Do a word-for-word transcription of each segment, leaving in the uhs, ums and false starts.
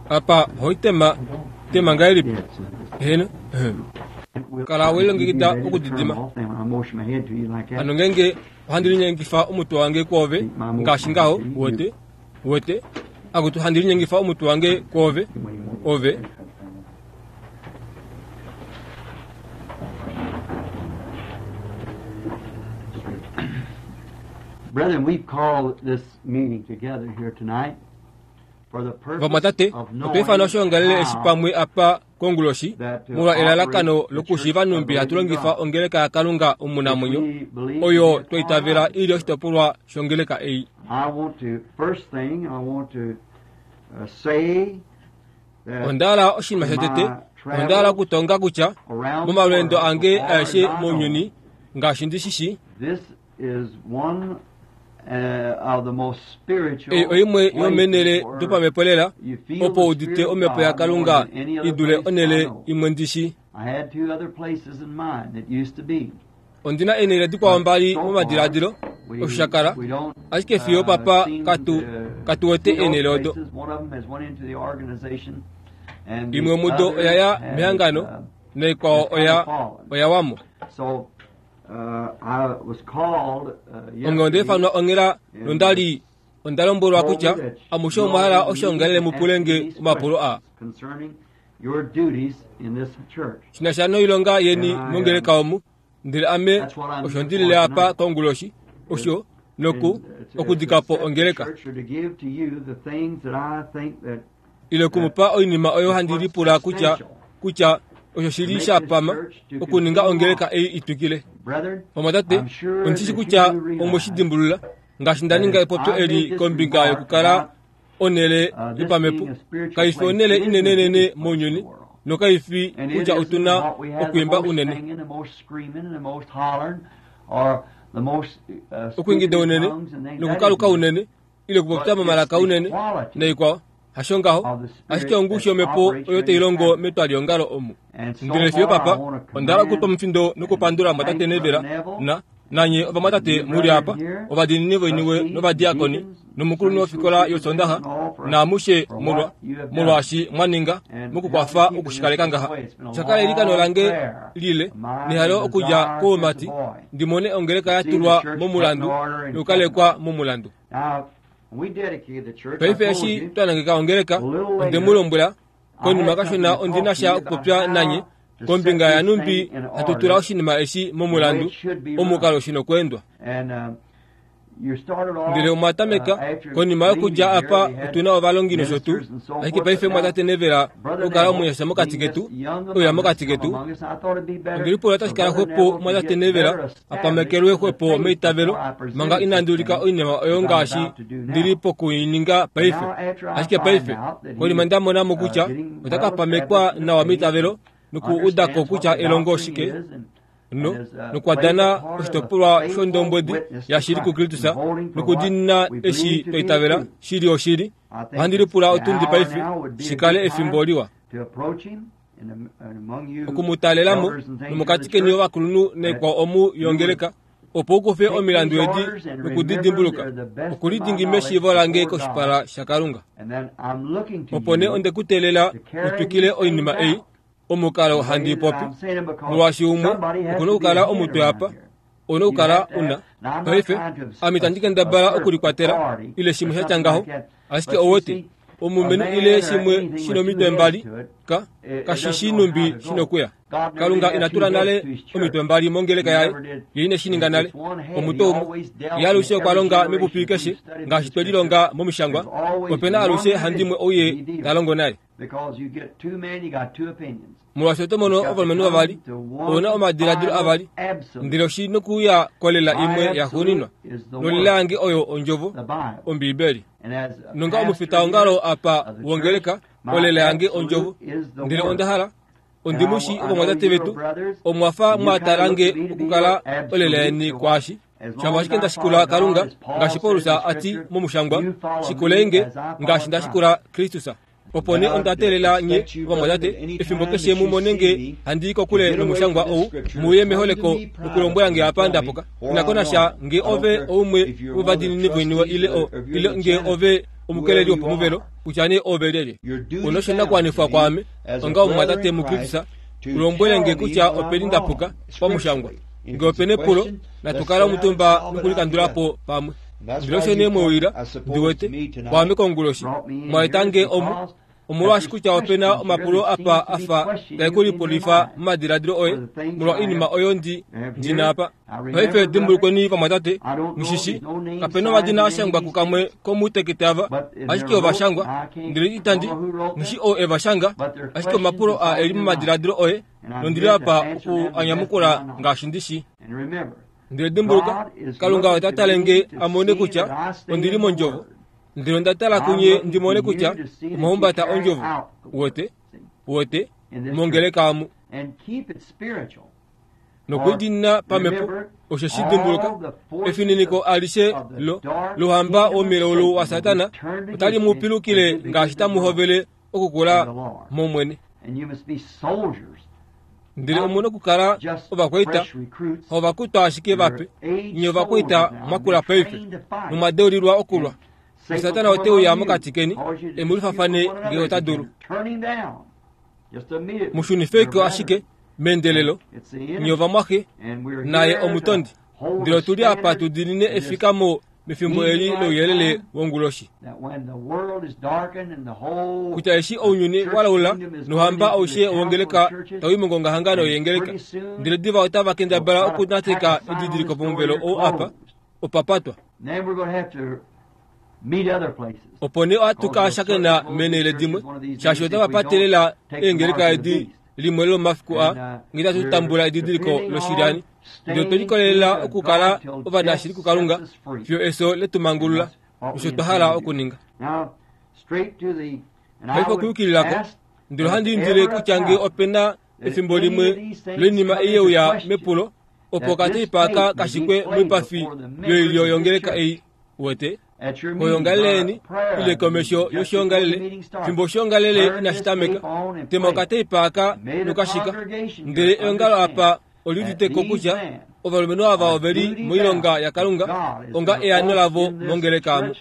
Apa hoitema tema ngahelipi? Heno. Kala welilongekida okudidima. Hano ngeenge ohandi linyengifa omutwe wange kwoove ngaashi ngaho, uwete, uwete, akutu handi linyengifa omutwe wange kwoove, ove. Brethren, we've called this meeting together here tonight for the purpose Vamwatate, of otwa ifana knowing oshoongalele eshi how pamwe apa konguloshi that to molwa elalakano operate the lokushiiva church of nhumbi the hatu living longifa God, ongeleka yaKalunga which omunamwenyo we believe to oyo be a twa itavela part of ili the church. oshitopolwa shongeleka ei. I want to, first thing, I want to uh, say that Onda hala oshinima in shotete, my onda hala travels okutonga kutya around the momalweendo world, so ange far as aeshe I know, mounyuni ngaashi ndi shishi, this is one uh, of the most ei spiritual oimwe places yomenele where dopamhepo lela you feel opo the udite Spirit of omhepo God more yaKalunga than any i other dule place I onhele know. imwe ndishi. I had two other places in mind that used to be. Ondina eenhele dikwao But mbali so far, momadiladilo osho sha we, kala, we don't ashike fiyo uh, papa seem katu to katu wete see those eenhele odo. places. One of them has went into the organization, and Imwe the mudo other oya ya has, mehangano uh, naikwao has kind oya of fallen. oya wamo. So uh, I was called uh, Onge onda yesterday ifanwa onghela and was nondali onda lombwelwa told me kutya that amushe you omwa all hala in the meeting oshoongalele to mu ask pule me nge these omapulo aa questions concerning your duties in this church. shina sha noilonga yeni And I, um, mongeleka omu. Ndele ame that's what I'm osho here ndilile for apa tonight. konguloshi Is osho noku and uh, to, to okudikapo set the ongeleka church or to give to you the things that I think that ile that okumupa oinima oyo is handi what's lipula kutya essential kutya osho to shili make sha this pama church to okuninga continue ongeleka on. ei itwikile. Brethren, Vamwatate, I'm sure ondishi that you kutya do omwe realize shi dimbulula ngaashi nda that ninga if epopyo I made eli this kombinga remark yokukala about onhele uh, this yopamhepo being a spiritual kaifi place, onhele it isn't the inenenene biggest place in the mounyuni world. nokaifi And it kutya isn't otuna what we have the okwiimba most unene singing, the most screaming, and the most hollering, or the most uh, speaking okuingida in unene tongues and things. That nokukaluka isn't it. unene ile okupopya But it's momalaka the unene quality naikwao hasho ngaho of the ashike Spirit ongushu that yomhepo operates oyo here in this tai longo tabernacle. metwaliongalo omu. And so Ndele fiyo far, I papa want to onda hala okutwa commend omufindo and nokupandula thank mwatate Brother Nevela Neville na nanye and ovamwatate you muli brethren apa here, ovadiinini voiniwe trustees and novadiakoni deacons, nomukulunhu Sunday school wofikola teachers yosondaxa and all for, naamushe for molwa what you have done molwaashi mwa ninga and helping mokukwafa keeping this okushikaleka this ngaha. way. It's been a Shakala eilikano long lange prayer lile of mine nehalo and okudja desire since a koumati boy ndi mone ongeleka to ya see the tulwa church put in momulandu order and kept in nokukalekwa order. momulandu. Now, when we dedicated the church, I Paife told eshi you twa nangeka ongeleka a little onde mu later lombwela I konima had kashona something to talk ondina to sha you about okupopya nanye how to set kombinga this yanumbi thing in hatu tula order oshinima eshi the way momulandu it should be omukalo run. shino okweendwa. And um, you started Ndele off omwa uh, tameka after konima leaving yokudja here, apa we had otuna ovalongi nosho tuu ministers and so ashike forth. paife But now, mwatate Nevela Brother okukala Neville, omunyasha mokati being ketu just young oya among us, mokati come ketu among us, I thought it'd be better ongelipula for otashi kala Brother xwepo Neville to mwatate get Nevela better established apamekelwe in the xwepo faith meitavelo before I manga presented this inandi ulika thing oinima oyo as I'm ngaashi about to do ndili now. pokuininga But paife. now, after I Ashike find paife out that konima he's nda mona mo uh, kutya getting ota ka well pamekwa established in the nawa faith meitavelo and nokuudako understands what kutya the elongo doctrine oshike is and, no and has uh, played the nokwadana part of a oshitopolwa faithful shondombwedi witness to yashili Christ kuKristus and holding for what nokudiinina we believe eshi to twa be the itavela truth. shili oshili. I think Ohandi it's lipula the otundi hour paife now would be a shikale good efimbo time liwa to approach him and, am- and among you okumutalelamo elders and things in nomokati the keni church ovakulunhu that naikwao omu you would yongeleka opo ukufe take omilandu these edi orders and remember them nokudidimbuluka they're the best of my okulidingi knowledge meshiivo lange before God. koshipala shaKalunga. And then I'm looking to Opo nee you onde ku teelela to carry utwikile these things oinima ei out omukalo the handi way that popi I'm saying them because molwaashi umwe somebody has okuna to be okukala a head omutwe around apa here. ona You okukala have to una. have. Now, I'm not Paife trying to ame itandi kendabala assert okulikwatela authority ile or shimwe sha tya something ngaho like that, ashike but you owete see, a omulumenhu man ile or shimwe anything shina with two omitwe heads mbali to it, ka it, it kashi doesn't shi know how numbi to go. shinokuya. God never did Kalunga have ina two tula heads nale to his omitwe church. mbali mongeleka He yaye never did. ye ine shi ninga It's nale one head. He omutwe umwe always dealt ye in alushe okwa every longa generation. mepupi If keshe we've studied ngaashi the twe scripture, lilonga momishangwa there's always opena one alushe handimwe individual ouye he deals ta longo with. naye. Because you get two men, you got two opinions. Molwaashi oto mono It's got to ovalumenhu come vavali to ouna one omadiladilo final avali absolute. ndele oshi nokuuya kolela My imwe yaxuuninwa absolute is the nolela Word, yange oyo ondjovo the Bible. Ombiibeli. And as a Nonga pastor omufita here ongalo apa of the church, wongeleka my olela yange ondjovo absolute is the ndele Word. onda hala And I, ondimushi I know ovamwatate you are vetu brothers, omwafa and you mwa kind of look talange to me to be okukala your olela absolute. yeni So what, kwaashi as long shava as ashike I nda follow shikula God, Kalunga as Paul ngaashi said in Paulus the ati scripture, momushangwa you follow me shikulenge as I follow ngaashi nda Christ. shikula Kristus. Opo nee Now, onda teelela nye expect you, brethren, ovamwatate at any efimbo time keshe that mu you mone see nge me handi to kokule get away nomushangwa from this ou scripture, muye come to meholeko me privately nokulombwela nge and apa tell me ndapuka where inako I'm nasha wrong. nge I don't ove care oumwe if you're one of the wovadiinini voiniwe trustees ile or o if you're ile the nge janitor. ove omukeleli wopomuvelo kutya nee ove lyelye una oshinakuwanifwa kwaame onga omumwatate muKristus ulombwele nge kutya openi ndapuka pamushangwa nge opena epulo natukala omutumba nokulikandulapo pamwe ndele osho nee mweulila ndiwete kwaame konguloshi mwaeta nge omu omolwaashi kutya opena omapulo apa afa taekulipulifa momadiladilo oye molwa oinima oyo ndi ndina apa paife dimbulukweni vamwatate mushishi kapena omadina ashangwa kukamwe komuutekete ava ashike ovashangwa ndele itandi nghishi oo evashanga ashike omapulo a eli momadiladilo oye nondili apa oku anyamukula ngaashi ndishi ndele dimbuluka Kalunga ota tale nge amone kutya ondili mondjovo ndele onda tala kunye ndimone kutya omahumbata ondjovo wote wote mongeleka amu nokwidinina pamepo osho shidimbuluka efininiko alishe lo lohamba womilaulu wa Satana otali mupilukile ngaashi tamuhovele okukula momwene ndele omuna okukala ovakwaita ovakutwa ashike vape nye ovakwaita mwakula paife nomwadeulilwa okulwa Satana oteuya mokati keni emulifafane nge ota dulu mushunifeko ashike meendelelo nye ovamwaxe naye omutondi ndele otuli apa tudinine efikamo mefimbo eli louyelele wonguloshi kutya eshi ounyuni walaula nohamba aushe wongeleka tawi mongongahangano yengeleka ndele diva otava kendabala okunateka edidiliko pomuvelo ou apa opapatwa opo nee ohatu ka shakena menele dimwe shaashi otava patelela eengeleka edi limwe lomafiku a nge tatu tambula edidiliko loshilyani ndele otwe likolelela okukala ovanashili kuKalunga fiyo eso letumangulula osho twa hala okuninga paife okuyukililako ndele ohandi indile kutya nge opena efimbo limwe loinima ei yeuya mepulo opo okateipa aka kashikwe moipafi yoilyo yongeleka ei wete koyongaleleni ile komesho yoshiongalele fimbo oshiongalele inashitameka tema okateipa aka nokashika ndele eongalo apa oliuditeko kutya ovalumenhu ava oveli moilonga yaKalunga onga eano lavo mongeleka amu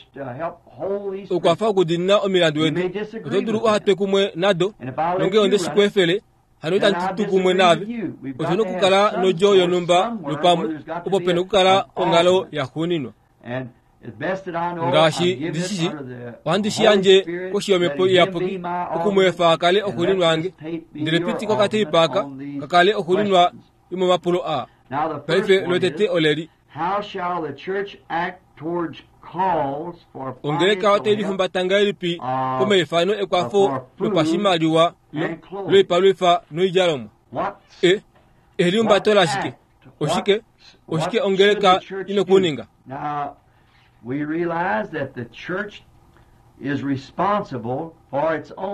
okwafa okudinina omilandu edi oto dulu uhatwe kumwe nado nonge onde shikwefele hano itandi tu kumwe naave otuna okukala nodjo yonhumba lupamwe opo pena okukala onghalo yaxuuninwa ngaashi ndishishi ohandi shi yandje koshi yomhepo iyapuki okumweefa akale oxuuninwa yange ndele pitiko okateipa aka kakale oxuuninwa yomomapulo aa paife lotete oleli ongeleka otai lihumbata ngahelipi komaifano ekwafo lopashimaliwa loipalwifa noidjalomwa e elihumbato lashike oshike oshike ongeleka ina okuninga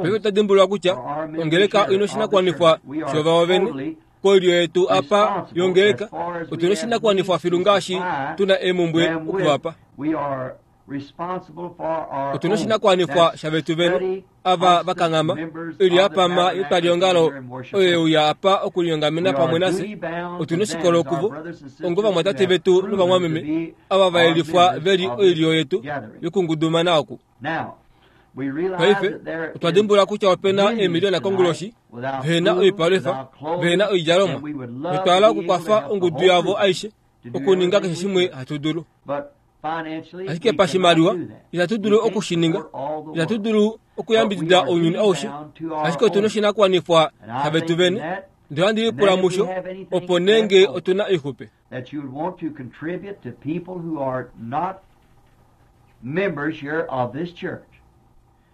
paife otadimbulula kutya ongeleka ina oshinakuwanifwa shovavo vene koilyo yetu apa yongeleka otuna oshinakuwanifwa filu ngaashi tuna eemumbwe okuvapa otuna oshinakuwanifwa shavetu vene ava vakanghama oilyo yapama yetwaliongalo oyo yeuya apa okulinyongamena pamwe nase otuna oshikolo kuvo ongo vamwatate vetu novamwameme ava vayelifwa veli oilyo yetu yokungudumana oku paife otwa dimbulula kutya opena eemiliona konguloshi vehena oipalwifa vehena oidjalomwa notwahala okukwafa ongudu yavo aishe okuninga keshe shimwe hatu dulu ashike pashimaliwa itatu dulu okushininga itatu dulu okuyambidida ounyuni aushe ashike otuna oshinakuwanifwa shavetu vene ndele ohandi lipula musho opo nenge otuna oixupe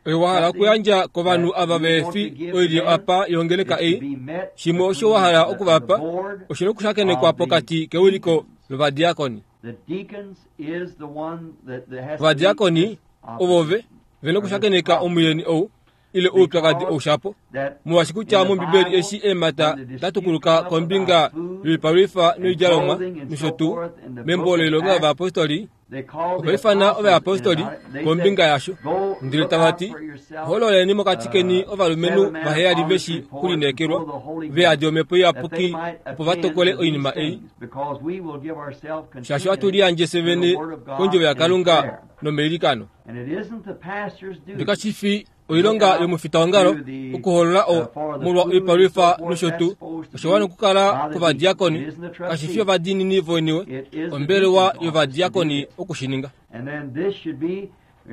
oyo wahala okuyandja kovanhu ava vefi oilyo apa yongeleka ei shimwe osho wahala okuvapa oshina okushakenekwa pokati kewiliko lovadiakoni ovadiakoni ovo ve vena okushakeneka omuyeni ou ile oupyakadi oushapo molwaashi kutya mombibeli eshi eemhata datukuluka kombinga yoipalwifa noidjalomwa nosho tuu membo loilonga yovayapostoli Ova ifana ovayapostoli kombinga yasho, ndele tava ti, hoololeni mokati keni ovalumenhu vaheyali veshi kulineekelwa, ve yadi omhepo iyapuki opo va tokole oinima ei, shaashi ohatu liyandje fye vene kondjovo yaKalunga nomeilikano. Ndele fi oilonga yomufitaongalo okuhoolola o molwa oipalwifa nosho tuu, osho wana okukala kovadiakoni, kashi fi ovadiinini voiniwe, ombelewa yovadiakoni okushininga.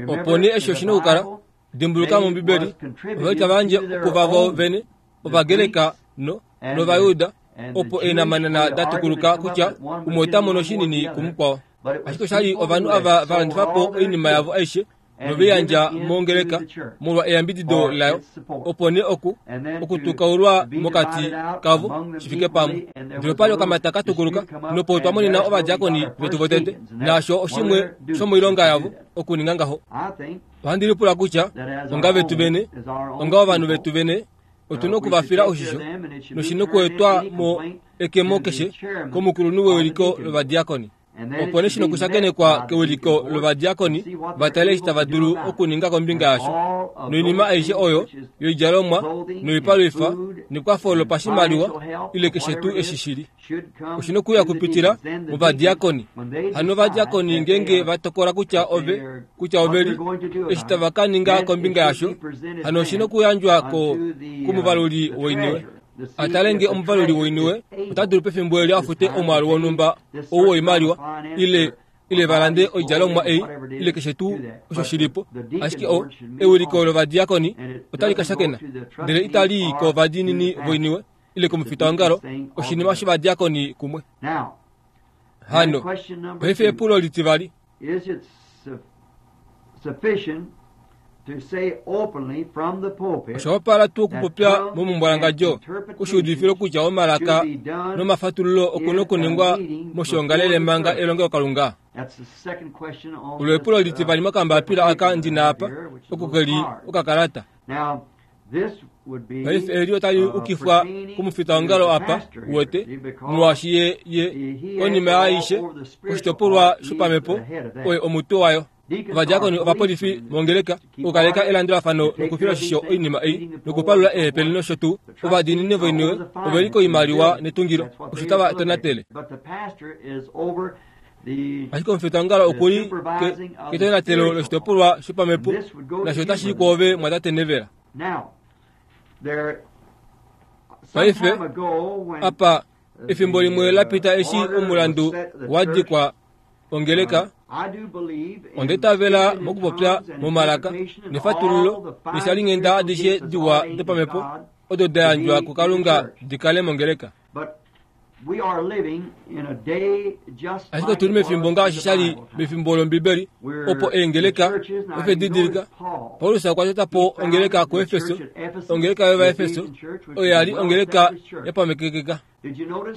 Opo nee eshi oshina okukala, dimbuluka mOmbibeli, ovali tava yandje kuvavo vene, Ovagreka no nOvayuda, opo eenamanana da tukuluka kutya umwe ota mono shinini kumukwao. Ashike oshali ovanhu ava va landifa po oinima yavo aishe noveyandja mongeleka molwa eyambidido layo, opo nee oku okutukaulwa mokati kavo shi fike pamwe. Ndele opali okamata ka tukuluka, nopo twa monena ovadiakoni vetu votete, naasho oshimwe shomoilonga yavo okuninga ngaho. Ohandi lipula kutya onga vetu vene, onga ovanhu vetu vene, otuna okuvafila oshisho, noshina okuetwa mo ekemo keshe komukulunhu wewiliko lovadiakoni. Opo nee shina okushakenekwa kewiliko lovadiakoni va tale eshi tava dulu okuninga kombinga yasho, noinima aishe oyo yoidjalomwa noipalwifa nekwafo lopashimaliwa ile keshe tuu eshi shili, oshina okuya kupitila movadiakoni. Hano ovadiakoni ngeenge va tokola kutya ove kutya oveli eshi tava ka ninga kombinga yasho, hano oshina okuyandjwa ko kumuvaluli woiniwe. Atale nge omuvaluli woiniwe ota dulu pefimbo eli afute omwaalu wonhumba ou woimaliwa ile ile va lande oidjalomwa ei ile keshe tuu osho shilipo. Ashike o ewiliko lovadiakoni otali ka shakena, ndele itali i kovadiinini voiniwe ile komufitaongalo, oshinima shovadiakoni kumwe. Hano paife epulo litivali, osha wapala tuu okupopya momumbwalangadjo kushuudifilo kutya omalaka nomafatululo okuna okuningwa moshiongalele manga elongelokalunga? Olo epulo litivali mokambapila aka ndina apa, oko keli okakalata. Paife eli otali ukifwa komufitaongalo apa, uwete, molwaashi ye ye konima yaaishe oshitopolwa shopamhepo oye omutwe wayo. Ovadiakoni ovapolifi mongeleka okukaleka elandulafano nokufila oshisho oinima ei nokupalula eehepele nosho tuu. Ovadiinini voiniwe oveli koimaliwa netungilo, osho tava tonatele. Ashike omufitaongalo okuli ketonatelo loshitopolwa shopamhepo, nasho otashi i kwoove mwatate Nevela. Paife apa efimbo limwe la pita eshi omulandu wa dikwa ongeleka, onda itavela mokupopya momalaka nefatululo neshalinghenda adishe diwa dopamhepo odo da yandjwa kuKalunga di kale mongeleka. Ashike otuli mefimbo ngaashi shali mefimbo lOmbibeli, opo eengeleka ove didilika. Paulus okwa tota po ongeleka kuEfeso, ongeleka yOvaefeso, oyo ya li ongeleka yapamekekeka.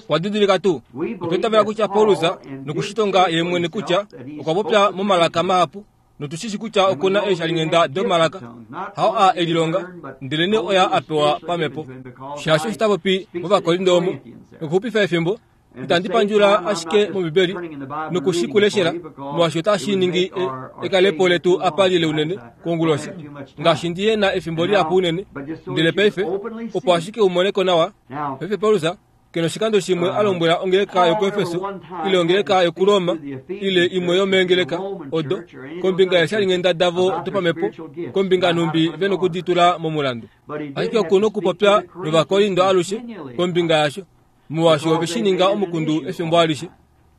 Okwa didilika tuu, otwa itavela kutya Paulus nokushitonga ye mwene kutya okwa popya momalaka mahapu, notushishi kutya okuna eeshalinghenda domalaka, hao a elilonga, ndelenee oya a pewa pamhepo. Shaashi osho ta popi mOvakorinto omo, nokuxupifa efimbo, itandi pandjula ashike mOmbibeli nokushikuleshela, molwaashi otashi ningi ekalepo letu apa lile unene konguloshi, ngaashi ndihe na efimbo lihapu unene. Ndele paife, opo ashike umoneko nawa, paife Paulus kena oshikando shimwe a lombwela ongeleka yokuEfeso ile ongeleka yokuRoma ile imwe yomeengeleka odo kombinga yeeshalinghenda davo dopamhepo, kombinga nhumbi ve nokuditula momulandu. Ashike okuna okupopya nOvakorinto alushe kombinga yasho, molwaashi ove shi ninga omukundu efimbo alishe.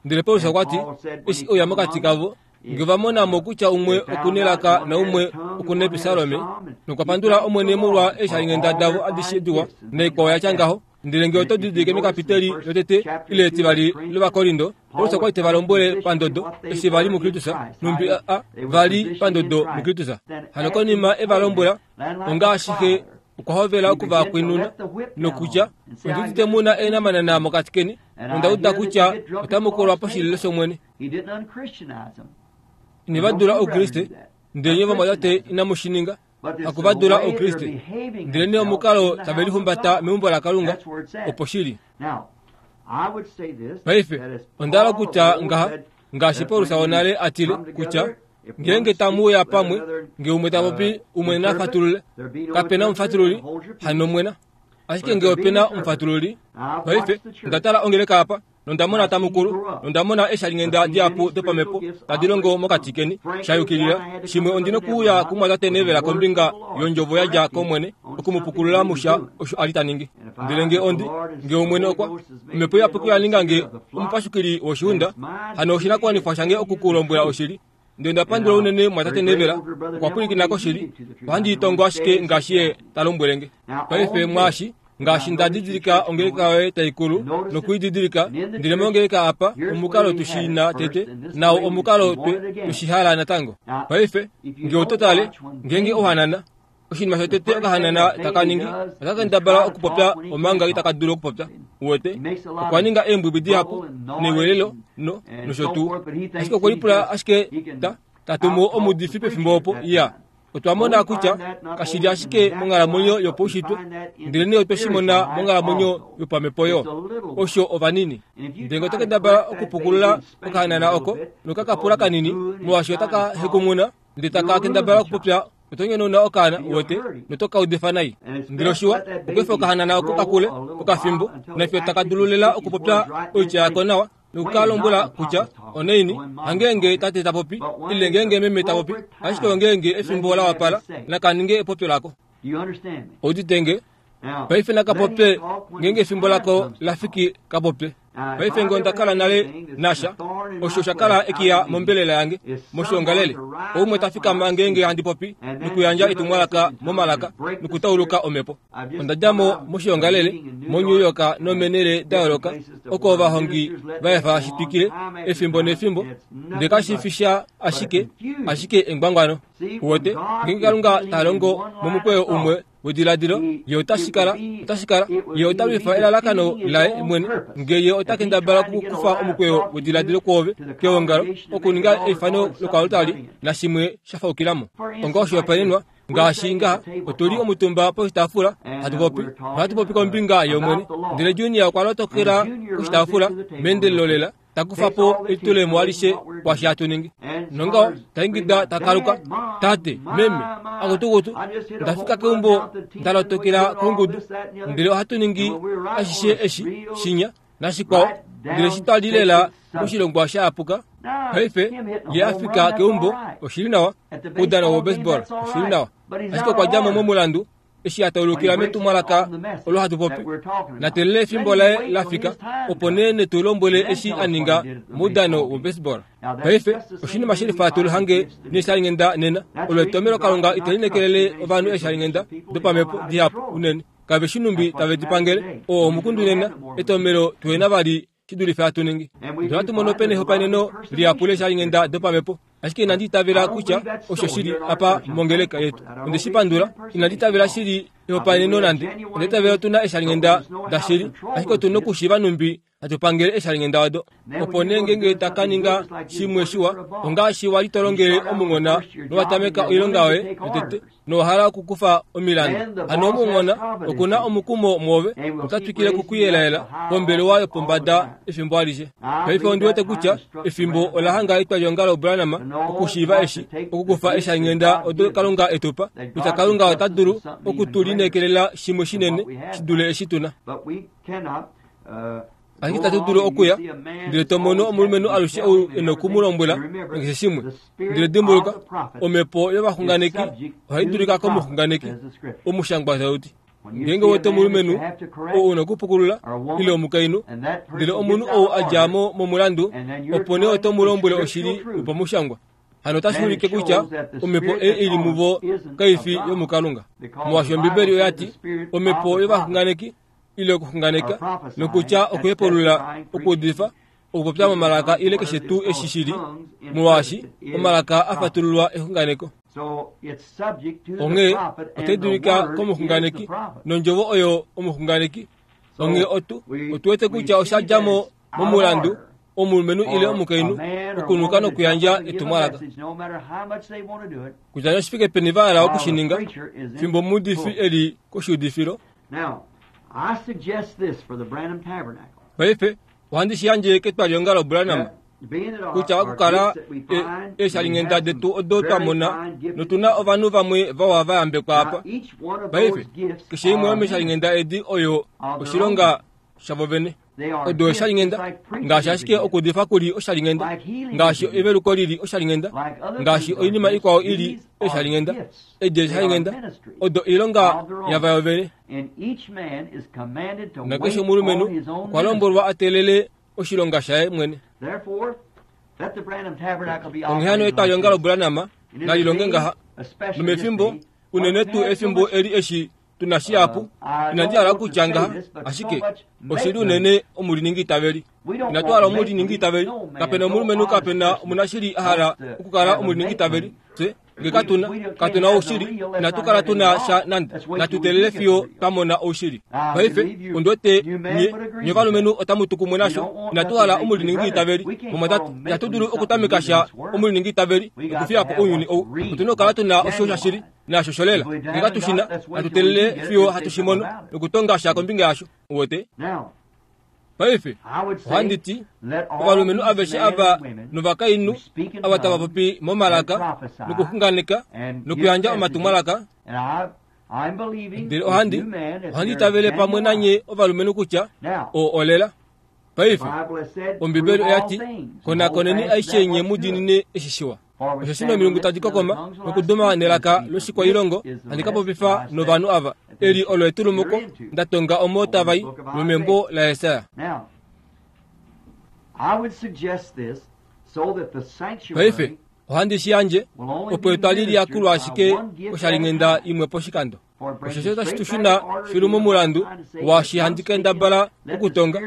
Ndele Paulus okwa ti, eshi oya mokati kavo, nge va mona mo kutya umwe okuna elaka naumwe okuna episalome, nokwa pandula Omwene molwa eeshalinghenda davo adishe diwa naikwao ya tya ngaho. Ndele nge oto didilike mekapiteli lotete ile etivali lOvakorinto, Paulus okwa li te va lombwele pandodo eshi va li muKristus, nhumbi a va li pandodo muKristus. Hano konima e va lombwela, ongaashi xe okwa hovela okuva kwinuna nokutya, ondi udite mu na eenamanana mokati keni, nonda uda kutya otamu kolwa poshililo shOmwene. Ine va dula Oukriste, ndele nye vamwatate inamu shi ninga. Haku va dula Oukriste, ndelenee omukalo tave lihumbata meumbo laKalunga, opo shili. Paife onda hala okutya ngaha, Ngaashi Paulus wonale atile kutya ngeenge tamu uya pamwe nge umwe ta popi umwe na fatulule kapena omufatululi hano mwena ashike nge opena omufatululi. Paife ndatala ongeleka apa nondamona tamukulu nondamona eshalingenda dihapu dopamhepo tadi longo mokati keni shayukilila shimwe ondina okuuya kumwatate nevela kombinga yondjovo yadja komwene okumupukulula musha osho ali taningi. Ndele nge ondi nge omwene okwa omhepo iyapuki oya nge omupashukili woshiunda hano oshinakuwanifwa shange okukulombwela oshili. Ndele ndapandula unene mwatate nevela okwa pwilikina koshili ohandi itongo ashike ngaashi ye talombwele nge. Paife mwaashi ngaashi ndadidilika ongeleka yoye taikulu nokuididilika ndele mongeleka apa omukalo tushina tete nawo omukalo twe tushihala natango. Paife nge ototale ngenge ohanana oshinima shotete okahanana takaningi otakendabala okupopya omanga itakadulu okupopya uwete okwa ninga eembwibwi dihapu newelelo no nosho tuu ashike okwelipula ashike ta tatumu omudifi pefimbo opo iya. Otwamona kutya kashili ashike monghalamwenyo yopaushitwe ndele nee otweshimona monghalamwenyo yopamhepo yo osho ovanini. Ndele otakendabala okupukulula okahanana oko nokakapula kanini molwaashi otaka hekumuna ndele takakendabala okupopya otonyenona okaana uwete notokaudifa nai. Ndele oshiwa okwefa okahanana oko kakule okafimbo nafyo takadululela okupopya oitya yako nawa nokukalombwela kutya oneini hangeenge tate tapopi ile ngeenge meme tapopi ashike ongeenge efimbo la wapala nakaninge epopyo lako. Oditenge paife nakapopye ngeenge efimbo lako lafiki kapopye. Paife nge ondakala nale nasha osho shakala ekiya mombelela yange moshiongalele oumwe tafikama ngeenge handi popi nokuyandja etumwalaka momalaka nokutauluka omhepo. Ondadjamo moshiongalele moNew York nomenele da yooloka oko ovahongi vaefa shitwikile efimbo nefimbo ndele kashifisha ashike ashike engwangwano. Uwete ngeenge Kalunga talongo momukweyo umwe wediladilo ye otashikala otashikala ye otalwifa elalakano laye mwene nge ye otakendabala okukufa omukweyo wediladilo kwoove keongalo okuninga eifano lokalutali nashimwe shafaukilamo. Onga oshihopaenenwa ngaashi ngaha otuli omutumba poshitaafula hatu popi ohatu popi kombinga yomwene ndele Junior okwa lotokela koshitaafula meendelelo lela takufa po elitulemo alishe kwashi hatu ningi. Nongaho taingida takaluka tate meme akutukutu ndafika keumbo ndalotokela kongudu ndele ohatu ningi ashishe eshi shinya nashikwao ndele shitwali lela moshilongwa shaapuka. Paife ye afika keumbo oshili nawa oudano wo baseball oshili nawa ashike okwa djamo momulandu eshi ataulukila metumwalaka olo hatu popi natelele efimbo laye lafika opo nee netulombwele eshi aninga moudano wo baseball. Paife oshinima shelifa tuluhange neshalingenda nena olo etomelo Kalunga itelinekelele ovanhu eshalingenda dopamhepo dihapu unene kave shinumbi tave dipangele oo omukundu nena etomelo tuhena vali shidulife hatu ningi. Ndele ohatu mono pena ehopaeneno lihapu leshalingenda dopamhepo ashike inandi itavela kutya osho shili apa mongeleka yetu. Onde shipandula inandi itavela shili ehopaeneno nande onda itavela otuna eshalingenda dashili ashike otuna okushiiva numbi hatu pangele eshalingenda odo. Opo nee ngeenge takaninga shimwe shiwa ongaashi wali tolongele omunghona nowatameka oilonga yoye yotete nowahala okukufa omilandu. Hano omunghona okuna omukumo mwoove otatwikile okukuyelaela pombelewa yopombada efimbo alishe. Paife ondiwete kutya efimbo ola hanga etwalyeongalo Branham okushiiva eshi okukufa eshalingenda odo Kalunga etupa kutya Kalunga ota dulu okutulinekelela shimwe shinene shidule eshi tuna. Ashike tatu dulu okuya ndele tomono omulumenhu alushe ou ena okumulombwela keshe shimwe. Ndele dimbuluka omhepo yovaxunganeki ohai dulika komuxunganeki omushangwa tauti. Ngeenge wete omulumenhu ou una okupukulula ile omukainhu ndele omunhu ou adjamo momulandu opo nee oto mulombwele oshili yopamushangwa. Hano otashi ulike kutya omhepo ei ili muvo kaifi yomukalunga. Molwaashi Ombibeli oyati omhepo yovaxunganeki ile okuxunganeka nokutya okuhepulula okuudifa okupopya momalaka ile keshe tuu eshi shili molwaashi omalaka afatululwa exunganeko. Onghee otai dulika komuxunganeki nondjovo oyo omuxunganeki. Onghee otu otuwete kutya osha djamo momulandu omulumenhu ile omukainhu okunuka nokuyandja etumwalaka. Kutya oshifike peni va hala okushininga fimbo omuudifi eli koshiudifilo. Now, I suggest this for the Branham Tabernacle. Paife ohandi shi yandje ketwalyeongalo Branham Kutya okukala eeshalinghenda detu odo twa mona notuna ovanhu vamwe vawa va yambekwa apa. Paife keshe imwe yomeeshalinghenda edi oyo oshilonga shavo vene. Odo oshalinghenda ngaashi ashike okudifa kuli oshalinghenda, ngaashi eveluko lili oshalinghenda, ngaashi oinima ikwao ili eeshalinghenda. Edi eeshalinghenda odo oilonga yavayo vene. Nakeshe omulumenhu okwa lombwelwa a teelele oshilonga shaye mwene. Onghee hano etwalionga loBranham nalilonge ngaha nomefimbo unene tuu efimbo eli eshi tuna shihapu. Inandi hala okutya ngaha, ashike oshili unene omuliningi itaveli. Inatu hala omuliningi itaveli. Kapena omulumenhu, kapena omunashili a hala okukala omuliningi itaveli. Fye nge katuna katuna oushili, inatu kala tuna sha nande. Natu teelele fiyo twa mona oushili. Paife ondiwete nye nye ovalumenhu otamu tu kumwe nasho. Inatu hala omuliningi itaveli. Mumwatate, itatu dulu okutameka sha omuliningi itaveli nokufiya po ounyuni ou. Otuna okukala tuna osho shashili naasho sholela. Nge katushina, natu teelele fiyo hatu shi mono nokutonga sha kombinga yasho. Uwete? Paife ohandi ti ovalumenhu aveshe ava novakainhu ava tava popi momalaka nokuxunganeka nokuyandja omatumwalaka, ndele ohandi ohandi itavele pamwe nanye ovalumenhu kutya oo olela. Paife Ombibeli oya ti konakoneni aishe nye mu diinine eshi shiwa. Osheshi nomilungu tadi kokoma nokuduma nelaka loshikwailongo handi ka popifa novanhu ava. Eli olo etulumuko nda tonga omo tava i lomembo laJesaja. Paife ohandi shi yandje opo etwali liyakulwe ashike oshalinghenda imwe poshikando. Osheshi otashi tu shuna filu momulandu waashi handi kendabala okutonga.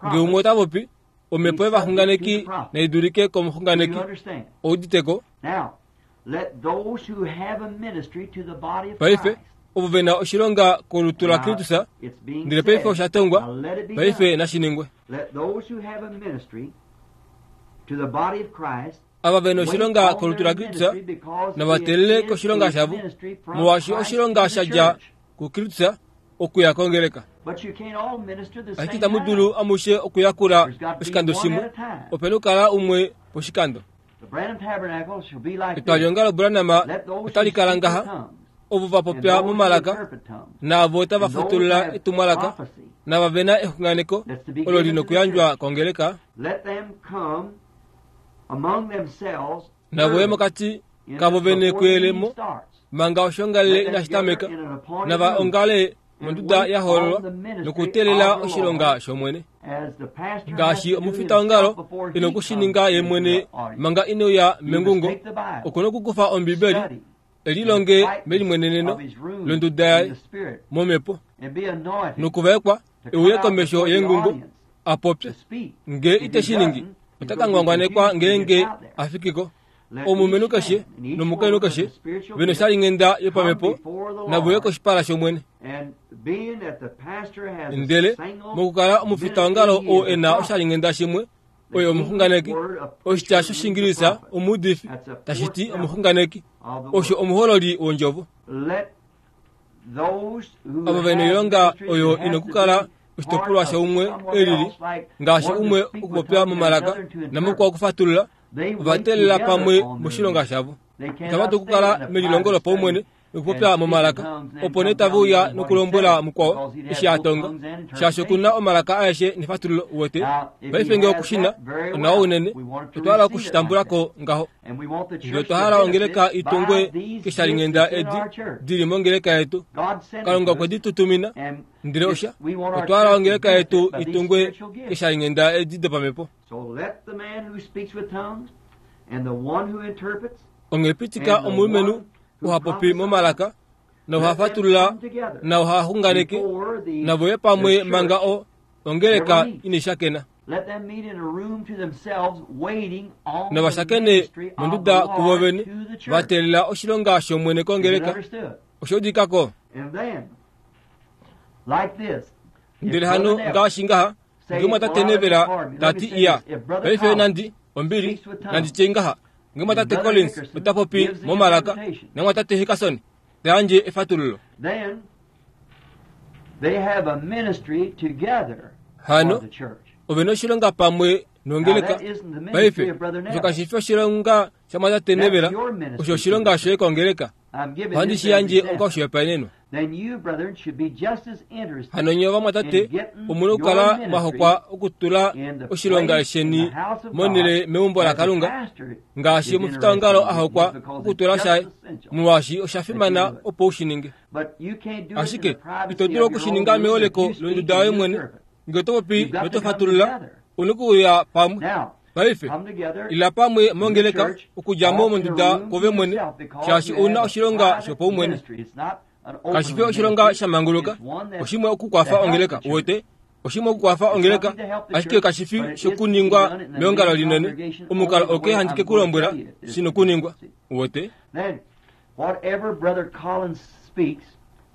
Nge umwe ota popi, omhepo yovaxunganeki nai dulike komuxunganeki. Ouditeko? Paife ovo ve na oshilonga kolutu laKristus, ndele paife osha tongwa, paife nashi ningwe. Ava ve na oshilonga kolutu laKristus nava teelele koshilonga shavo, molwaashi oshilonga sha dja kuKristus okuya kongeleka. Ashike itamu dulu amushe okuyakula oshikando shimwe, ope na okukala umwe poshikando. Etwalionga loBranham otali kala ngaha, ovo va popya momalaka naavo tava fatulula etumwalaka nava ve na exunganeko olo li nokuyandjwa kongeleka, navo ye mokati kavo vene kuyelemo manga oshoongalele inashi tameka, nava ongale monduda ya hoololwa nokuteelela oshilonga shOmwene. Ngaashi omufitaongalo e na okushininga ye mwene manga ineuya mengungo, oku na okukufa Ombibeli e lilonge melimweneneno londuda yaye momhepo nokuvaekwa e uye komesho yengungo a popye. Nge ite shi ningi, ota ka ngwangwanekwa ngeenge a fikiko. Omulumenhu keshe nomukainhu keshe ve na oshalinghenda yopamhepo nave uye koshipala shOmwene. Ndele mokukala omufitaongalo oo e na oshalinghenda shimwe oye omuxunganeki, oshitya shOshingilisa omuudifi tashi ti omuxunganeki, osho omuhololi wondjovo. Avo ve na oilonga oyo ina okukala oshitopolwa shaumwe e lili, ngaashi umwe okupopya momalaka namukwao okufatulula, ova teelela pamwe moshilonga shavo. Itava dulu okukala melilongo lopaumwene nokupopya momalaka, opo nee tave uya nokulombwela mukwao eshi a tonga, shaashi oku na omalaka aeshe nefatululo. Uwete? Paife nge okushina onawa unene, otwa hala okushitambula ko ngaho. Ndele otwa hala ongeleka i tungwe keshalinghenda edi di li mongeleka yetu. Kalunga okwe di tu tumina, ndele osha otwa hala ongeleka yetu i tungwe keshalinghenda edi dopamhepo. Onghee pitika omulumenhu uha popi momalaka nouha fatulula nouha xunganeke navo ye pamwe manga o ongeleka inai shakena. Nava shakene monduda kuvo vene va teelela oshilonga shOmwene kongeleka. Osho udikako. Ndele hano ngaashi ngaha nge mwatate Nevela ta ti iya, paife nandi ombili nandi tye ngaha, nge mwatate Collins ota popi momalaka namwatate Hickerson ta yandje efatululo. Hano ove na oshilonga pamwe Nongeleka paife osho kashi fi oshilonga shamwatate Neville, osho oshilonga shoye kongeleka. Ohandi shi yandje onga oshihopaenenwa. Hano nye ovamwatate omuna okukala mwahokwa okutula oshilonga sheni monhele meumbo laKalunga, ngaashi omufitaongalo a hokwa okutula shaye, molwaashi osha fimana opo u shi ninge. Ashike ito dulu okushininga meholeko londuda yoye mwene, ngee oto popi noto fatulula, una okuuya pamwe. Paife ila pamwe mongeleka okudja mo monduda kwove mwene, shaashi ouna oshilonga shopaumwene. Kashi fi oshilonga sha manguluka, oshimwe okukwafa ongeleka, uwete, oshimwe okukwafa ongeleka, ashike kashi fi shokuningwa meongalo linene. Omukalo oke handi ke ku lombwela shina okuningwa, uwete. Whatever Brother Collins speaks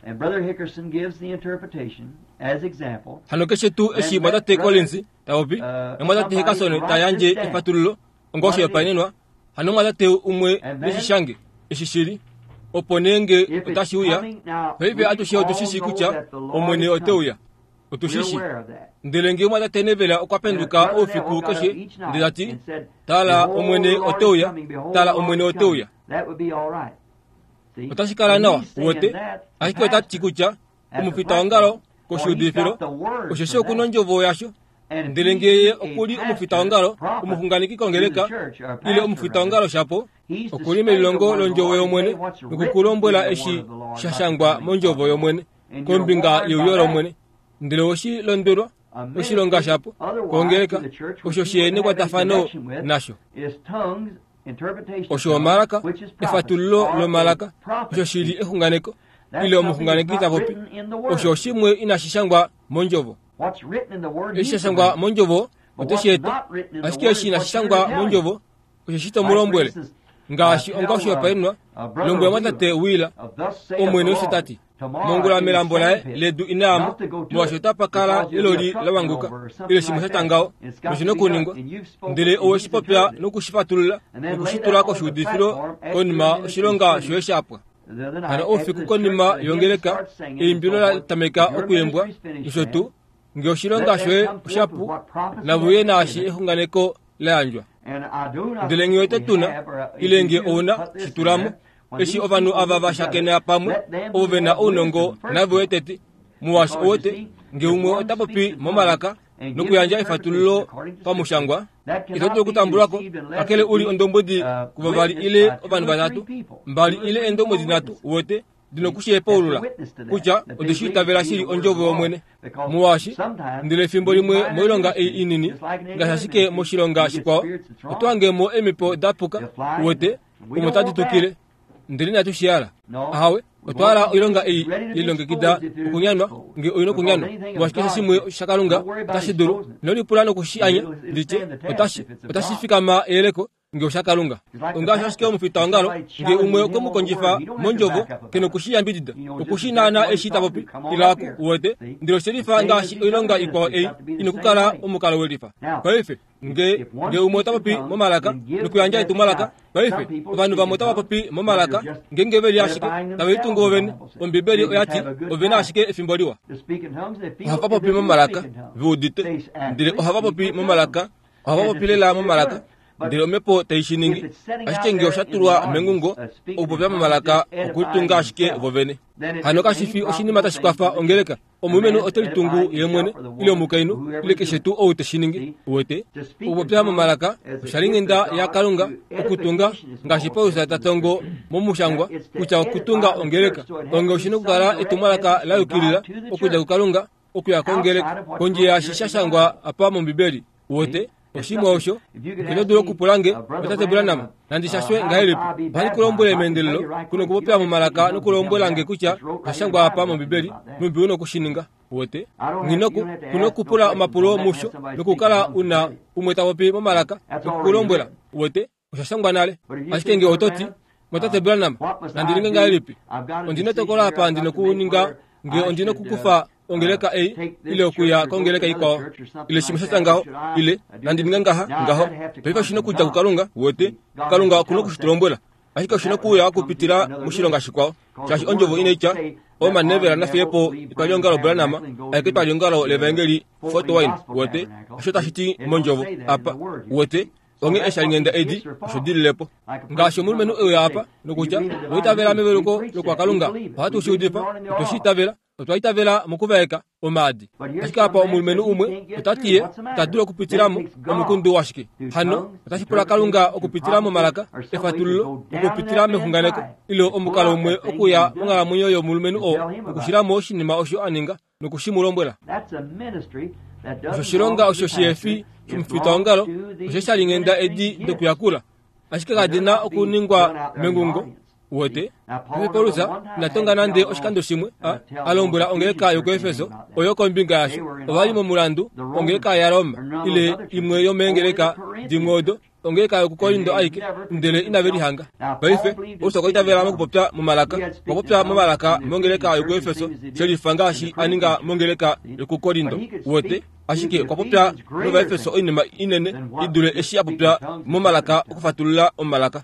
and Brother Hickerson gives the interpretation as example. Hano keshe tuu eshi mwatate Collins ta popi namwatate Hickerson ta yandje efatululo onga oshihopaenenwa, hano mwatate umwe neshishange eshi shili, opo nee nge otashi uya. Paife atushe otushishi kutya Omwene ote uya, otushishi. Ndele nge mwatate Neville okwa penduka oufiku keshe ndele tati, tala Omwene ote uya, tala Omwene ote uya, otashi kala nawa, uwete. Ashike otati kutya omufitaongalo koshiudifilo osheshi okuna ondjovo yasho. Ndele ngee ye okuli omufitaongalo omuxunganeki kongeleka ile omufitaongalo shapo, okuli melilongo londjovo yOmwene nokukulombwela eshi sha shangwa mondjovo yOmwene kombinga yeuyo lOmwene. Ndele oshi londwelwa oshilonga shapo kongeleka osho shi nekwatafano nasho. Osho omalaka, efatululo lomalaka, osho shili exunganeko ile omuxunganeki ta popi, osho oshimwe inashi shangwa mondjovo. Eshi sha shangwa mondjovo oteshi eta, ashike eshi inashi shangwa mondjovo osho shi to mu lombwele. Ngaashi onga oshihopaenenwa, lombwela mwatate Wheeler, Omwene osho tati, mongula melambo laye ledu inaamo, molwaashi otapa kala eloli la wanguka ile shimwe sha tangao, noshina okuningwa. Ndele owe shi popya nokushifatulula nokushitula koshiudifilo konima oshilonga shoye shapwa. Hano oufiku konima yongeleka, eimbilo la tameka okuyembwa nosho tuu, nge oshilonga shoye oshapu, navuye naashi exunganeko la yandjwa. Ndele ngee oto tuna, ile ngee ouna shitulamo, eshi ovanhu ava va shakena pamwe, ovo ve na ounongo nave tete, molwaashi owete, ngee umwe ota popi momalaka nokuyandja efatululo pamushangwa, ito dulu okutambulwako kakele uli ondombwedi kuvavali ile ovanhu vatatu, mbali ile eendombwedi nhatu, uwete, dina okushihepaulula kutya odeshi itavela shili ondjovo yOmwene. Molwaashi ndele efimbo limwe moilonga ei inini, ngaashi ashike moshilonga shikwao, oto hangemo eemipo da puka, uwete, omo tadi tukile. Ndele inatu shi hala. Ahawe, otwa hala oilonga ei yelilongekida okunyanwa, nge oina okunyanwa, molwaashi keshe shimwe shaKalunga otashi dulu. Ino lipula nokushi anya, nditye, otashi otashi fikama eyeleko nge oshaKalunga. Ongaashi ashike omufitaongalo, nge umwe okwe mu kondjifa mondjovo, ke nokushi yambidida, okushi naana eshi ta popi, ilaku, uwete. Ndele oshelifa ngaashi oilonga ikwao ei ina okukala omukalo welifa. Paife nge nge umwe ota popi momalaka nokuyandja etumwalaka, paife ovanhu vamwe otava popi momalaka ngeenge veli ashike tave litungu vovene. Ombibeli oyati ovena ashike efimbo liwa. Ohava popi momalaka veudite, ndele ohava popi momalaka, ohava popi lela momalaka, ndele omhepo tai shi ningi. Ashike nge osha tulwa mengungo, okupopya momalaka okulitunga ashike vovene. Hano kashi fi oshinima tashi kwafa ongeleka. Omulumenhu ote litungu ye mwene, ile omukainhu, ile keshe tuu ou te shi ningi, uwete. Okupopya momalaka osha li nghenda yaKalunga okutunga, ngaashi Paulus ta tongo momushangwa kutya okutunga ongeleka onge oshina okukala etumwalaka la yukilila okudja kuKalunga okuya kongeleka kondje yaashi sha shangwa apa mOmbibeli, uwete. Oshimwe osho ino dulu okupula nge otate Branham nandi shashwe ngahelipi. Ohandi ku lombwele meendelelo kuno okupopya momalaka nokulombwela nge kutya osha shangwa apa mOmbibeli, numbi una okushininga, uwete. Nghinoku kuno okupula omapulo musho nokukala una umwe ta popi momalaka nokukulombwela, uwete, osha shangwa nale. Ashike nge oto ti, Mwatate Branham, nandi ninge ngahelipi? Ondina etokolo apa ndina okuninga nge ondina okukufa ongeleka ei ile okuya kongeleka ikwao ile shimwe sha ngaho, ile nandi ninga ngaha ngaho. Paife oshina okudja kuKalunga, uwete. Kalunga okuna okushitulombwela. Ashike oshi nokuuya okupitila moshilonga shikwao, shaashi ondjovo inaitya omanevela nafiyepo etwaliongalo Branham aeke etwaliongalo levaengeli Fort Wayne. Wete osho tashi ti mondjovo apa. Wete onge eshalingenda edi osho dililepo. Ngaashi omulumenhu euya apa nokutya oitavela meveluko lokwakalunga, ohatu shi udifa, otwe shi itavela, otwa itavela mokuvaeka omaadi. Ashike apa omulumenhu umwe ota ti ye ita dulu okupitilamo omukundu washike. Hano otashi pula Kalunga okupitila momalaka efatululo, okupitila mexunganeko, ile omukalo umwe okuya monghalamwenyo yomulumenhu oo nokushilamo oshinima osho a ninga nokushi mu lombwela. Osho shilonga osho shihefi shomufitaongalo osho shalingenda edi dokuyakula, ashike kadi na okuningwa mengungo. Wete Paulus inatonga nande oshikando shimwe a alombwela ongeleka yokuEfeso oyo kombinga yasho ovali momulandu ongeleka yaRoma ile imwe yomeengeleka dimwe odo ongeleka yokuKorinto aike, ndele inave lihanga. Paife Paulus okwa itavela mokupopya momalaka, okwa popya momalaka mongeleka yokuEfeso shelifa ngaashi a ninga mongeleka yokuKorinto. Wete ashike okwa popya nOvaefeso oinima inene i dule eshi a popya momalaka okufatulula omalaka.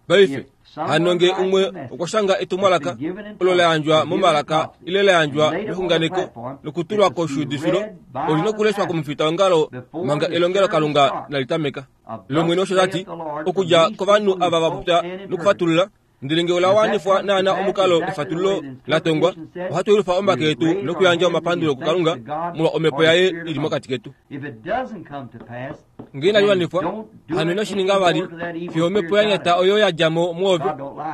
Paife hano nge umwe okwa shanga etumwalaka olo la yandjwa momalaka ile la yandjwa mexunganeko nokutulwa koshuudifilo, oli nokuleshwa komufitaongalo manga elongelo Kalunga nali tameka. Lomwene osho tati okudja kovanhu ava va popya nokufatulula, ndele nge ola wanifwa naana omukalo efatululo la tongwa, ohatu yelufa omake etu nokuyandja omapandulo kuKalunga molwa omhepo yaye ili mokati ketu. Nge inali wanifwa, hano ino shi ninga vali fiyo omhepo ya nyata oyo ya dja mo mwoove.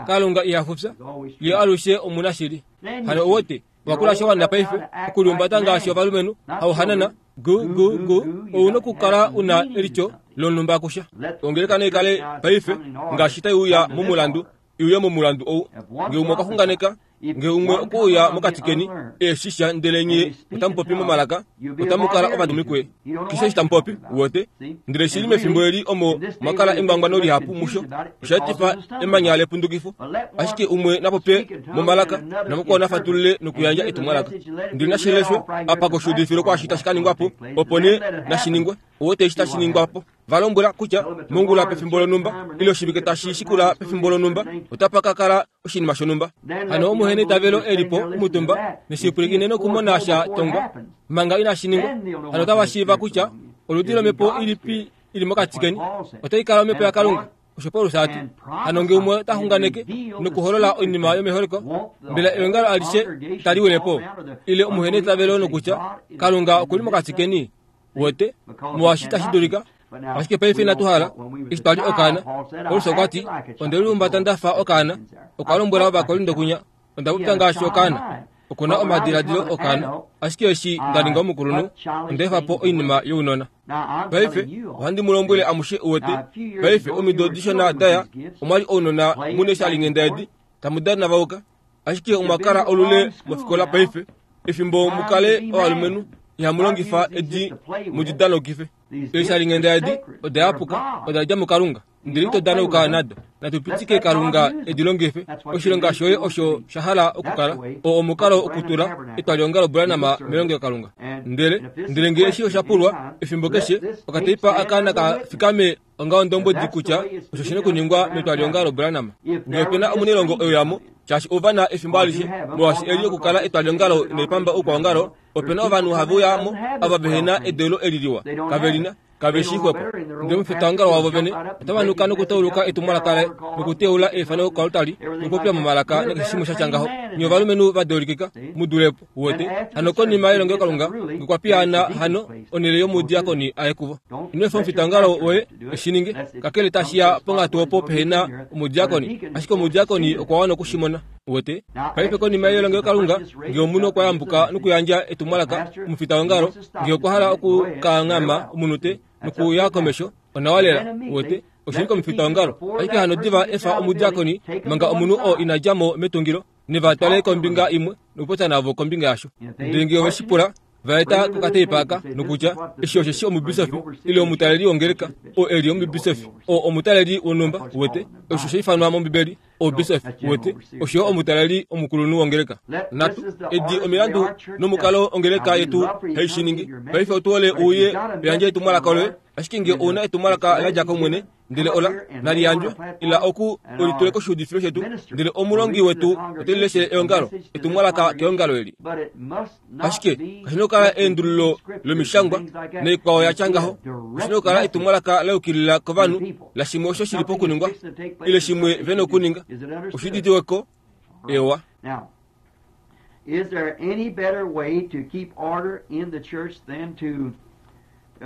Kalunga iha fufya, ye alushe omunashili. Hano owote wakula sha wana paife okuliumbata ngaashi ovalumenhu hauhanana gu gu gu, ou nokukala una elityo lonhumba kusha. Ongeleka naikale paife ngaashi tai uya momulandu, iuye momulandu ou. Nge umwe okwa xunganeka, nge umwe okuuya mokati keni eshisha ndele nye otamupopi momalaka, otamukala ovadumikwe. Keshe eshi tamupopi, wote. Ndele shili mefimbo eli omo mwakala engwangwano lihapu musho, osha etifa emanya lepundukifo. Ashike umwe napopye momalaka, namukwao nafatulule nokuyandja etumwalaka. Ndele nashileshwe apa koshuudifilo kwaashi tashi ka ningwa po, opo nee nashi ningwe. Owote eshi tashi ningwa po. Valombwela kutya mongula pefimbo lonhumba ile oshivike tashi shikula pefimbo lonhumba otapa ka kala oshinima shonhumba. Hano omuhene itavelo elipo omutumba neshipwilikine nokumona sha tongwa manga inashi ningwa. Hano otava shiiva kutya oludi lomhepo ilipi ili mokati keni otai kala omhepo yaKalunga. Osho Paulus ati hano nge umwe ta xunganeke nokuholola oinima yomeholeko, mbela eongalo alishe tali wile po ile omuhene itavelo nokutya Kalunga okuli mokati keni. Wote molwaashi tashi dulika. Ashike paife inatu hala eshi twali okaana. Paulus okwa ti onde liumbata ndafa okaana. Okwa lombwela Ovakorinto kunya onda popya ngaashi okaana, okuna omadiladilo okaana, ashike eshi nda ninga omukulunhu onda efa po oinima younona. Paife ohandi mu lombwele amushe uwete. Paife omido dishona daya omwali ounona mune shalingenda edi tamu dana vauka, ashike omwa kala olule mofikola paife. Efimbo mukale ovalumenhu ihamu longifa edi mudidanokife. Eeshalingenda edi oda yapuka, oda dja muKalunga, ndele ito danauka nado. Natu pitike Kalunga edi longife. Oshilonga shoye osho sha hala okukala oo omukalo okutula etwaliongalo Branham melongelo Kalunga. Ndele ndele nge eshi osha pulwa efimbo keshe, okateipa aka naka fikame onga ondombwedi kutya osho shina okuningwa metwaliongalo Branham. Nge opena omunelongo oyo shaashi ovana efimbo alishe, molwaashi eli okukala etwaliongalo neipamba oukwaongalo, opena ovanhu have uyamo ava vehena edeulo eli liwa, kave lina, kave shi xwepo. Ndele omufitaongalo wavo vene otava nuka nokutauluka etumwalaka laye, nokuteula eifano koaltari, nokupopya momalaka nakeshe shimwe sha tya ngaho. Nye ovalumenhu va deulikika mu dulepo, wote. Hano konima yelongelo Kalunga ngokwa piyaana hano onhele yomudiakoni aye kuvo. Ino efa omufitaongalo woye eshi ninge, kakele tashi ya ponghatu opo pehena omudiakoni, ashike omudiakoni okwa wana okushimona. Wote paife konima yelongelo Kalunga nge omunhu okwa yambuka nokuyandja etumwalaka omufitaongalo, nge okwa hala okukaangama omunute nokuya komesho, onawa lela. Wote oshili komufitaongalo. Ashike hano diva efa omudiakoni manga omunhu oo ina dja mo metungilo, neva twale kombinga imwe nokupopya navo kombinga yasho. Ndele nge ove shi pula, vaeta kokateipa aka nokutya eshi osheshi omubisofi ile omutaleli wongeleka oo eli omubisofi oo omutaleli wonhumba. Wote osho sha ifanwa mOmbibeli obisofi. Wote osho omutaleli omukulunhu wongeleka. Natu edi omilandu nomukalo ongeleka yetu hai shi ningi. Paife otu hole uye uyandje etumwalaka loye, ashike nge ouna etumwalaka la dja kOmwene, Ndele ola naliyandjwe ila oku olitule koshiudifilo shetu ndele omulongi wetu ote lileshele eongalo etumwalaka keongalo eli. Ashike kashina okukala eendululo lomishangwa naikwao yatya ngaho. Kashina okukala etumwalaka la yukilila kovanhu la shimwe osho shili pokuningwa ile shimwe vena okuninga. Oshiditiweko ewa. Is there any better way to keep order in the church than to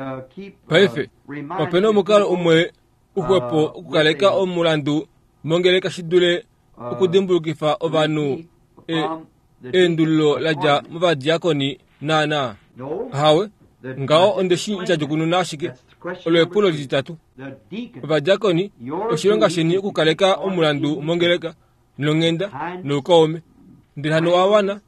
uh, keep Paife opena omukalo umwe uxwepo okukaleka omulandu mongeleka shi dule okudimbulukifa ovanhu eendululo ladja movadiakoni naana. Hawe ngaho ondeshi ndjadjukununa ashike olo epulo lititatu. Ovadiakoni oshilonga sheni okukaleka omulandu mongeleka nonghenda noukaume. Ndele hano wawana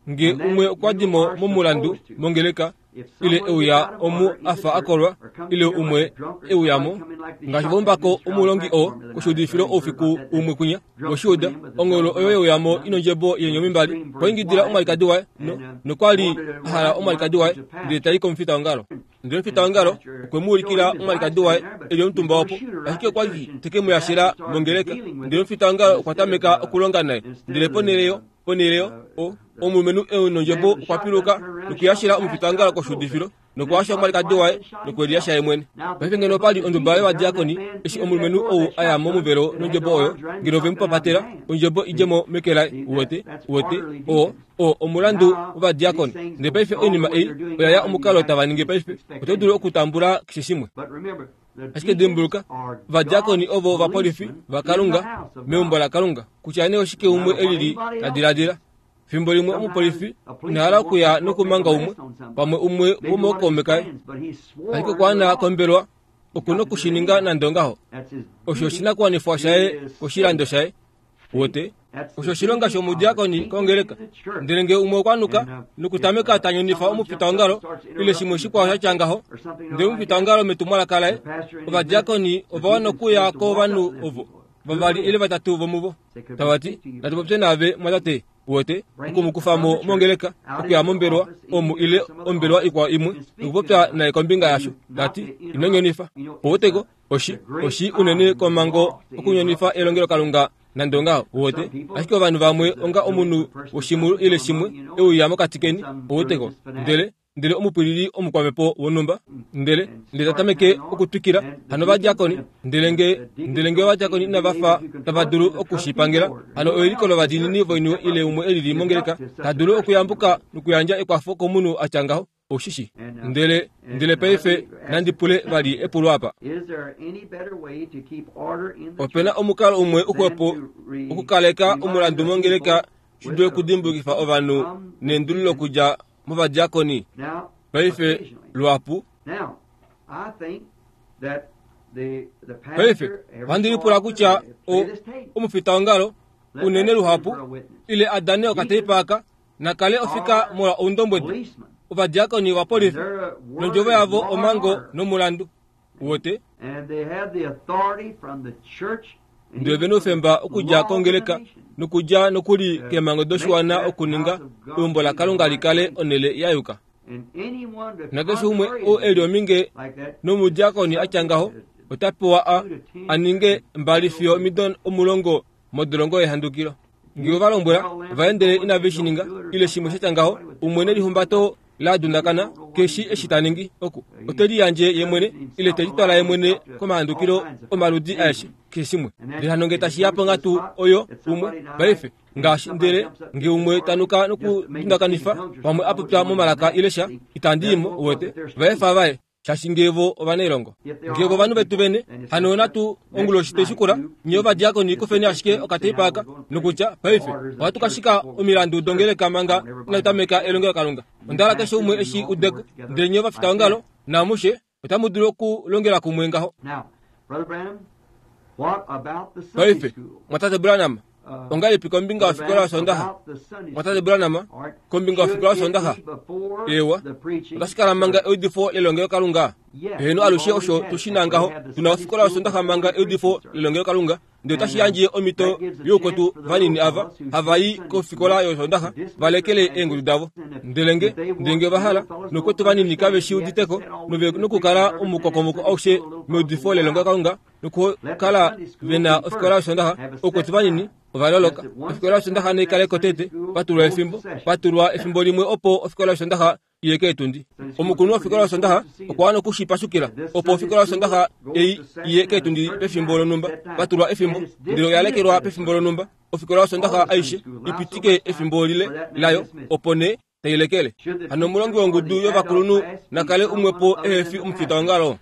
nge umwe okwa dimo momulandu mongeleka ile euya omu afa akolwa ile umwe euyamo ngaashi vombako omulongi oo koshiudifilo oufiku umwe kwinya moshiuda ongolo oyo yeuyamo inondjebo yeenyomi mbali kwaingidila omwalikadi waye no nokwali ahala omwalikadi waye ndele tai komufita ongalo. Ndele omufita wongalo okwe mu ulikila omwalikadi waye eli omutumba opo ashike okwali teke mu yashila mongeleka. Ndele omufita wongalo okwa tameka okulonga naye ndele ponhele ponhele o omulumenhu enondjebo okwa piluka nokuyashila omufita wongalo koshiudifilo nokuwasha omwalikadi waye nokweliyasha ye mwene. Paife ngeno opali onduba yovadiakoni eshi omulumenhu ou aya momuvelo nondjebo oyo ngeno ve mu papatela ondjebo idjemo meke laye. Uwete uwete o o omulandu wovadiakoni. Ndele paife oinima ei oya ya omukalo tava ningi paife oto dulu okutambula keshe shimwe. Ashike dimbuluka ovadiakoni ovo ovapolifi vaKalunga meumbo laKalunga kutya nee oshike umwe elili ta diladila. Fimbo limwe omupolifi inahala okuya nokumanga umwe pamwe umwe womookaume kaye ashike okwaana kombelwa okuna okushininga nande ongaho. Osho oshinakuwanifwa shaye koshilando shaye. Wote osho oshilonga shomudiakoni kongeleka. Ndele nge umwe okwanuka nokutameka tanyonifa omufita wongalo ile shimwe shikwao shatya ngaho ndele omufita wongalo metumwalaka laye ovadiakoni ova wana okuya kovanhu ovo vavali ile vatatu vomuvo tavati natu popye naave mwatate. Wote okumukufamo mongeleka okuya mombelwa omu ile ombelwa ikwao imwe nokupopya naye kombinga yasho tati ino nyonifa. Owoteko oshi oshi unene komango okunyonifa elongelo Kalunga nande ongaho. Wote ashike ovanhu vamwe onga omunhu woshimulu ile shimwe euya mokati keni. Owoteko ndele ndele omupwilili omukwamepo wonhumba ndele ndele tatameke okutwikila hano ovadiakoni ndele nge ndele nge ovadiakoni inava fa tava dulu okushipangela hano ewiliko lovadiinini voiniwe ile umwe elili mongeleka ta dulu okuyambuka nokuyandja ekwafo komunhu atya ngaho. Oshishi ndele ndele paife nandi pule vali epulo apa. Opena omukalo umwe uxwepo okukaleka omulandu mongeleka shi dule okudimbukifa ovanhu neendululo okudja movadiakoni paife luhapu. Paife ohandi lipula kutya omufita wongalo unene luhapu ile adane okateipa aka nakale ofika molwa oundombwedi. Ovadiakoni ovapolifi nondjovo yavo omango nomulandu. Wote ndele vena oufemba okudja kongeleka nokudja nokuli keemhango doshiwana okuninga eumbo laKalunga likale onhele ya yuka. Nakeshe umwe ou eli ominge nomudiakoni atya ngaho ota pewa a aninge mbali fiyo omido omulongo modolongo yehandukilo. Nge ovalombwela vaendele inave shi ninga ile shimwe shatya ngaho umwe nelihumbato la dundakana keshi eshi ta ningi oku ote liyandje ye mwene ile te litwala ye mwene komahandukilo omaludi aeshe keshe shimwe. Ndele hano nge tashi ya ponghatu oyo umwe paife ngaashi ndele nge umwe tanuka nokudundakanifa pamwe apopya momalaka ile sha itandi imo uwete vaefa vaye shaashi ngevo ovanailongo ngevo ovanhu vetu vene hano natu onguloshi teshikula nye ovadiakoni kufeni ashike okateipa aka nokutya paife ohatu kashika omilandu dongeleka manga inatu elongelo Kalunga. Ondala keshe umwe eshi udeko ndele nye ovafita ongalo namushe otamu dulu okulongela kumwe ngaho. Paife mwatate Branham ongalipi kombinga yofikola yosondaha? Mwatate Branham kombinga yofikola yosondaha ewa otashikala manga eudifo lelongelo Kalunga. Heno alushe osho tushina ngaho tuna ofikola yosondaha manga eudifo lelongelo Kalunga Ndele otashi yandje omhito youkwetu vanini ava hava i kofikola yOsoondaxa va lekele eengudu davo. Ndele nge ndele nge va hala nokwetu vanini kave shi uditeko nove nokukala omukokomoko aushe meudifo lelongelokalunga nokukala ve na ofikola yOsoondaxa, oukwetu vanini ova loloka. Ofikola yOsoondaxa nai kale ko tete, patulwa efimbo, patulwa efimbo limwe opo ofikola yOsoondaxa iye keetundi. Omukulunhu wofikola yOsoondaxa okwa wana okushipashukila opo ofikola yOsoondaxa ei iye keetundi pefimbo lonhumba, patulwa efimbo, ndele oya lekelwa pefimbo lonhumba. Ofikola yOsoondaxa aishe ipitike efimbo lile layo opo nee tai lekele. Hano omulongi wongudu yovakulunhu na kale umwepo ehe fi omufitaongalo.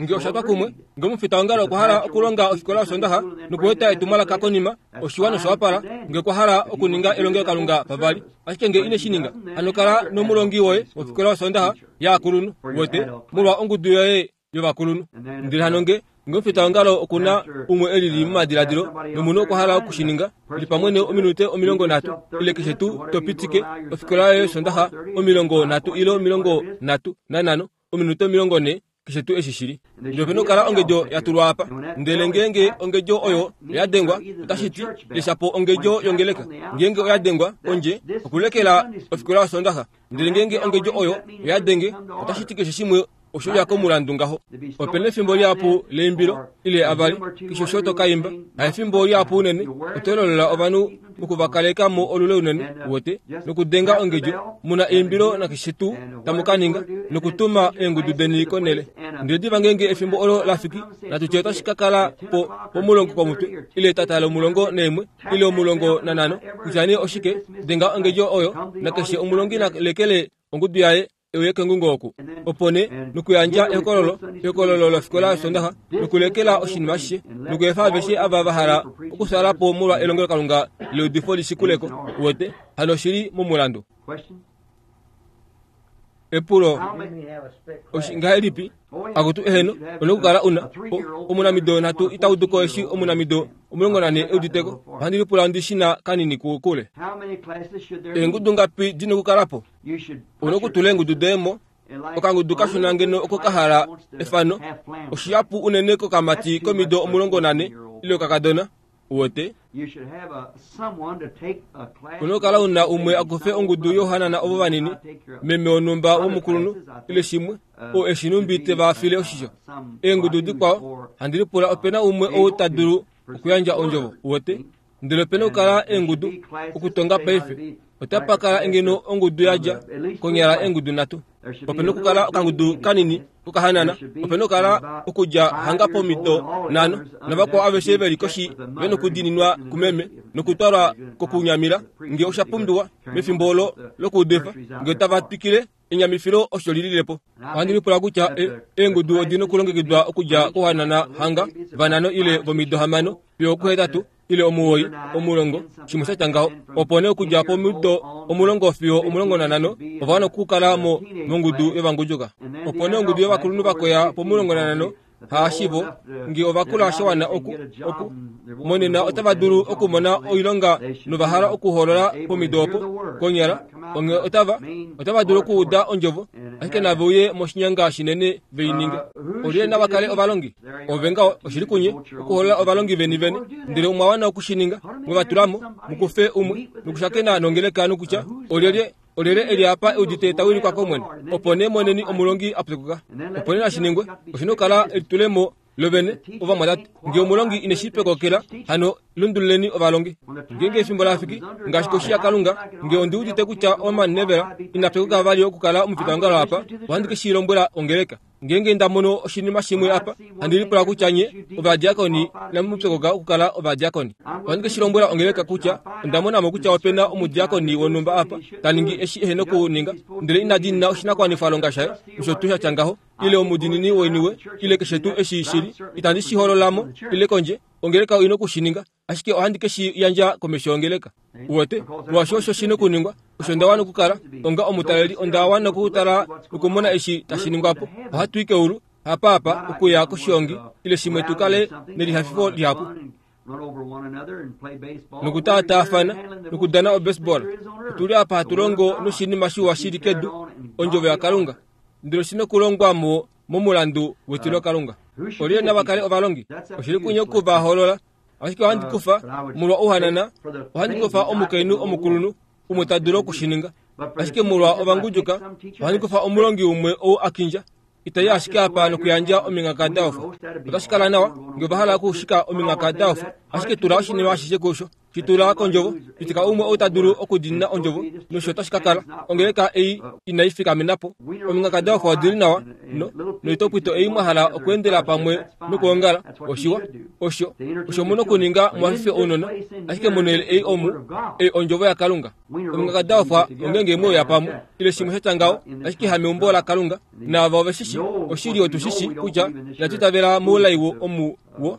Nge osha twa kumwe, nge omufitaongalo okwa hala okulonga ofikola yOsoondaxa nokueta etumwalaka konima, oshiwa nosha wapala, nge okwa hala okuninga elongelokalunga pavali. Ashike nge ine shi ninga, hano kala nomulongi woye wofikola yOsoondaxa yaakulunhu, wete, molwa ongudu yoye yovakulunhu. Ndele hano nge nge omufitaongalo oku na umwe e lili momadiladilo nomunhu okwa hala okushininga, li pamwe ominute omilongo nhatu ile keshe tuu to pitike ofikola yoye yOsoondaxa omilongo nhatu ile omilongo nhatu nanhano, ominute omilongo nhee, keshe tuu eshi shili. Ndele opena okukala ongedjo ya tulwa apa. Ndele ngeenge ongedjo oyo oya dengwa, otashi ti lesha po ongedjo yongeleka. Ngeenge oya dengwa kondje, okulekela ofikola yOsoondaxa. Ndele ngeenge ongedjo oyo oya denge, otashi ti keshe shimwe osho ya komulandu ngaho. Opena efimbo lihapu leimbilo ile avali, keshe osho to ka imba. Haefimbo lihapu unene, oto lolola ovanhu mokuvakaleka mo olule unene, wote, nokudenga ongedjo, muna eimbilo nakeshe tuu tamu ka ninga, nokutuma eengudu deni konele. Ndele diva ngeenge efimbo olo la fiki, natu tye otashi ka kala po pomulongo komutwe, ile etata lomulongo naimwe, ile omulongo nanhano, kutya nee oshike, denga ongedjo oyo, nakeshe omulongi na lekele ongudu yaye euye kengungo oku. Opo nee nokuyandja ehokololo, ehokololo lofikola yOsoondaxa, nokulekela oshinima ashishe, nokuefa aveshe ava va hala okufyaala po molwa elongelokalunga leudifo lishikuleko, wete, hano oshili momulandu. Epulo ngahelipi? Akutu eheno, ona okukala una omunamido nhatu ita udu ko eshi omunamido omulongo nane euditeko. Ohandi lipula ndi shi na kanini kule. Eengudu ngapi dina okukala po? Una okutula eengudu doye mo. Okangudu kashona ngeno oko ka hala efano, oshihapu unene kokamati komido omulongo nane ile okakadona, uwete. Una okukala una umwe akufe ongudu yohanana ovo vanini, meme wonhumba womukulunhu ile shimwe, oo eshi numbi te va file oshisho. Eengudu dikwao, handi lipula opena umwe ou ta dulu okuyandja ondjovo, uwete. Ndele opena okukala eengudu okutonga paife. Otapa kala ngeno ongudu yadja konyala eengudu nhatu. Opena okukala okangudu kanini kokahanana, opena okukala okudja hanga pomido nhano, navakwao aveshe veli koshi ve nokudiininwa kumeme nokutwalwa kokunyamila nge osha pumbiwa mefimbo olo lokuudifa, nge otava twikile enyamifilo osho lilile po. Ohandi lipula kutya eengudu odina okulongekidwa okudja kohanana hanga vanhano ile vomido hamano fiyo okuhetatu ile omuwoi omulongo, shimwe sha tya ngaho. Opo nee okudja pomido omulongo fiyo omulongo nanhano ova wana okukala mo mongudu yovangudjuka. Opo nee ongudu yovakulunhu vakoya pomulongo nanhano haashivo nge ovakula sha wana oku oku monena otava dulu okumona oilonga nova hala okuhoolola pomido opo konyala onge otava otava dulu okuuda ondjovo, ashike nave uye moshinyanga shinene vei ninge. Olyelye nava kale ovalongi? Ove ngaho oshili kunye okuhoolola ovalongi veni vene, ndele omwa wana okushininga, mwevatulamo mukufe umwe nokushakena nongeleka nokutya olyelye olyelye eli apa eudite ta wilikwa kOmwene. Opo nee moneni omulongi a pyokoka. Opo nee nashiningwe, oshina okukala elitulemo lovene ovamwatate. Nge omulongi ine shi pyokokela, hano lundululeni ovalongi. Ngeenge efimbo la fiki, ngaashi koshi yaKalunga, nge ondi udite kutya Orman Neville ina pyokoka vali okukala omufitaongalo apa, ohandi ke shi lombwela ongeleka. Ngeenge nda mono oshinima shimwe apa, handi lipula kutya nye ovadiakoni inamu pyokoka okukala ovadiakoni. Ohandi ke shi lombwela ongeleka kutya onda mona mo kutya opena omudiakoni wonhumba apa ta ningi eshi ehe nokuninga, ndele ina diinina oshinakuwanifwalonga shaye, osho tuu sha tya ngaho, ile omudiinini woiniwe, ile keshe tuu eshi shili, itandi shi holola mo ile kondje. Ongeleka oina okushininga, ashike ohandi ke shi yandja komesho yongeleka. Uwete, molwaashi osho shi nokuningwa, osho nda wana okukala onga omutaleli, onda wana okutala nokumona eshi tashi ningwa po. Ohatu i keulu, hapaapa okuya koshiongi ile shimwe tu kale nelihafifo lihapu nokutaataafana nokudana obaseball. Otuli apa hatu longo noshinima shiwa shili kedu, ondjovo yaKalunga, ndele oshina okulongwa mo momulandu wetilokalunga. Olyelye nava kale ovalongi? Oshili kunye okuva hoolola. Ashike ohandi kufa molwa ouhanana, ohandi kufa omukainhu omukulunhu umwe ta dulu okushininga. Ashike molwa ovanguduka, ohandi kufa omulongi umwe ou a kindja. Itai ashike apa nokuyandja omingaka daofa. Otashi kala nawa ngee ova hala okushika omingaka daofa, ashike tula oshinima ashishe kusho. Shitula kondjovo, pitika umwe ou ta dulu okudiinina ondjovo, nosho otashi ka kala ongeleka ei inai fikamena po. Omingaka daofa odili nawa, no noitopwito ei mwa hala okweendela pamwe nokuongala, oshiwa, osho, osho mu nokuninga mwafife ounona, ashike monhele ei omu, ei ondjovo yaKalunga. Omingaka daofa ongenge mweuya pamwe, ile shimwe sha ngaho, ashike hameumbo laKalunga, naava ove shishi, oshili otu shishi kutya inatu itavela moulai omu wo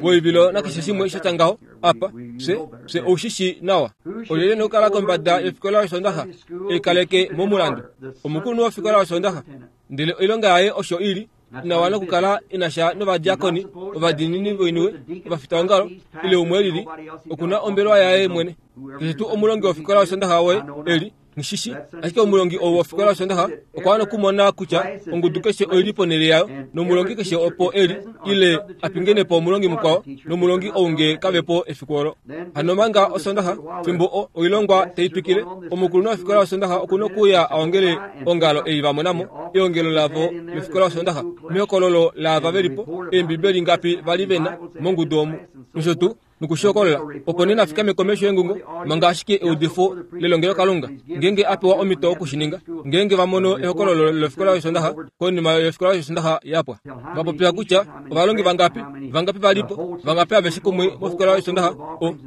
woivilo nakeshe shimwe sha ngaho apa, fye fye oushishi nawa. Olyelye nokukala kombada yofikola yOsondaxa eikaleke momulandu? Omukulunhu wofikola yOsondaxa, ndele oilonga yaye osho ili inawa nokukala inasha novadiakoni, ovadiinini voiniwe, ovafitaongalo ile umwe lili, okuna ombelewa yaye mwene. Keshe tuu omulongi wofikola yOsondaxa woye eli nishishi, ashike omulongi ou wofikola yOsondaxa okwa wana okumona kutya ongudu keshe oili ponhele yayo, nomulongi keshe opo eli ile apingene po omulongi mukwao, nomulongi ou nge kavepo efiku olo. Hano manga Osondaxa fimbo oilongwa tai twikile, omukulunhu wofikola yOsondaxa okuna okuuya aongele ongalo ei va monamo, eongelo lavo lofikola yOsondaxa, mehokololo laava velipo, eembibeli ngapi vali vena mongudu omu, nosho tuu nokushokolola, opo nee nafikame komesho yengungo manga ashike eudifo lelongelokalunga, ngeenge a pewa omhito okushininga, ngeenge va mono ehokololo lofikola yOsondaxa konima yofikola yOsondaxa yapwa. Va popya kutya ovalongi vangapi, vangapi valipo, vangapi aveshe kumwe mofikola yOsondaxa,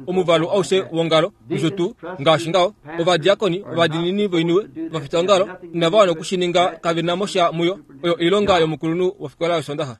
omuvalu aushe wongalo, nosho tuu ngaashi ngaho, ovadiakoni, ovadiinini voiniwe, ovafitaongalo inava wana okushininga, kave na mo sha muyo. Oyo oilonga yomukulunhu wofikola yOsondaxa.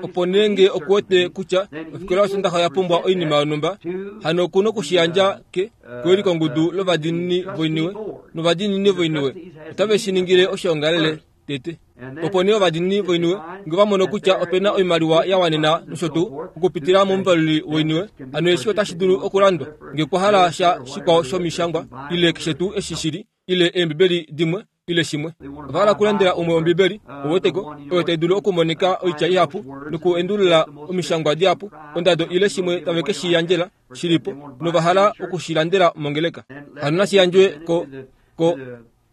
Opo nee nge okuwete kutya ofikola yOsondaxa oya pumbwa oinima yonhumba, hano okuna okushiyandja ke kewilikongudu lovadiinini voiniwe, novadiinini voiniwe otave shi ningile oshoongalele tete. Opo nee ovadiinini voiniwe nge va mono kutya opena oimaliwa ya wanena nosho tuu okupitila momuvaluli woiniwe, hano eshi otashi dulu okulandwa nge kwa hala sha shikwao shomishangwa ile keshe tuu eshi shili, ile eembibeli dimwe ile shimwe. Ova hala okulandela umwe ombibeli, oweteko, oyo tai dulu okumonika oitya ihapu nokuendulula omishangwa dihapu, ondado ile shimwe tave ke shi yandjela shilipo, nova hala okushilandela mongeleka. Hano nashi yandjwe ko ko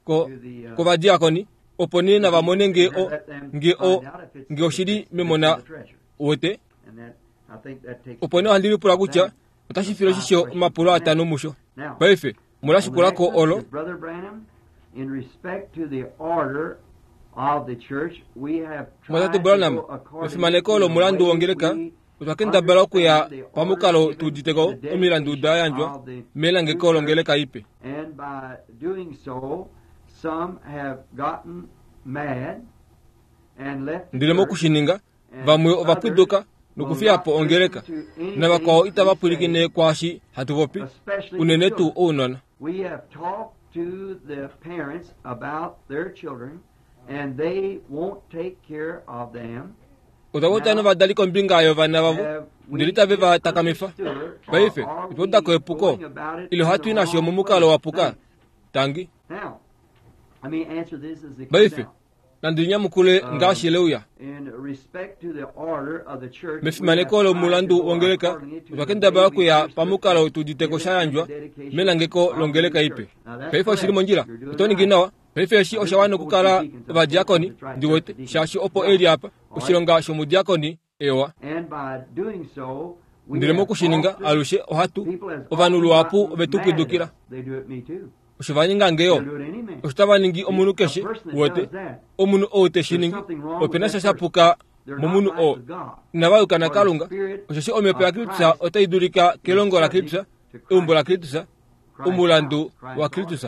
ko kovadiakoni, opo nee nava mone nge o nge o nge oshili memona wete. Opo nee ohandi lipula kutya otashi file oshisho omapulo atano musho. Paife mulashikulako olo. Mwatate Branham, mefimaneko lomulandu wongeleka, otwa kendabala okuya pamukalo tuuditeko omilandu da yandjwa melangeko longeleka ipe. Ndele mokushininga, vamwe ova pwiduka nokufiya po ongeleka, navakwao itava pwilikine kwaashi hatu popi, unene tuu ounona. To the parents about their children, and they won't take care of them. Otwa popya novadali kombinga yovana vavo, ndele itave va takamifa. Paife otwa uda ko epuko, ile ohatu i nasho momukalo wa puka. Tangi. Paife nandi nyamukule ngaashi leuya. Mefimaneko lomulandu wongeleka, otwa kendabala okuya pamukalo tuuditeko sha yandjwa melangeko longeleka ipe. Paife oshili mondjila, oto ningi nawa. Paife eshi osha wana okukala ovadiakoni, ndi wete, shaashi opo eli apa, oshilonga shomudiakoni ewa. Ndele mokushininga alushe ohatu, ovanhu luhapu ove tu pwidukila. Osho va ninga ngeyo, osho tava ningi omunhu keshe, wete, omunhu ou te shi ningi, opena sha shapuka momunhu oo. Inava yuka naKalunga, osheshi omhepo yaKristus otai dulika kelongo laKristus, eumbo laKristus, omulandu waKristus.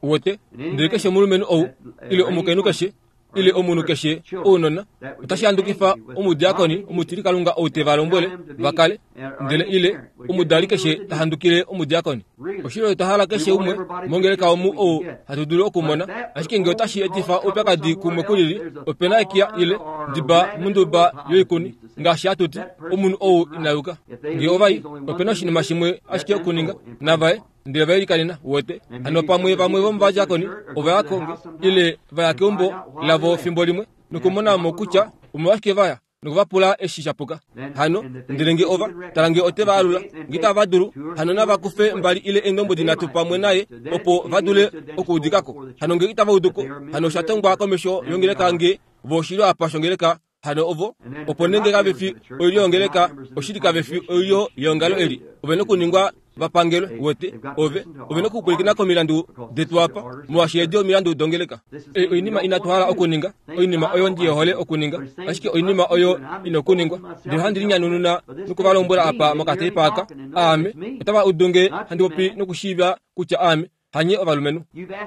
Wete, ndele keshe omulumenhu ou, ile omukainhu keshe, ile omunhu keshe ounona, otashi handukifa omudiakoni omutilikalunga ou te va lombwele va kale, ndele ile omudali keshe ta handukile omudiakoni. Oshilo otwa hala keshe umwe mongeleka omu ou hatu dulu okumona, ashike nge otashi etifa oupyakadi kumwe kulili, opena ekiya ile ndiba munduba yoikuni, ngaashi hatu ti, omunhu ou ina yuka. Nge ovai, opena oshinima shimwe ashike okuninga, navaye ndele vailikanena, wete. Hano pamwe vamwe vomovadiakoni ova ya konge ile va ya keumbo lavo fimbo limwe nokumona mo kutya omolwashike vaya Nokuvapula eshi shapuka. Hano ndele nge ova tala nge ote va alula nge itava dulu hano nava kufe mbali ile eendombwedi nhatu pamwe naye opo va dule okuudikako. Hano nge itava uduko hano osha tongwa komesho yongeleka nge vo oshilyo apa shongeleka hano ovo opo nenge kave fi oilyo yongeleka oshili kave fi oilyo yeongalo eli ove nokuningwa vapangelwe wete ove ove nokupwilikina komilandu detu apa molwaashi edi omilandu dongeleka. Ei oinima inatu hala okuninga, oinima oyo ndi hole okuninga, ashike oinima oyo ina okuningwa. Ndele ohandi linyanununa nokuvalombwela apa mokateipa aka, aame otava udu nge handi popi nokushiiva kutya aame hanye ovalumenhu.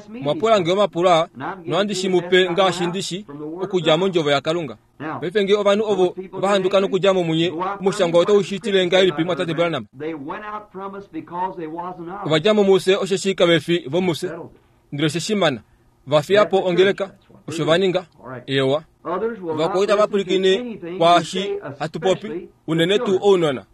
Mwapula nge omapulo aa nohandi shi mupe ngaashi ndi shi okudja mondjovo yaKalunga. Paife nge ovanhu ovo vahanduka nokudja mo munye, omushangwa otau shi tile ngahelipi mwatate Branham? Ova dja mo mufye osheshi kave fi vomufye. Ndele oshe shimana va fiya po ongeleka, osho va ninga. Ewa, vakwao itava pwilikine kwaashi hatu popi, unene tuu ounona.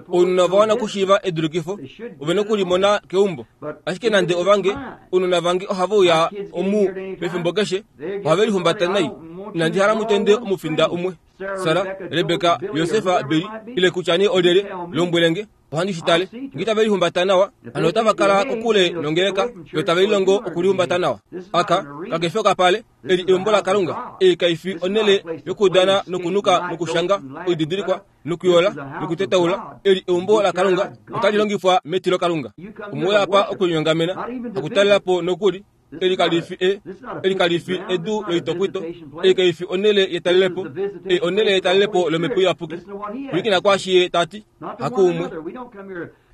Ounona ova wana okushiiva edulikifo, ove nokulimona keumbo. Ashike nande ovange, ounona vange ohave uya omu pefimbo keshe, ohave lihumbata nai. Inandi hala mutende omufinda umwe. Sara, Rebeka, Josefa, Billy, ile kutya nee olyelye, lombwele nge, ohandi shi tale. Nge itave lihumbata nawa, hano otava kala kokule nongeleka, yo tave lilongo okulihumbata nawa. Aka kakefi okapale, eli eumbo laKalunga. Ei kaifi onhele yokudana nokunuka nokushanga oididilikwa nokuyola nokutetaula. Eli eumbo laKalunga, otali longifwa metilo Kalunga. Omwe apa okulinyongamena, hakutalela po nokuli. Eli kalifi e eli kalifi edu loitokwito. Ei kaifi onhele yetalelepo, ei onhele yetalelepo lomhepo iyapuki. Pwilikina kwaashi ye tati, hakuumwe.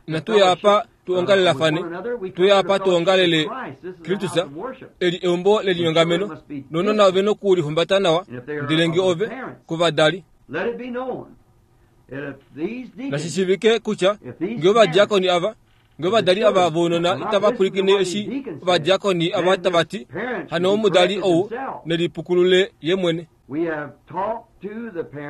Inatu uya apa tu ongalelafane, tuya apa tu ongalele Kristus. Eli eumbo lelinyongameno, nounona ove nokulihumbata nawa. Ndele nge ove kovadali, nashi shiivike kutya nge ovadiakoni ava, nge ovadali ava vounona itava pwilikine eshi ovadiakoni ava tava ti, hano omudali ou nelipukulule ye mwene.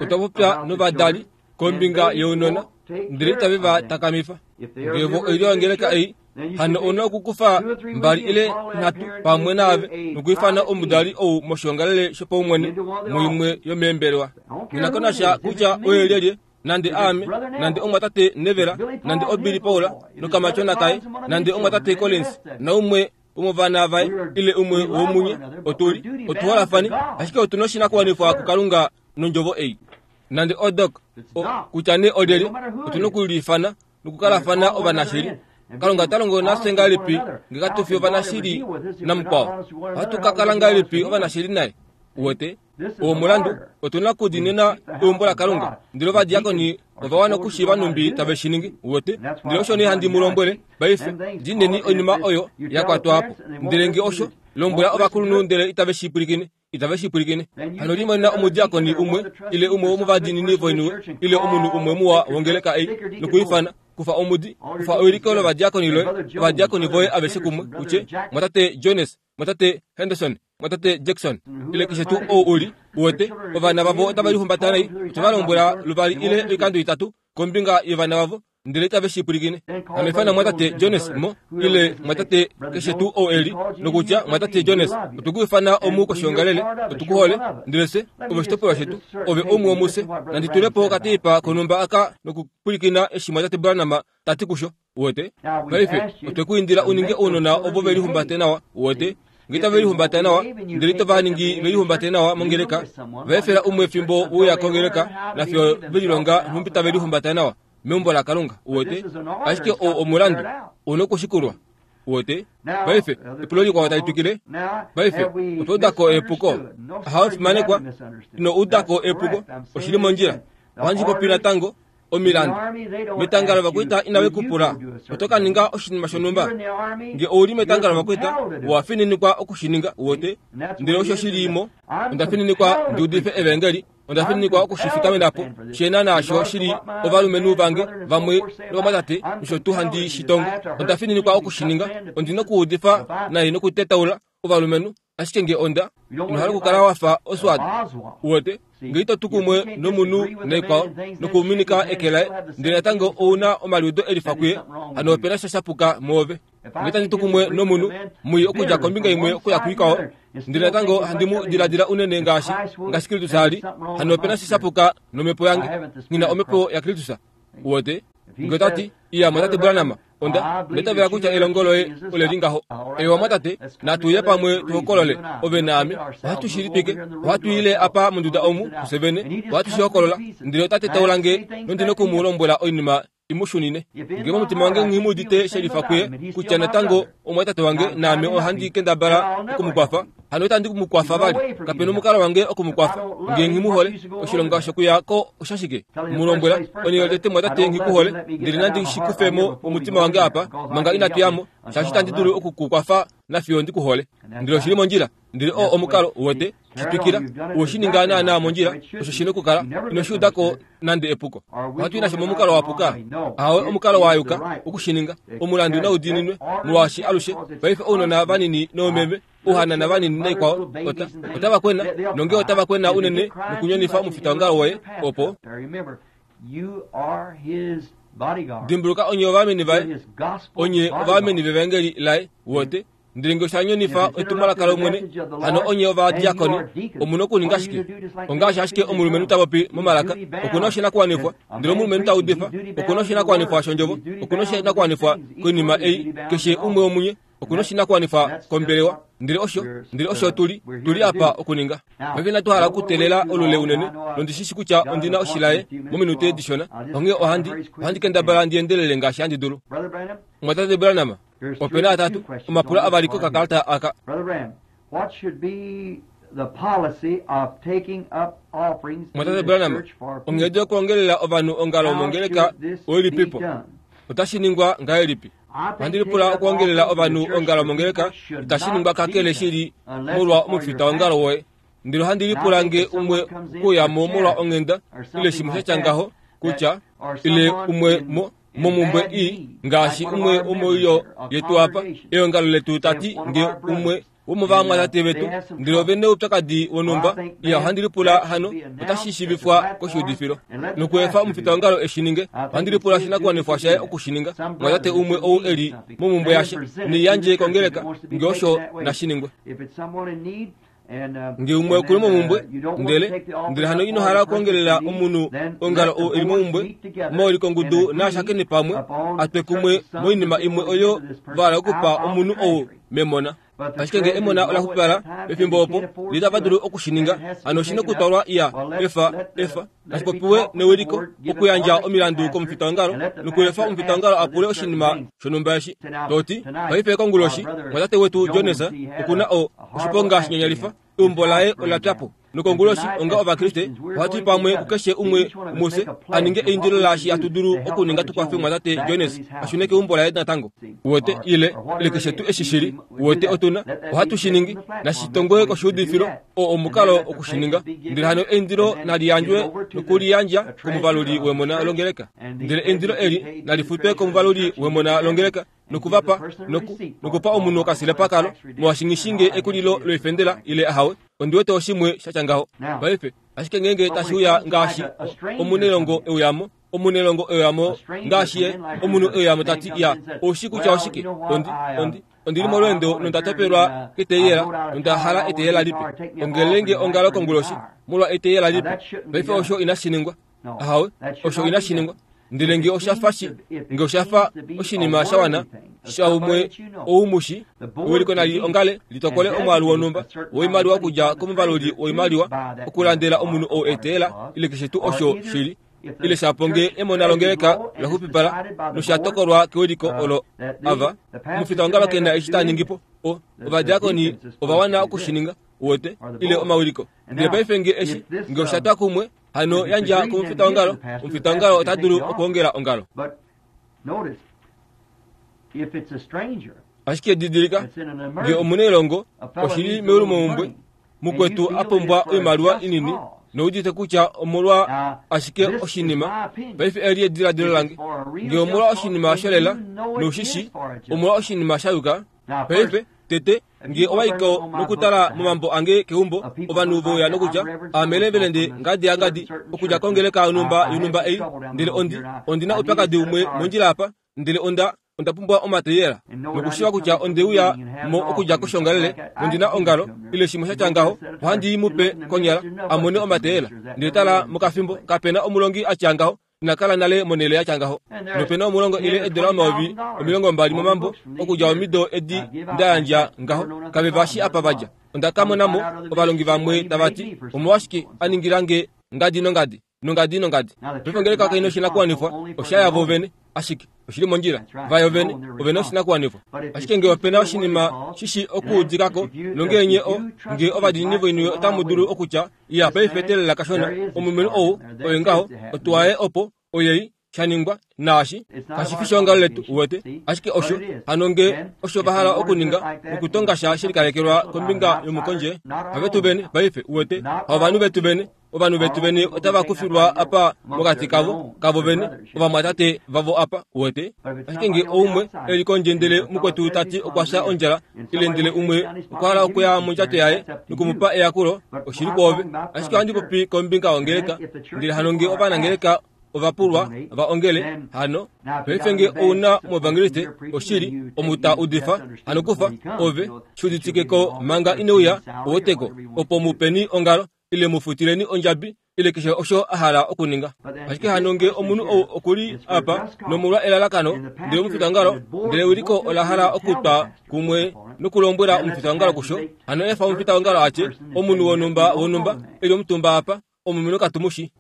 Otwa popya novadali kombinga younona, ndele itave va takamifa. Nge vo oilyo yongeleka ei, hano ouna okukufa mbali ile nhatu pamwe naave nokwiifana omudali ou moshiongalele shopaumwene muimwe yomeembelewa. Nghi ko nasha kutya oye lyelye, nande aame, nande omwatate Nevela, nande oBilly Paul nokamatyona kaye, nande omwatate Collins naumwe womovana vaye, ile umwe womunye, otuli otuholafane, ashike otuna oshinakuwanifwa kuKalunga nondjovo ei. Nande odok kutya nee olyelye, otuna okuliifana nokukalafana ovanashili. Kalunga ota longo nafye ngahelipi nge katu fi ovanashili namukwao? Ohatu ka kala ngahelipi ovanashili naye? Uwete owo omulandu, otuna okudiinina eumbo laKalunga. Ndele ovadiakoni ova wana okushiiva nhumbi tave shi ningi. Uwete? Ndele osho nee handi mu lombwele paife, diineni oinima oyo ya kwatwa po. Ndele nge osho, lombwela ovakulunhu ndele itave shi pwilikine, itave shi pwilikine, hano limonena omudiakoni umwe ile umwe womovadiinini voiniwe ile omunhu umwe muwa wongeleka ei nokwiifana. Kufa omudi, kufa euliko lovadiakoni loye, ovadiakoni voye aveshe kumwe, utye mwatate Jones, mwatate Henderson, mwatate Jackson, ile keshe tuu ou uli. Uwete ovana vavo otava lihumbata nai, otava lombwela luvali ile oikando itatu kombinga yovana vavo, ndele itave shi pwilikine. Hano ifana mwatate Jones mo ile mwatate keshe tuu ou eli, nokutya mwatate Jones, otwe ku ifana omu koshiongalele, otu ku hole, ndele fye ove oshitopolwa shetu, ove umwe womufye. Nandi tulepo okateipa konhumba aka nokupwilikina eshi mwatate Branham tati kusho. Uwete paife otwe ku indila uninge ounona ovo ve lihumbate nawa. Uwete nge itave lihumbata nawa, ndele ito va ningi ve lihumbate nawa mongeleka, va efela umwe fimbo uya kongeleka nafyo ve lilonga nhumbi tave lihumbata nawa meumbo laKalunga. Uwete ashike oo omulandu una okushikulwa. Uwete paife epulo likwao tali twikile. Paife otwa udako epuko, ahawe fimanekwa, ino udako epuko, oshili mondjila. Ohandi popi natango omilandu metanga lovakwaita inave ku pula oto ka ninga oshinima shonhumba. Nge ouli metanga lovakwaita, owa fininikwa okushininga. Uwete? Ndele osho shili mo. Onda fininikwa ndi udife evangeli, onda fininikwa okushifikamena po shena naasho shili ovalumenhu vange vamwe novamwatate nosho tuu handi shi tongo. Onda fininikwa okushininga, ondi nokuudifa nai nokutetaula ovalumenhu. Ashike nge onda ino hala okukala wafa Oswald. Uwete nge ito tu kumwe nomunhu naikwao nokuminika eke laye, ndele natango ouna omaliudo elifa kuye, hano opena sha shapuka mwoove. Nge tandi tu kumwe nomunhu mwi okudja kombinga imwe okuya kuikwao, ndele natango handi mu diladila unene ngaashi ngaashi Kristus ali, hano opena shi shapuka nomhepo yange, nghi na omhepo yaKristus. Uwete? Nge otati, iya mwatate Branham, onda ndetavela kutya elongo loye ole li ngaho. Ewa mwatate, natu ye pamwe tuhokolole, ove naame, ohatu shi litwike, ohatu ile apa monduda omu kusevene, ohatu shi hokolola, ndele otate taula nge nondina oku mu lombwela oinima imushunine. Nge momutima wange nghi shelifa kuye kutya natango omwatate wange naame ohandi kendabala okumukwafa, hano itandi mukwafa vali, kapena omukalo wange okumukwafa. Nge nghi oshilonga shokuya ko oshashike? Mu lombwela onye tete mwatate nghi kuhole, ndele nandi shikufemo omutima wange apa manga inatu yamo, shaashi itandi dulu okukukwafa nafiyo ndikuhole. Ndele oshili mondjila, ndele o omukalo wote shitwikila oshininga naana mondjila, osho shina okukala ino shiudako nande epuko. Ohatu i nasho momukalo wa puka, ahawe omukalo wa yuka okushininga, omulandu naudiininwe molwaashi alushe paife ounona vanini noomeme ouhanana vanini naikwao ota otava kwena, nonge otava kwena unene nokunyonifa omufitaongalo woye opo. Dimbuluka onye ovameni vaye, onye ovameni vevangeli laye wote. Ndele nge oshanyonifa etumwalaka lOmwene, hano onye ovadiakoni omuna okuninga shike? Ongaashi ashike omulumenhu ta popi momalaka, okuna oshinakuwanifwa, ndele omulumenhu ta udifa, okuna oshinakuwanifwa shondjovo, okuna oshinakuwanifwa koinima ei, keshe umwe womunye okuna oshinakuwanifwa kombelewa. Ndele osho, ndele osho tuli, tuli apa okuninga. Paife inatu hala okuteelela olule unene, nondishishi kutya ondina oshilaye mominute dishona, onghee ohandi, ohandi kendabala ndi endelele ngaashi handi dulu. Mwatate Branham, opena atatu omapulo avali kokakalata aka. Mwatate Branham, onghedi yokuongelela ovanhu ongalo mongeleka oilipipo? Otashi ningwa ngahelipi? Ohandi lipula okuongelela ovanhu ongalo mongeleka itashi ningwa kakele shili molwa omufitaongalo woye. Ndele ohandi lipula nge umwe okuyamo molwa onghenda ile shimwe sha tya ngaho, kutya ile umwe mo momumbwe i ngaashi umwe womoilyo yetu apa eongalo letu tati nge umwe womovamwatate vetu ndele ovene oupyakadi wonhumba, iya ohandi lipula hano otashi shiivifwa koshiudifilo nokuefa omufitaongalo eshi ninge. Ohandi lipula oshinakuwanifwa shaye okushininga. Mwatate umwe ou eli momumbwe yashe neiyandje kongeleka nge osho nashiningwe. Nge umwe okuli momumbwe, ndele ndele hano ino hala okuongelela omunhu ongalo ou eli momumbwe, maulikongudu naashakene pamwe atwe kumwe moinima imwe oyo va hala okupa omunhu ou memona. Ashike nge emona ola xupipala pefimbo opo litava dulu okushininga, hano oshina okutwalwa iya efa efa nashipopiwe newiliko okuyandja omilandu komufitaongalo nokuefa omufitaongalo apule oshinima shonhumba eshi. Toti paife konguloshi mwatate wetu Jones okuna o oshiponga shinyanyalifa, eumbo laye ola pyapo. Nokonguloshi onga ovakriste ohatu i pamwe kukeshe umwe muse aninge eindilo laashi hatu dulu okuninga tukwafe mwatate Jones ashune keumbo laye natango. Uwete ile ile keshe tu eshi shili, uwete otuna ohatu shiningi nashitongwe koshiudifilo o omukalo okushininga. Ndele hano eindilo naliyandjwe nokuliyandja komuvaluli wemona longeleka. Ndele eindilo eli nalifutwe komuvaluli wemona longeleka nokuvapa noku nokupa omunhu okasilepa kalo molwashingishinge ekulilo loifendela ile ahawe. Ondiwete oshimwe sha tya ngaho. Paife ashike ngeenge tashi uya ngaashi omunelongo euyamo, omunelongo euyamo ngaashi ye omunhu euyamo tati ya oushi kutya oshike, ondi ondi ondili molweendo nonda topelwa keteyela nonda hala eteyela lipe. Ongelenge ongalo konguloshi molwa eteyela lipe. Paife osho inashi ningwa. Ahawe, osho inashi ningwa. Ndele nge oshafa shi, nge oshafa oshinima sha wana shaumwe oumushi ewiliko nali ongale litokole omwaalu wonhumba woimaliwa okudja komuvaluli woimaliwa okulandela omunhu ou eteyela ile keshe tuu osho shili ile shapo nge emona longeleka la xupipala noshatokolwa kewiliko olo ava omufitaongalo kena eshi ta ningipo. O ovadiakoni ova wana okushininga uwete ile omawiliko. Ndele paife nge eshi nge oshatwa kumwe hano yandja komufitaongalo, omufitaongalo ota dulu okuongela ongalo. Ashike didilika nge omunelongo oshili meulumomumbwe mukwetu a pumbwa oimaliwa inini noudite kutya omolwa ashike oshinima. Paife eli ediladilo lange nge omolwa oshinima sholela noushishi omolwa oshinima sha yuka. Paife tete nge owaiko nokutala momambo ange keumbo ovanhu vouya nokutya amelembelende ngadi ya ngadi okudja kongeleka yonhumba yonhumba ei, ndele ondi ondina oupyakadi umwe mondjila apa, ndele onda Onda pumbwa omateyela nokushiva kutya ondeuya mo okudja koshongalele nondina ongalo ile shimwe sha ngaho ohandi mupe konyala amone omateyela ndele tala mokafimbo kapena omulongi atya ngaho inakala nale monele yatya ngaho nopena omulongo ile edola omayovi omilongo mbali momambo okudja omido edi ndayandja ngaho kave vashi apa vadja onda kamonamo ovalongi vamwe tavati omolwashike aningilange ngadi nongadi nongadi nongadi paife ongeleka kaina oshinakuwanifwa osha yavo vene ashike oshili mondjila vayo vene ovena oshinakuwanifwa ashike nge opena oshinima shishi okuudikako nongeenye o nge ovadiinini voiniwe otamu dulu okutya iya paife telela kashona omulumenhu ou oye ngaho otwaye opo oyei shaningwa naashi kashifi shongalo letu uwete ashike osho hano nge osho vahala okuninga nokutonga sha shilikalekelwa kombinga yomukondje havetu vene paife uwete haovanhu vetu vene ovanhu vetu vene otava kufilwa apa mokati kavo kavo vene ovamwatate vavo apa uwete ashike nge oumwe eli kondje ndele mukwetu tati okwasha ondjala ile ndele umwe okwahala okuya mondjato yaye nokumupa eyakulo oshili kwoove ashike ohandi popi kombinga yongeleka ndele hano nge ovanangeleka ovapulwa va ongele hano paife nge ouna muevangeliste oshili omuta udifa hano kufa ove shuuditikeko manga ineuya oweteko opo mupeni ongalo ile mufutileni ondjabi ile keshe osho ahala okuninga ashike hano nge omunhu ou okuli apa nomolwa elalakano ndele omufitangalo ndele uliko olahala okutwa kumwe nokulombwela omufitangalo kusho hano efa omufitangalo atye omunhu wonumba wonumba eli omutumba apa omulumenhu katumushi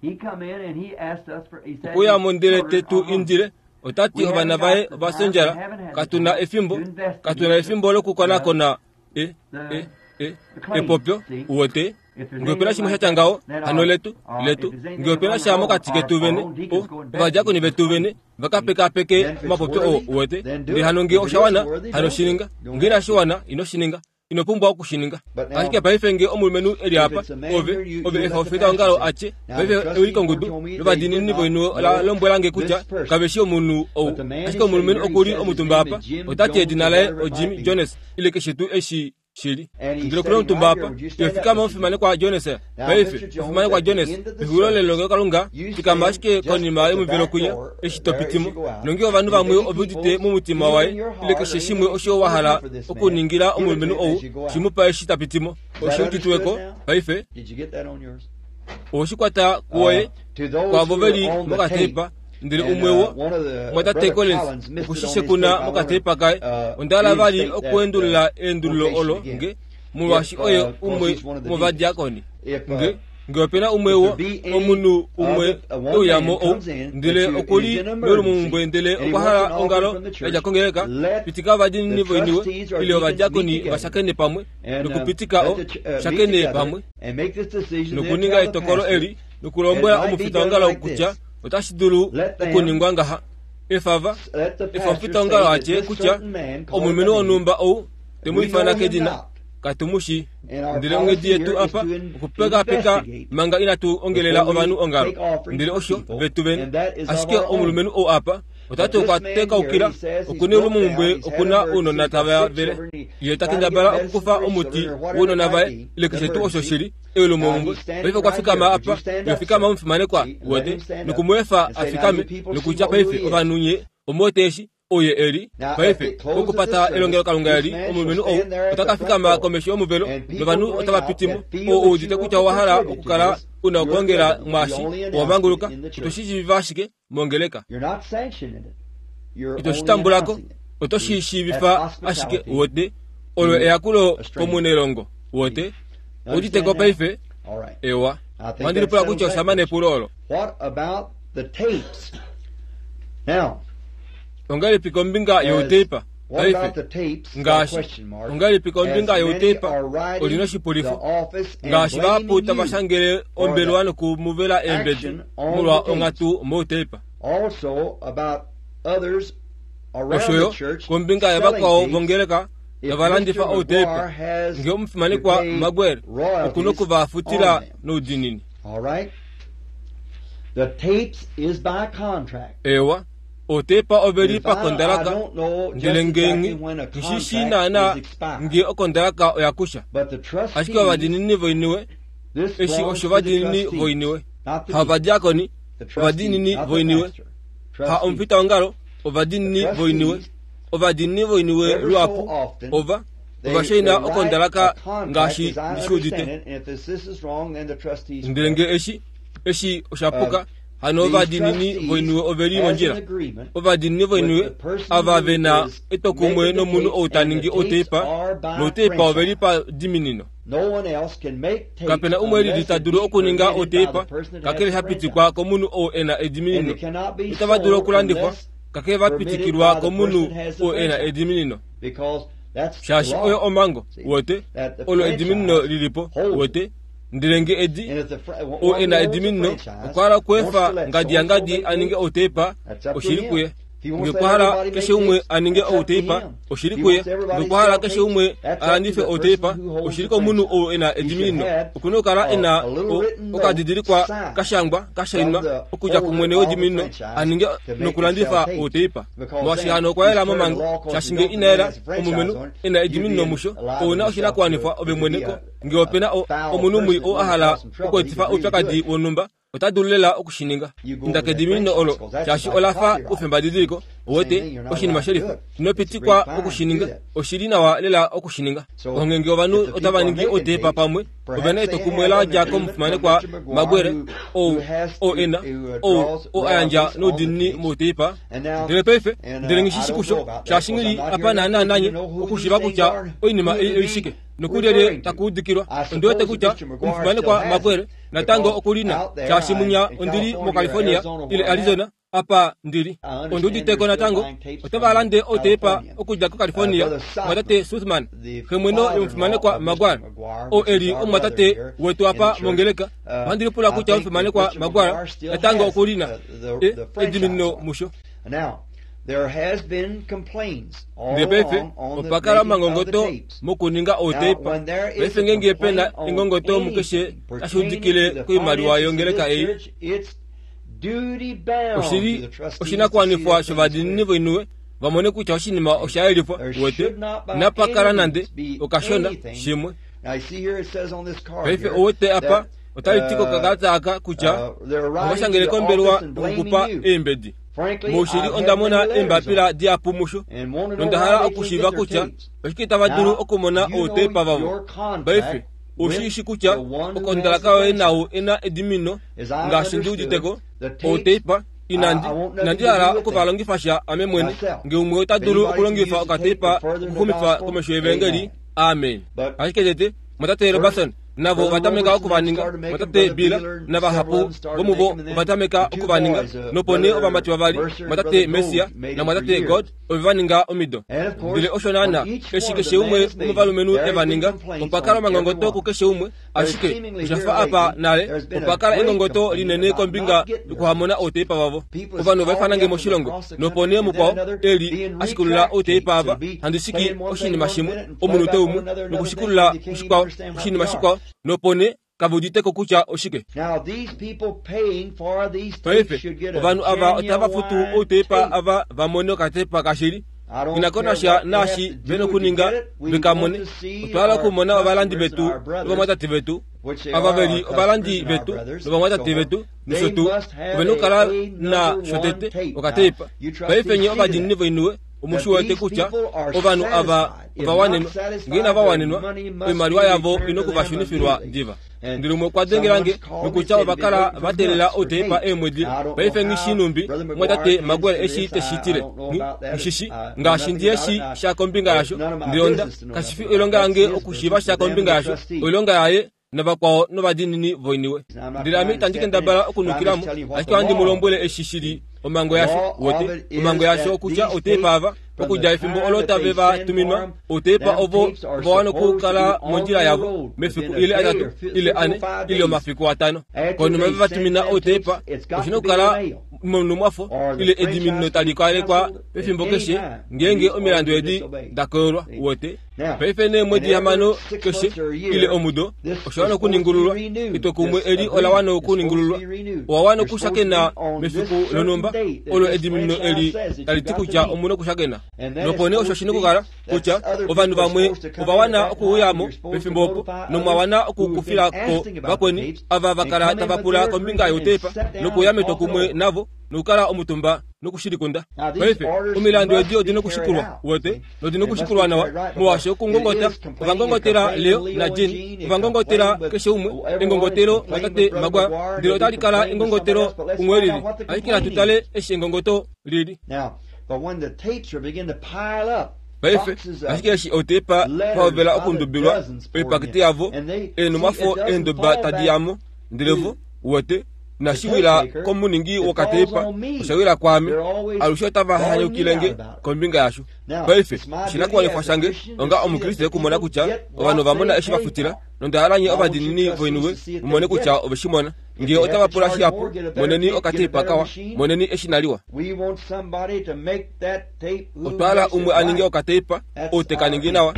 okuya mondele tetu indile otati ovana vaye ovasendjala katuna efimbo katuna efimbo lokukonakona e e e epopyo uwete nge opena shimwe shatya ngaho hano letu letu nge opena sha mokati ketu vene o ovadiakoni vetu vene vakapekapeke omapopyo oo uwete ndele hano nge oshawana hano shininga nge inashiwana ino shininga ino pumbwa okushininga ashike paife nge omulumenhu eli apa ove ove efa ofitaongalo atye paife ewikongudu lovadiinini voinu ola lombwelange kutya kaveshi omunhu ou ashike omulumenhu okuli omutumba apa otati edina laye oJim Jones ile keshe tuu eshi shili ndele okuli omutumba apa yofikama omufimanekwa Jones paife omufimanekwa Jones exulilo lelongelokalunga fikama ashike konima yomuvelo kwinya eshi topitimo nonge ovanhu vamwe ove udite momutima waye ile keshe shimwe osho wahala okuningila omulumenhu ou shimupa eshi tapitimo osho uditiweko paife oshikwata kuoye kwavo veli mokatepa ndele umwewo mwatate Collins okushishe kuna mokatepa kaye ondala vali okuendulula eendululo olo nge molwaashi oye umwe movadiakoni nge nge opena umwewo omunhu umwe euyamo ou ndele okuli melumumbwe ndele okwahala ongalo yadja kongeleka pitika ovadiinini voiniwe ile ovadiakoni vashakene pamwe nokupitika o shakene pamwe nokuninga etokolo eli nokulombwela omufitaongalo kutya otashi dulu okuningwa ngaha efava efa omufitaongalo atye kutya omulumenhu wonhumba ou temuifana kedina katumushi ndele onghedi yetu apa okupekapeka manga inatu ongelela ovanhu ongalo ndele osho vetu vene ashike omulumenhu ou apa otati okwatekaukila okuna olumumbwe okuna ounona tava vele ye takendabala okukufa omuti wounona vaye ile keshe tuu osho shili elumumbwe paife okwafikama apa yofikama omufimanekwa wete nokumweefa afikame nokutya paife ovanhu nye omuwete oye eli paife okupata elongelokalunga eli omulumenhu ou otakafikama komesho yomuvelo novanhu otava pitimo ou udite kutya owahala okukala una okuongela mwaashi owamanguluka otoshishiiva ashike mongeleka itoshitambulako otoshishiivifa ashike wote olo eyakulo komunelongo wote uditeko paife ewa mandilipula kutya oshamane epulo olo ongalipi kombinga youtepa paife ngaashi ongalipi kombinga youtepa olina oshipulifo ngaashi vahapu tavashangele ombelewa nokumuvela eembedi molwa onghatu moutepa oshoyo kombinga yavakwao vongeleka tavalandifa outepa nge omufimanekwa Maguire okuna okuvafutila noudinini ewa otepa oveli pakondalaka ndele ngengi nshishi naana nge okondalaka oyakusha ashike ovadiinini voiniwe eshi osho vadiinini voiniwe ha ovadiakoni ovadiinini voiniwe ha omufitaongalo ovadiinini voiniwe Ovadiinini voiniwe luhapu ova ovashaina okondalaka ngaashi ndishiudite. Ndele nge eshi eshi oshapuka, hano ovadiinini voiniwe oveli mondjila. Ovadiinini voiniwe ava vena etwokumwe nomunhu ou ta ningi outeipa, nouteipa oveli padiminino. Kapena umwe lili ta dulu okuninga outeipa kakele shapitikwa komunhu ou ena ediminino. Itava dulu okulandifwa kakele vapitikilwa komunhu ou ena ediminino. Shaashi oyo omhango, wote, olo ediminino lilipo, wote. Ndele nge edi ou ena ediminino okwa hala okweefa ngadi yangadi aninge outeipa, oshili kuye. Nge okwa hala keshe umwe aninge outeipa, oshili kuye. Nge okwa hala keshe umwe alandife outeipa, oshili komunhu ou ena ediminino. Okuna okukala ena okadidilikwa kashangwa kashainwa okudja kumwene wediminino aninge nokulandifa outeipa. Molwaashi hano okwa yela momhango, shaashi nge ina yela omulumenhu ena ediminino musho, ouna oshinakuwanifwa ove mwene ko. Nge opena omunhu mwii oo a hala okweetifa oupyakadi wonhumba, ota dulu lela okushininga. Inda kediminino olo, shaashi ola fa oufembadidiliko, wote, oshinima shelifa. Inopitikwa okushininga, oshili nawa lela okushininga. Ongenge ovanhu otava ningi outeipa pamwe, ovena etwokumwe la dja komufimanekwa Maguire, ou ou ena ou ou a yandja noudiinini mouteipa. Ndele paife, ndele nghi kusho, shaashi nghi apa naana nanye okushiiva kutya oinima ei oishike. Nokulyelye takuudikilwa. Ondi wete kutya omufimanekwa Maguire natango okulina, shaashi munya ondili moCalifornia ile Arizona apa ndili. Ondi uditeko natango otava lande outeipa okudja koCalifornia, mwatate Suthman, xemweno yomufimanekwa Maguire, oo eli omwatate wetu apa mongeleka. Ohandi lipula kutya omufimanekwa Maguire natango okulina ediminino musho. Ndele paife opa kala omangongoto mokuninga outeipa. Paife ngenge pena engongoto mukeshe tashi udikile koimaliwa yongeleka ei, oshili oshinakuwanifwa shovadiinini voiniwe vamone kutya oshinima osha yelifwa, wete. Inapa kala nande okashona shimwe. Paife owete apa otali ti kokakalata aka kutya ovashangele kombelewa yokukupa eembedi. Moushili onda mona eembapila dihapu musho, nonda hala okushiiva kutya oshike tava dulu okumona outeipa vavo. Paife oshiishi kutya okondalaka yoye nao ena edimino ngaashi ndi uditeko outeipa. Inandi inandi hala okuvalongifa sha ame mwene. Nge umwe ota dulu okulongifa okateipa okuxumifa komesho yevangeli, amen. Ashike tete mwatate Robertson navo ovatameka okuvaninga, mwatate Bill navahapu vomuvo ovatameka okuvaninga, nopo nee ovamati vavali, mwatate Messia namwatate God, ove vaninga omido. Ndele osho naana eshi keshe umwe womovalumenhu evaninga, opa kala omangongoto kukeshe umwe. Ashike oshafa apa nale opa kala engongoto linene kombinga yokuhamona outeipa vavo. Ovanhu ovaifana moshilongo, nopo nee mukwao eli ashikulula outeipa ava, handi shiki oshinima shimwe omunute umwe nokushikulula oshikwao oshinima shikwao, nopo nee kave uditeko kutya oshike. Paife ovanhu ava otava futu outeipa ava vamone okateipa kashili. Inakonasha naashi vena okuninga vekamone. Otwa hala okumona ovalandi vetu novamwatate vetu, ava veli ovalandi vetu novamwatate vetu nosho tuu, ovena okukala na shotete okateipa. Paife nye ovadiinini voiniwe omushi wete kutya ovanhu ava ovawanenwa. Nge inava wanenwa, oimaliwa yavo ina okuvashunifilwa diva. Ndele umwe okwa dengelange nokutya ovakala vateelela outeipa eemwedi. Paife nghishinumbi mwatate Maguire eshi teshitile ngishishi ngaashi ndiye shi sha kombinga yasho. Ndele onda kashifi oilonga yange okushiiva sha kombinga yasho, oilonga yaye navakwao novadiinini voiniwe. Ndele ame itandi kendabala okunukilamo, ashike ohandi mu lombwele eshi shili omhango yasho, wote. Omhango yasho okutya outeipa ava okudja efimbo olo tave va tuminwa, outeipa ovo ovawana okukala mondjila yavo mefiku ile atatu ile ane ile omafiku atano. Konima ve va tumina outeipa, oshina okukala monumwafo ile ediminino tali kalekwa pefimbo keshe ngeenge omilandu edi dakoyolwa, wote. Paife neemwedi hamano keshe ile omudo osha wana okuningululwa. Etwokumwe eli ola wana okuningululwa. Owa wana okushakena mefiku lonhumba olo ediminino eli tali ti kutya omuna okushakena. Nopo nee osho shina okukala kutya ovanhu vamwe ova wana okuuyamo pefimbo opo, nomwa wana okukufila ko vakweni ava vakala tava pula kombinga youteipa nokuya metwokumwe navo nokukala omutumba nokushilikunda. Paife omilandu edi odina okushikulwa wete nodina okushikulwa nawa molwaashi okungongota ovangongotela Leo naJean ovangongotela keshe umwe engongotelo mwatate Magwa ndele otali kala engongotelo umwe lili ashike natu tale eshi engongoto lili. Paife ashike eshi otepa pahovela okundubilwa oipakete yavo eenumwafo eendoba tadi yamo ndele vo wete nashiwila komuningi wokatepa oshawila kwaame alushe otava hanyukilenge kombinga yasho. Paife oshinakuwanifwa shange onga omukriste okumona kutya ovanhu ovamona eshi vafutila nonda nye ovadiinini voiniwe mumone kutya oveshimona. Ngee otava pula shihapu moneni okatepa kawa moneni eshi naliwa. Otwala umwe aninge okatepa ou tekaningi nawa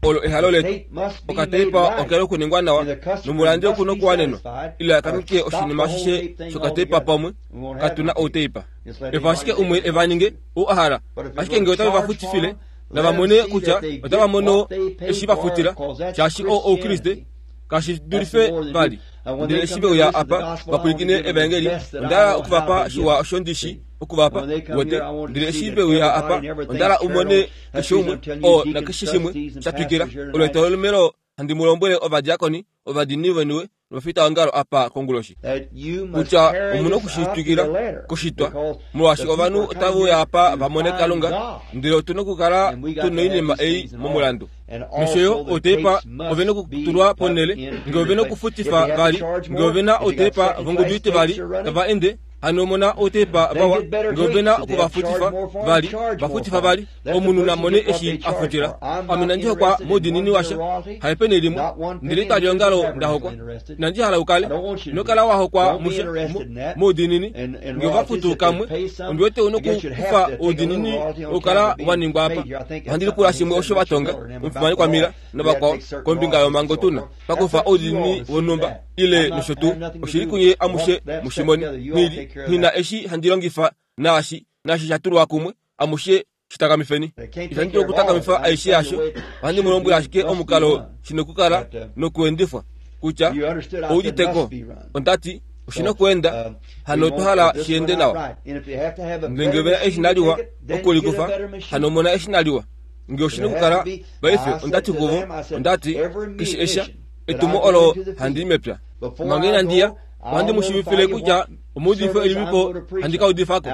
olo ehalo letu. Okatepa okela okuningwa nawa nomulandi okuna okuwanenwa ile akanike oshinima ashishe shokatepa pamwe katuna outeipa. Eva ashike umwe evaninge ou ahala ashike ngee otave vafutifile navamone kutya otava mono eshi vafutila shaashi oo oukriste kashi dulife vali. Ndele eshi veuya apa vapwilikine evaengeli ondala okuvapa shiwa osho ndishi okuvapa wete. Ndele eshi veuya apa ondala umone keshe umwe oo nakeshe shimwe shatwikila. Olo etolomelo handi mu lombwele ovadiakoni ovadiinini veniwe novafitaongalo apa konguloshi kutya omuna okushitwikila koshitwa molwaashi ovanhu otava uya apa vamone Kalunga ndele otuna okukala tuna oinima ei momulandu. Nosho yo outepa ovena okutulwa ponele ngee ovena okufutifa vali ngee ovena outepa vongudu itivali tava ende hano mona outepa vawa ngee ovena okuvafutifa vali vafutifa vali omunhu namone eshi afutila. Ame nandi hokwa moudiinini washa haipeni limwe ndele italiongalo ndahokwa nandi hala ukale nokala wahokwa musha moudiinini ngee ovafutu kamwe ondiwete una okukufa oudiinini okukala waningwa apa. Ohandi lipula shimwe osho vatonga omufimani kwamila navakwao kombinga yomango tuna pakufa oudiinini wonhumba ile nosho tuu oshili kunye amushe mushimoni nili nina eshi handi longifa naashi naashi shatulwa kumwe amushe shitakamifeni. Itandi dulu okutakamifa aishe yasho ohandi mu lombwele ashike omukalo shina okukala nokuendifwa kutya ouditeko ondati oshina okuenda hano otwa hala shiende nawa. Ndele ngee ovena eshina liwa okulikufa hano omona eshina liwa ngee oshina okukala paife ondati kuvo ondati keshe esha etumo olo handi mepya manga inandiya ohandi mu shiivifile kutya omuudifo elilipo handi ka udifako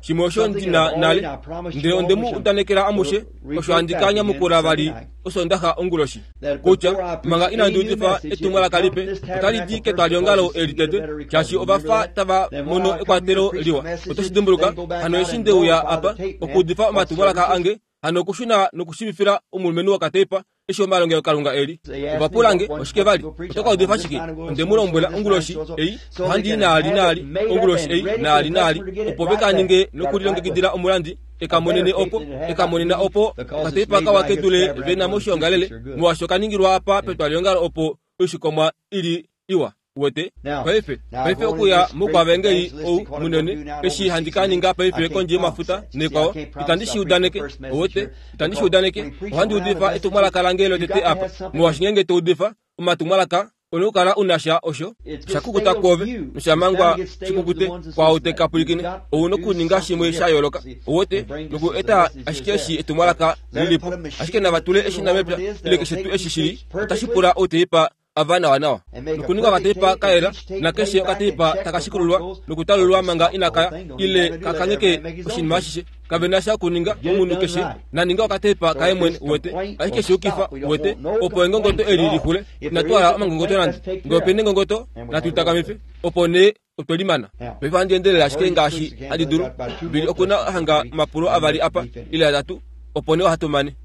shimwe osho ndina nale ndele onde mu udanekela amushe osho handi ka nyamukula vali osondaxa onguloshi kutya manga inandi udifa etumwalaka lipe otali di ketwaliongalo eli tete shaashi ovafa tava mono ekwatelo liwa. Otoshi dimbuluka hano eshi ndeuya apa okuudifa omatumwalaka ange hano okushuna nokushivifila omulumenhu wokatepa eshi omalongelokalunga eli. Ovapulange oshike vali otoka udifa shike? Onde mu lombwela onguloshi ei ohandi naali naali onguloshi ei naali naali opo vekaninge nokulilongekidila omulandi ekamonene opo ekamonena opo okatepa kawa kedule vena moshiongalele molwaashi okaningilwa apa petwaliongalo opo oishikomwa ili iwa wete. Paife paife okuya moukwavengeli ou munene eshi handi kaninga paife kondje yomafuta nekwao itandi shi udaneke owete itandi shi udaneke ohandi udifa etumwalaka lange lotete apa molwaashi ngeenge toudifa omatumwalaka ona okukala unasha osho shakukuta kwoove noshamangwa shikukute kwaau tekapwilikine ouna okuninga shimwe sha yooloka owete noku eta ashike eshi etumwalaka lilipo ashike navatule eshina mepya ile keshe tuu eshi shili otashi pula outeipa ava nawa nawa nokuninga okateipa kayela nakeshe okateipa takashikululwa nokutalululwa manga inakaya ile kakangeke oshinima ashishe kavena sha okuninga omunhu keshe naninga okateipa kaye mwene wete ashike shiyukifa wete opo engongoto eli lixule inatwala omangongoto nande ngee opena engongoto natuitakamife opo nee otwelimana. Paife ohandi endelele ashike ngaashi handi dulu mbili okuna hanga omapulo avali apa ile atatu opo nee ohatu mane.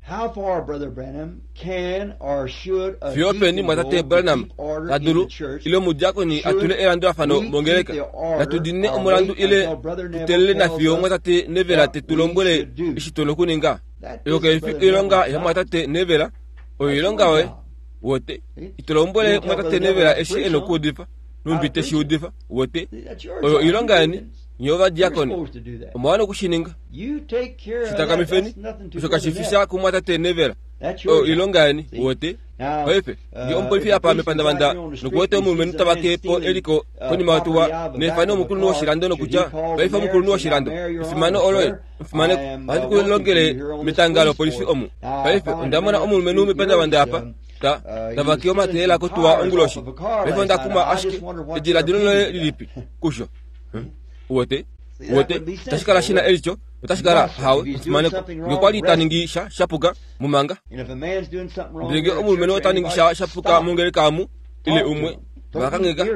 Fiyo openi mwatate Branham tadulu ile omudiakoni atule elandulafano mongeleka natudinine omulandu ile tutelele nafiyo mwatate Nevela tetu lombwele eshi tuna okuninga. Oyo kaifi oilonga yamwatate Nevela oyo oilonga yoye wote itulombwele mwatate Nevela eshi ena okuudifa numbi teshi udifa wote oyo oilonga yeni nye ovadiakoni omwa okushininga. Shitakamifeni osho kashifi sha kumwatate Nevela oyo oilonga yeni wote. Paife nge omupolifi apa mepandavanda nokuwete omulumenhu tavake po eliko konima yotuwa nefano omukulunhu woshilando nokutya paife omukulunhu woshilando efimano oloye omufimaneko ohandi ku longele metanga lopolifi omu. Paife onda mona omulumenhu mepandavanda apa ta tavake omateyela kotuwa onguloshi. Paife onda kuma ashike ediladilo loye lilipi kusho. Uwete uwete tashi kala shina elicho otashi kala hawe omufimaneko nge kwali taningi sha shapuka mumanga. Ndele nge omulumenhu otaningi sha shapuka mongeleka amu ile umwe vakangeka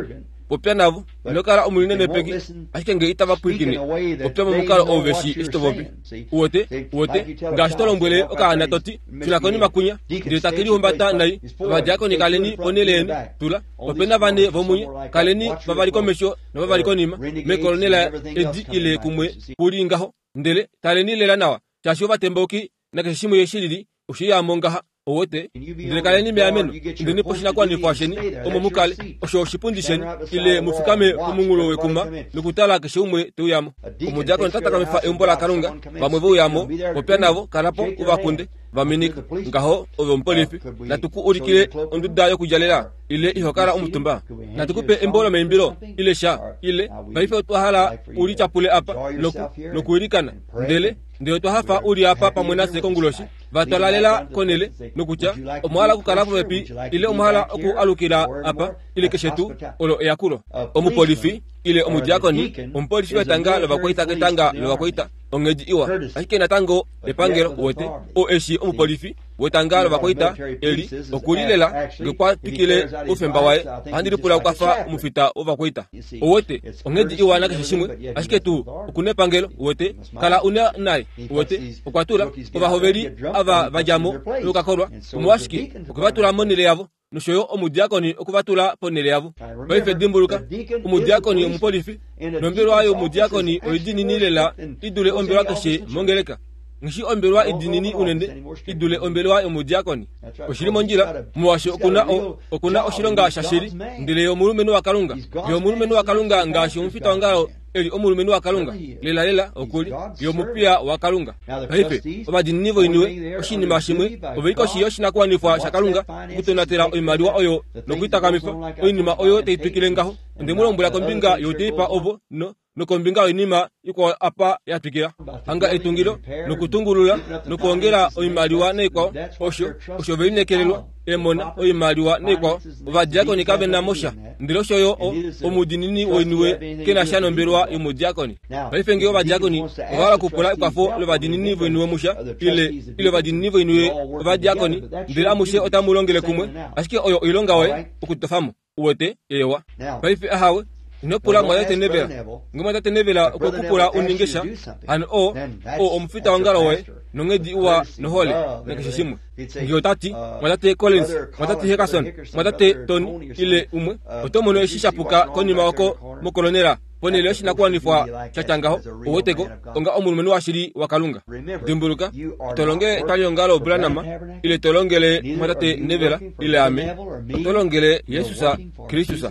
popya navo inokala omulinenepeki ashike nge itava pwilikine popya momukalo ou veshi eshi topopi. Uwete uwete ngaashi to lombwele okaana toti shuna konima kunya ndele take lihumbata nai. Ovadiakoni kaleni ponhele yeni tula opena vane vomunye kaleni vavali komesho novavali konima mekolonela edi ile kumwe kuli ngaho ndele taleni lela nawa shaashi ovatembauki nakeshe shimwe shilili oshiyamo ngaha. Owete ndele kaleni meameno ndeni poshinakuwanifwa sheni omo mukale osho oshipundi sheni ile mufikame pomunghulo wekuma nokutala keshe umwe teuyamo. Omudiakoni otatakamifa eumbo laKalunga vamwe vouyamo popya navo kalapo uvakunde vaminika ngaho ove omupolifi natuku ulikile onduda yokudjalela ile ihokala omutumba natukupe embo lomaimbilo ile sha ile paife otwa hala ulityapule apa noku nokuilikana ndele ndele otwa hafa uli apa pamwe nafye konguloshi vatwalalela konele nokutya omwahala okukala popepi ile omwahala oku alukila apa ile keshe tuu olo eyakulo. Omupolifi ile omudiakoni omupolifi wetanga lovakwaita ketanga lovakwaita onghedi iwa ashike natango epangelo uwete o eshi omupolifi wetanga lovakwaita eli okulilela nge kwa twikile oufemba waye ohandi lipula okwafa omufita wovakwaita. Uwete onghedi iwa nakeshe shimwe ashike tuu okuna epangelo uwete kala una naye uwete okwa tula ovahoveli ava vadjamo nokakolwa omolwashike okwe monhele yavo nosho yo omudiakoni okuvatula ponhele yavo. Paife dimbuluka omudiakoni omupolifi nombelwa yomudiakoni oidinini lela idule ombelwa keshe mongeleka. Ngishi ombelwa idinini unene idule ombelwa yomudiakoni. Oshili mondjila molwaashi okuna okuna oshilonga shashili ndele yomulumenhu waKalunga. Yomulumenhu waKalunga ngaashi omufita wongalo eli omulumenhu waKalunga lela lela okuli yomupiya waKalunga. Paife ovadinini voiniwe oshinima shimwe oveli koshi yoshinakuwanifwa shaKalunga okutonatela oimaliwa oyo nokuitakamifa oinima oyo taitwikile ngaho. Onde mu lombwela kombinga youteipa ovo no nokombinga yoinima ikwao apa yatwikila hanga etungilo nokutungulula nokuongela oimaliwa naikwao osho osho velinekelelwa emona oimaliwa naikwao. Ovadiakoni kave na mosha ndele osho yo omudinini woiniwe kena sha nombelwa yomudiakoni. Paife nge ovadiakoni ovahala okupula ekwafo lovadinini voiniwe musha ile ile ovadinini voiniwe ovadiakoni ndele amushe otamu longele kumwe ashike oyo oilonga woye okutofamo uwete ewa. Paife ahawe inopula mwatate Nevela nge mwatate Nevela okwe kupula uninge sha hano o o omufita wongalo woye nonghedi iwa nohole nakeshe shimwe. Nge otati mwatate Collins mwatate Hickerson mwatate Tony ile umwe oto mono eshi shapuka konima oko mokolonela ponhele yoshinakuwanifwa shatya ngaho uweteko onga omulumenhu washili waKalunga. Dimbuluka tolongele etwaliongalo Branham ile tolongele mwatate Nevela ile ame otolongele Yesus Kristus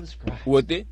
uwete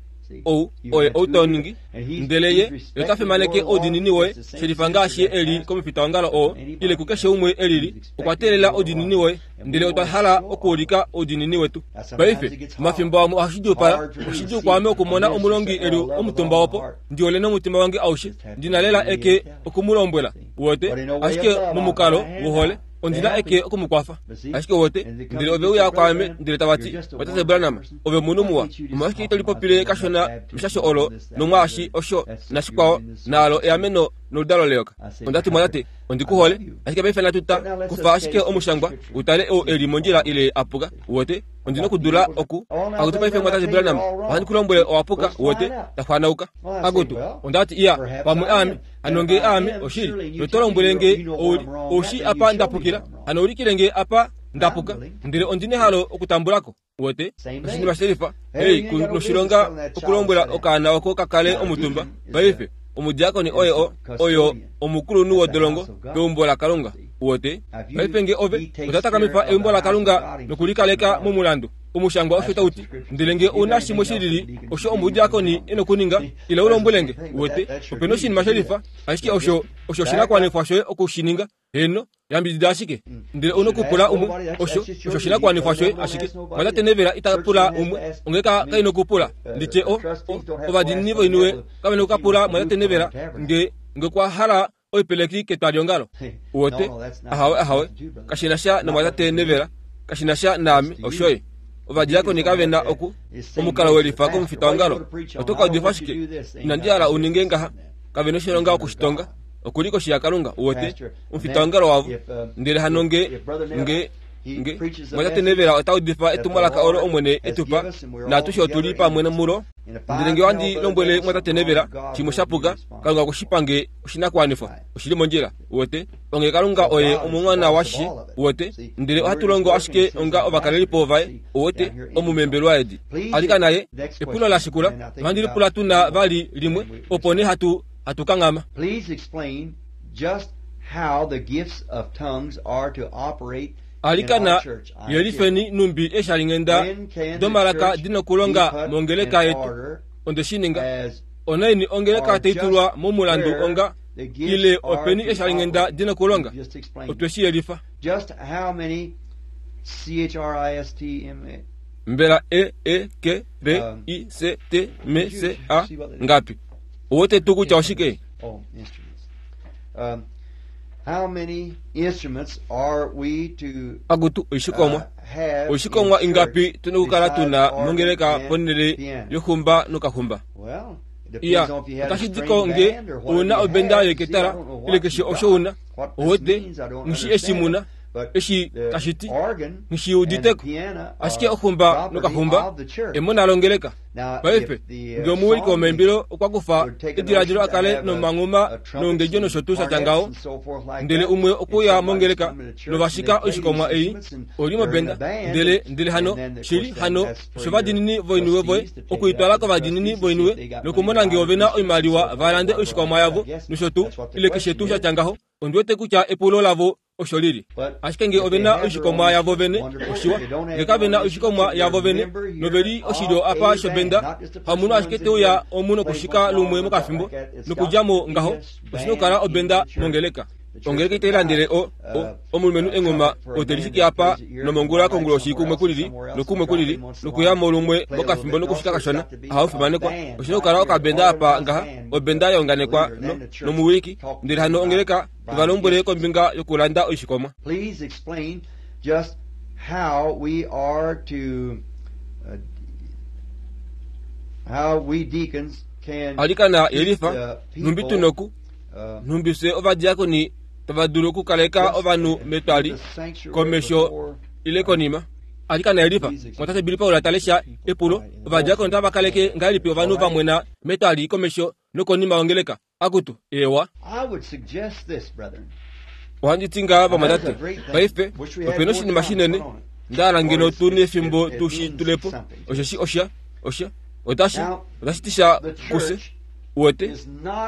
ou oye outoningi ndele ye yotafimaneke oudinini woye shelifa ngaashi eli komufita wongalo oo ile kukeshe umwe elili okwa teelela oudinini woye ndele otwa hala okuulika oudinini wetu. Paife omafimbo amwe ohashidjuupala oshidjuu kwaame okumona omulongi eli omutumba opo ndiole nomutima wange aushe ndina lela eke okumulombwela uwete ashike momukalo wohole ondina eke okumukwafa ashike wote ndele ove uya kwaame ndele tavati watate Branham ove munhu muwa omolwashike ito lipopile kashona meshasho olo nomwaashi osho nashikwao naalo eameno noludalo leyoka. Ondati mwatate ondikuhole ashike paife natuta kufa ashike omushangwa utale ou eli mondjila ile apuka uwete ondina okudula oku akutu paife mwatate Branham ohandi kulombwele owapuka uwete taxwanauka akutu ondati iya pamwe aame hano nge aame oshili notolombwele nge ouli oushi apa ndapukila hano ulikile nge apa ndapuka ndele ondina ehalo okutambulako uwete oshinima shelifa ei noshilonga okulombwela okaana oko kakale omutumba. Paife omudiakoni oye o oyo omukulunhu wodolongo peumbo laKalunga uwete. Paife nge ove otatakamifa eumbo laKalunga nokulikaleka momulandu omushangwa osho tauti ndele nge una shimwe shilili osho omudiakoni ena okuninga ile ulombwelenge uwete opena oshinima shelifa ashike osho osho oshinakuwanifwa shoye okushininga heno Yambidida ashike. Ndele ouna okupula umwe, osho osho oshinakuwanifwa shoye ashike. Mwatate Neville ita pula umwe, ongeleka kaina okupula. Nditye o, ovadiinini voiniwe kave na okukapula mwatate Neville nge nge kwa hala oipeleki ketwaliongalo. Uwete? Ahawe ahawe, kashina sha nomwatate Neville, kashina sha naame, oshoye. Ovadiakoni kave na oku omukalo welifa komufitaongalo. Oto ka udifa ashike, inandi hala uninge ngaha, kave na oshilonga okushitonga. Okuli koshi yaKalunga, uwete, omufitaongalo wavo. Ndele hano nge nge nge mwatate Neville ota udifa etumwalaka olo Omwene etupa, naatushe otuli pamwe mulo. Ndele nge ohandi lombwele mwatate Neville shimwe shapuka, Kalunga okushipange oshinakuwanifwa, oshili mondjila, uwete. Onge Kalunga oye omumwana washishe, uwete. Ndele ohatu longo ashike onga ovakalelipo vaye, uwete, omumembelwa edi. Alika naye, epulo la shikula, ohandi lipula tuna vali limwe, opo nee hatu hatu kangama. Please explain just how the gifts of tongues are to operate. Alikana yelifeni numbi eshalingenda domalaka dina okulonga mongeleka yetu. Onde shininga onaini ongeleka taitulwa momulandu onga ile openi eshalingenda dina okulonga. Otwe shi yelifa. Just how many C H R I S T M A Mbela E E K R I C T M C A ngapi? Uwote tu kutya oshike? Oh, instruments. Um, how many instruments are we to Agutu oishikomwa. Oishikomwa ingapi tunokukala tuna mongeleka ponele yohumba nokahumba. Well, Iya, otashi diko nge una obenda yeketara ile keshe osho una. Uwote ngishi eshimuna eshi tashiti ngishi uditeko. Ashike ohumba nokahumba emona longeleka. Paife nge omuwiliki womaimbilo okwa kufa ediladilo akale nomanguma nongedjo nosho tuu shatya ndele umwe okuya mongeleka novashika oishikomwa ei oli mobenda ndele ndele hano shili hano osho vadinini voiniwe voye okuitwala kovadinini voiniwe nokumona nge ovena oimaliwa valande oishikomwa yavo nosho tuu ile keshe tuu shatya ngaho. Ondiwete kutya epulo lavo osho lili. Ashike nge ovena oishikomwa yavo vene oshiwa, nge kavena oishikomwa yavo vene noveli oshilyo apa shobenda hamunhu ashike teuya omunhu okushika lumwe mokafimbo nokudjamo ngaho oshina okukala obenda mongeleka. Ongeleka itailandele o omulumenhu engoma otelishiki apa nomongula konguloshi kumwe kulili nokumwe kulili nokuyamo lumwe mokafimbo nokushika kashona ahaufimanekwa. Oshina okukala okabenda apa ngaha obenda yaunganekwa nomuwiliki ndele hano ongeleka ivalombwele kombinga yokulanda oishikomwa. Please explain just how we are to uh, how we deacons can Alikana yelifa numbi tunoku numbi se ovadiakoni tava dulu okukaleka ovanhu metwali komesho ile konima. Alikana yelifa mwatate Billy Paul atalesha epulo ovadiakoni tava kaleke ngahelipi ovanhu vamwena metwali komesho nokonima ongeleka. Akutu ewa. I would suggest this, brethren. Ohandi ti nga vamwatate paife opena oshinima shinene ndahala ngeno tu nefimbo tu shi tulepo osheshi osha osha otashi otashi ti sha kuse uwete.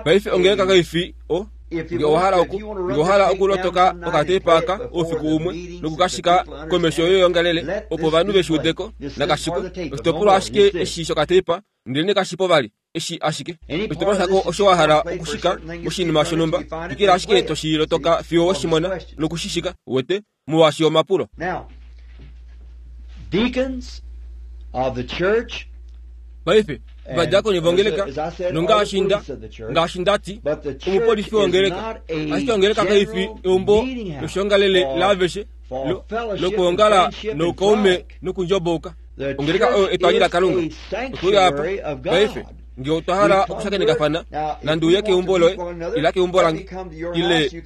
Paife ongeleka kaifi o nge owahala oku nge owahala okulotoka okatepa aka oufiku umwe nokukashika komesho yoyongalele opo ovanhu veshiudeko nakashiko oshitopolwa ashike eshi shokatepa ndele nekashipo vali eshi ashike oshitopolwa shako osho wahala okushika oshinima shonhumba twikila ashike toshilotoka fiyo weshimona nokushishika uwete molwaashi omapulo. Now, deacons of the church Paife ovadiakoni vongeleka nongaashi nda ngaashi ndati omupolifi wongeleka ashike ongeleka kaifi eumbo loshongalele laaveshe lokuongala noukaume nokundjobouka. Ongeleka oyo etwali laKalunga. Otweuya apa paife nge otwa hala okushakenekafana nande uye keumbo loye ila keumbo lange ile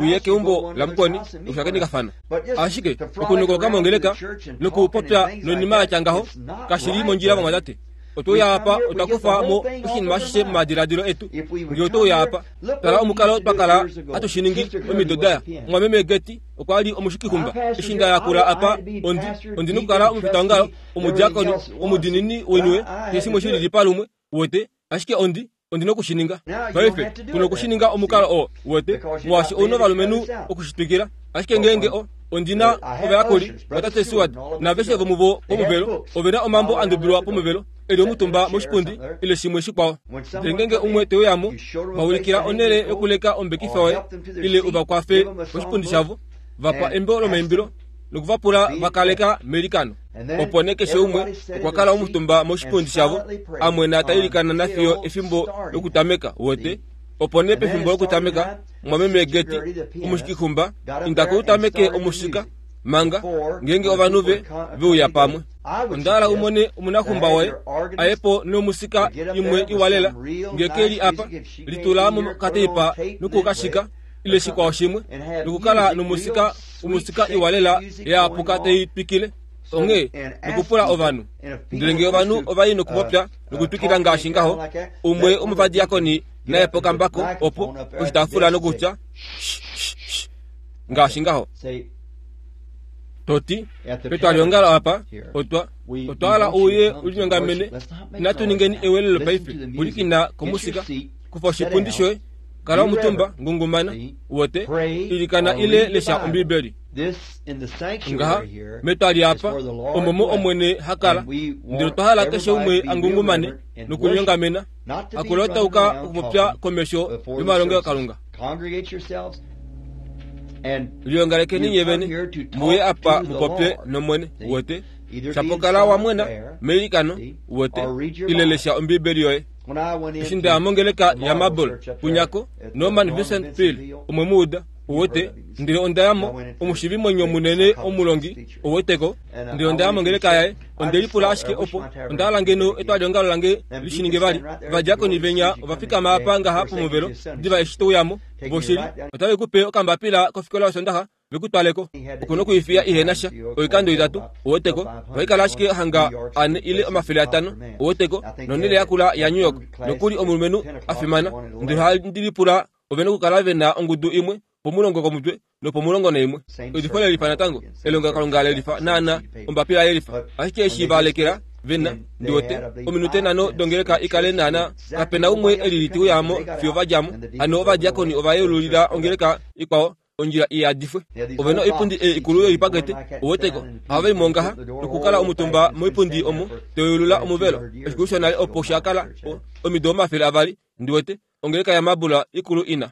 uye keumbo lamukweni okushakenekafana. Ashike okunukoka mongeleka nokupopya noinima yatya ngaho kashili mondjila vamwatate. Otweuya apa otwakufa mo oshinima ashishe momadiladilo etu. Nge otweuya apa tala omukalo twakala hatu shiningi omido daya. Omwameme Geti okwa li omushikihumba eshi nda yakula apa ondi ondi nokukala omufitaongalo omudiakoni omudinini woiniwe keshe shimwe shilili palumwe uwete. Ashike ondi ondi nokushininga paife kuna okushininga omukalo oo uwete molwaashi ouna ovalumenhu okushitwikila. Ashike ngeenge o ondina ovayakuli vatate Seward naveshe vomuvo pomuvelo ovena omambo andubilwa pomuvelo eli omutumba moshipundi ile shimwe shikwao. Ndele ngeenge umwe teuyamo vaulikila onhele yokuleka ombekifa waye ile uvakwafe moshipundi shavo Vapa embo lomaimbilo nokuvapula vakaleka meilikano. Opo nee keshe umwe okwa kala omutumba moshipundi shavo amwena ta ilikana nafiyo efimbo lokutameka wote. Opo nee pefimbo lokutameka mwameme Geti omushikixumba inda koutameke omusika manga ngenge ovanhu ve veuya pamwe. Onda hala umone omunaxumba woye ayepo nomusika imwe iwalela ngekeli apa litula mokateipa nokukashika ile shikwao shimwe nokukala nomusika omusika iwalela yaapuka teitwikile onge nokupula ovanhu. Ndele ngee ovanhu ovai nokupopya nokutwikila ngaashi ngaho umwe omuvadiakoni naye pokambako opo oshitaafula nokutya ngaashi ngaho. Toti petwaliongalo apa otwa otwa hala uye ulinyongamene inatu ningeni ewelelo paife ulikina komusika kufa oshipundi shoye kala omutumba ngungumana wote ilikana ile lesha Ombibeli. Ngaha metwali apa omomo omwene hakala ndele twa hala keshe umwe angungumane nokulinyongamena akulotauka okupopya komesho yomalongelokalunga. Liongalekeni nyevene muye apa mupopye nomwene wote shapokala wamwena meilikano wote ile lesha Ombibeli yoye. Eshi ndaya mongeleka ya Mabel punyako Norman Vincent Peale omwe muuda uwete ndele ondayamo omushivimwenyo munene omulongi uweteko ndele ondaya mongeleka yaye ondelipula ashike opo ondahala ngeno etwaliongalo lange lishininge vali ovadiakoni venya ovafikama apa ngaha pomuvelo diva eshi touyamo voshili otave kupe okambapila kofikola yosondaxa vekutwaleko okuna okuifiya ihena sha oikando itatu uweteko ohaikala ashike hanga ane ile omafele atano uweteko nonele yakula ya New York nokuli omulumenhu afimana ndele ohandilipula ovena okukala vena ongudu imwe pomulongo komutwe nopomulongo naimwe. Edifo lelifa natango elongelokalunga lelifa naana ombapila yelifa ashike eshi valekela vena ndiwote ominute nhano dongeleka ikale naana kapena umwe elili tiuyamo fiyo vadjamo. Hano ovadiakoni ovayeululila ongeleka ikwao ondjila iyadifwe. Ovena oipundi ei ikulu yoipakete uweteko ohava mongaha nokukala omutumba moipundi omo toyeulula omuvelo. Efiku shonale opo shakala omido omafele avali ndiwete ongeleka ya Mabula ikulu ina.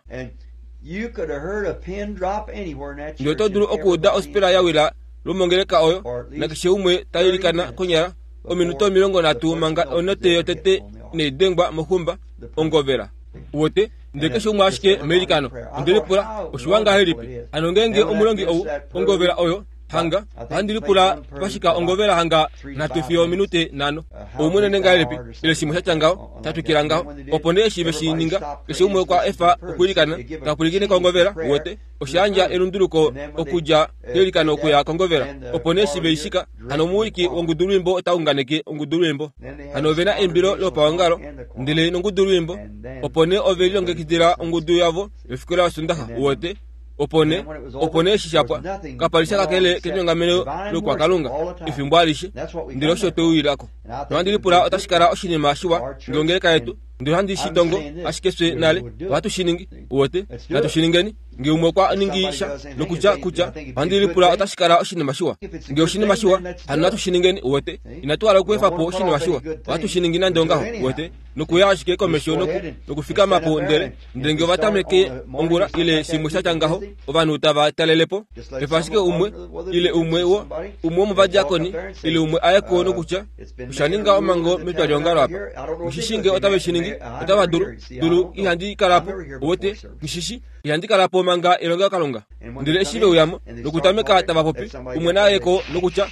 Ndele oto dulu okuuda ospela ya wila lomongeleka oyo nakeshe umwe tailikana konyala ominute omilongo nhatu manga onote yotete neidengwa moxumba ongovela uwete ndele keshe umwe ashike meilikano. Ondelipula oshiwa ngahelipi hano ngenge omulongi ou ongovela oyo hanga ohandilipula pashika ongovela hanga nhatu fiyo ominute nhano oumunene ngahelipi ile shimwe shatya ngaho tatwikila ngaho. Opo nee eshi veshininga keshe umwe okwa efa okwiilikana tapulikine kongovela uwete oshiyandja elunduluko okudja keilikano okuya kongovela. Opo nee eshi veishika hano omuwiliki wongudulwimbo otaunganeke ongudulwimbo. Hano ovena eimbilo lopaongalo ndele nongudulwimbo. Opo nee ove lilongekidila ongudu yavo yofikola yosondaxa uwete. Opo nee opo nee eshi shapwa kapali kakele kenyongameno lokwakalunga efimbo alishe ndele osho tweuwilako. Nohandilipula otashi kala oshinima shiwa ngeongeleka yetu ndele ohandi shitongo ashike fye nale ohatu shiningi uwete natu shiningeni nge umwe okwa ningi sha nokutya kutya ohandilipula otashi kala oshinima shiwa nge oshinima shiwa hano natu shiningeni uwete inatu hala okuefapo oshinima shiwa ohatu shiningi nande ongaho uwete nokuya ashike komesho nokufikamapo ndele ndele nge ovatameke ongula ile shimwe shatya ngaho ovanhu tava talelepo efa ashike umwe ile umwe wo umwe womuvadiakoni ile umwe ayeko nokutya oshaninga omango metwaliongalo apa ngishishinge otave shiningi otava dulu dulu ihandi kalapo uwete ngishishi ihandi kalapo manga elongelokalunga. Ndele eshi veuyamo nokutameka tava popi umwe nayeko nokutya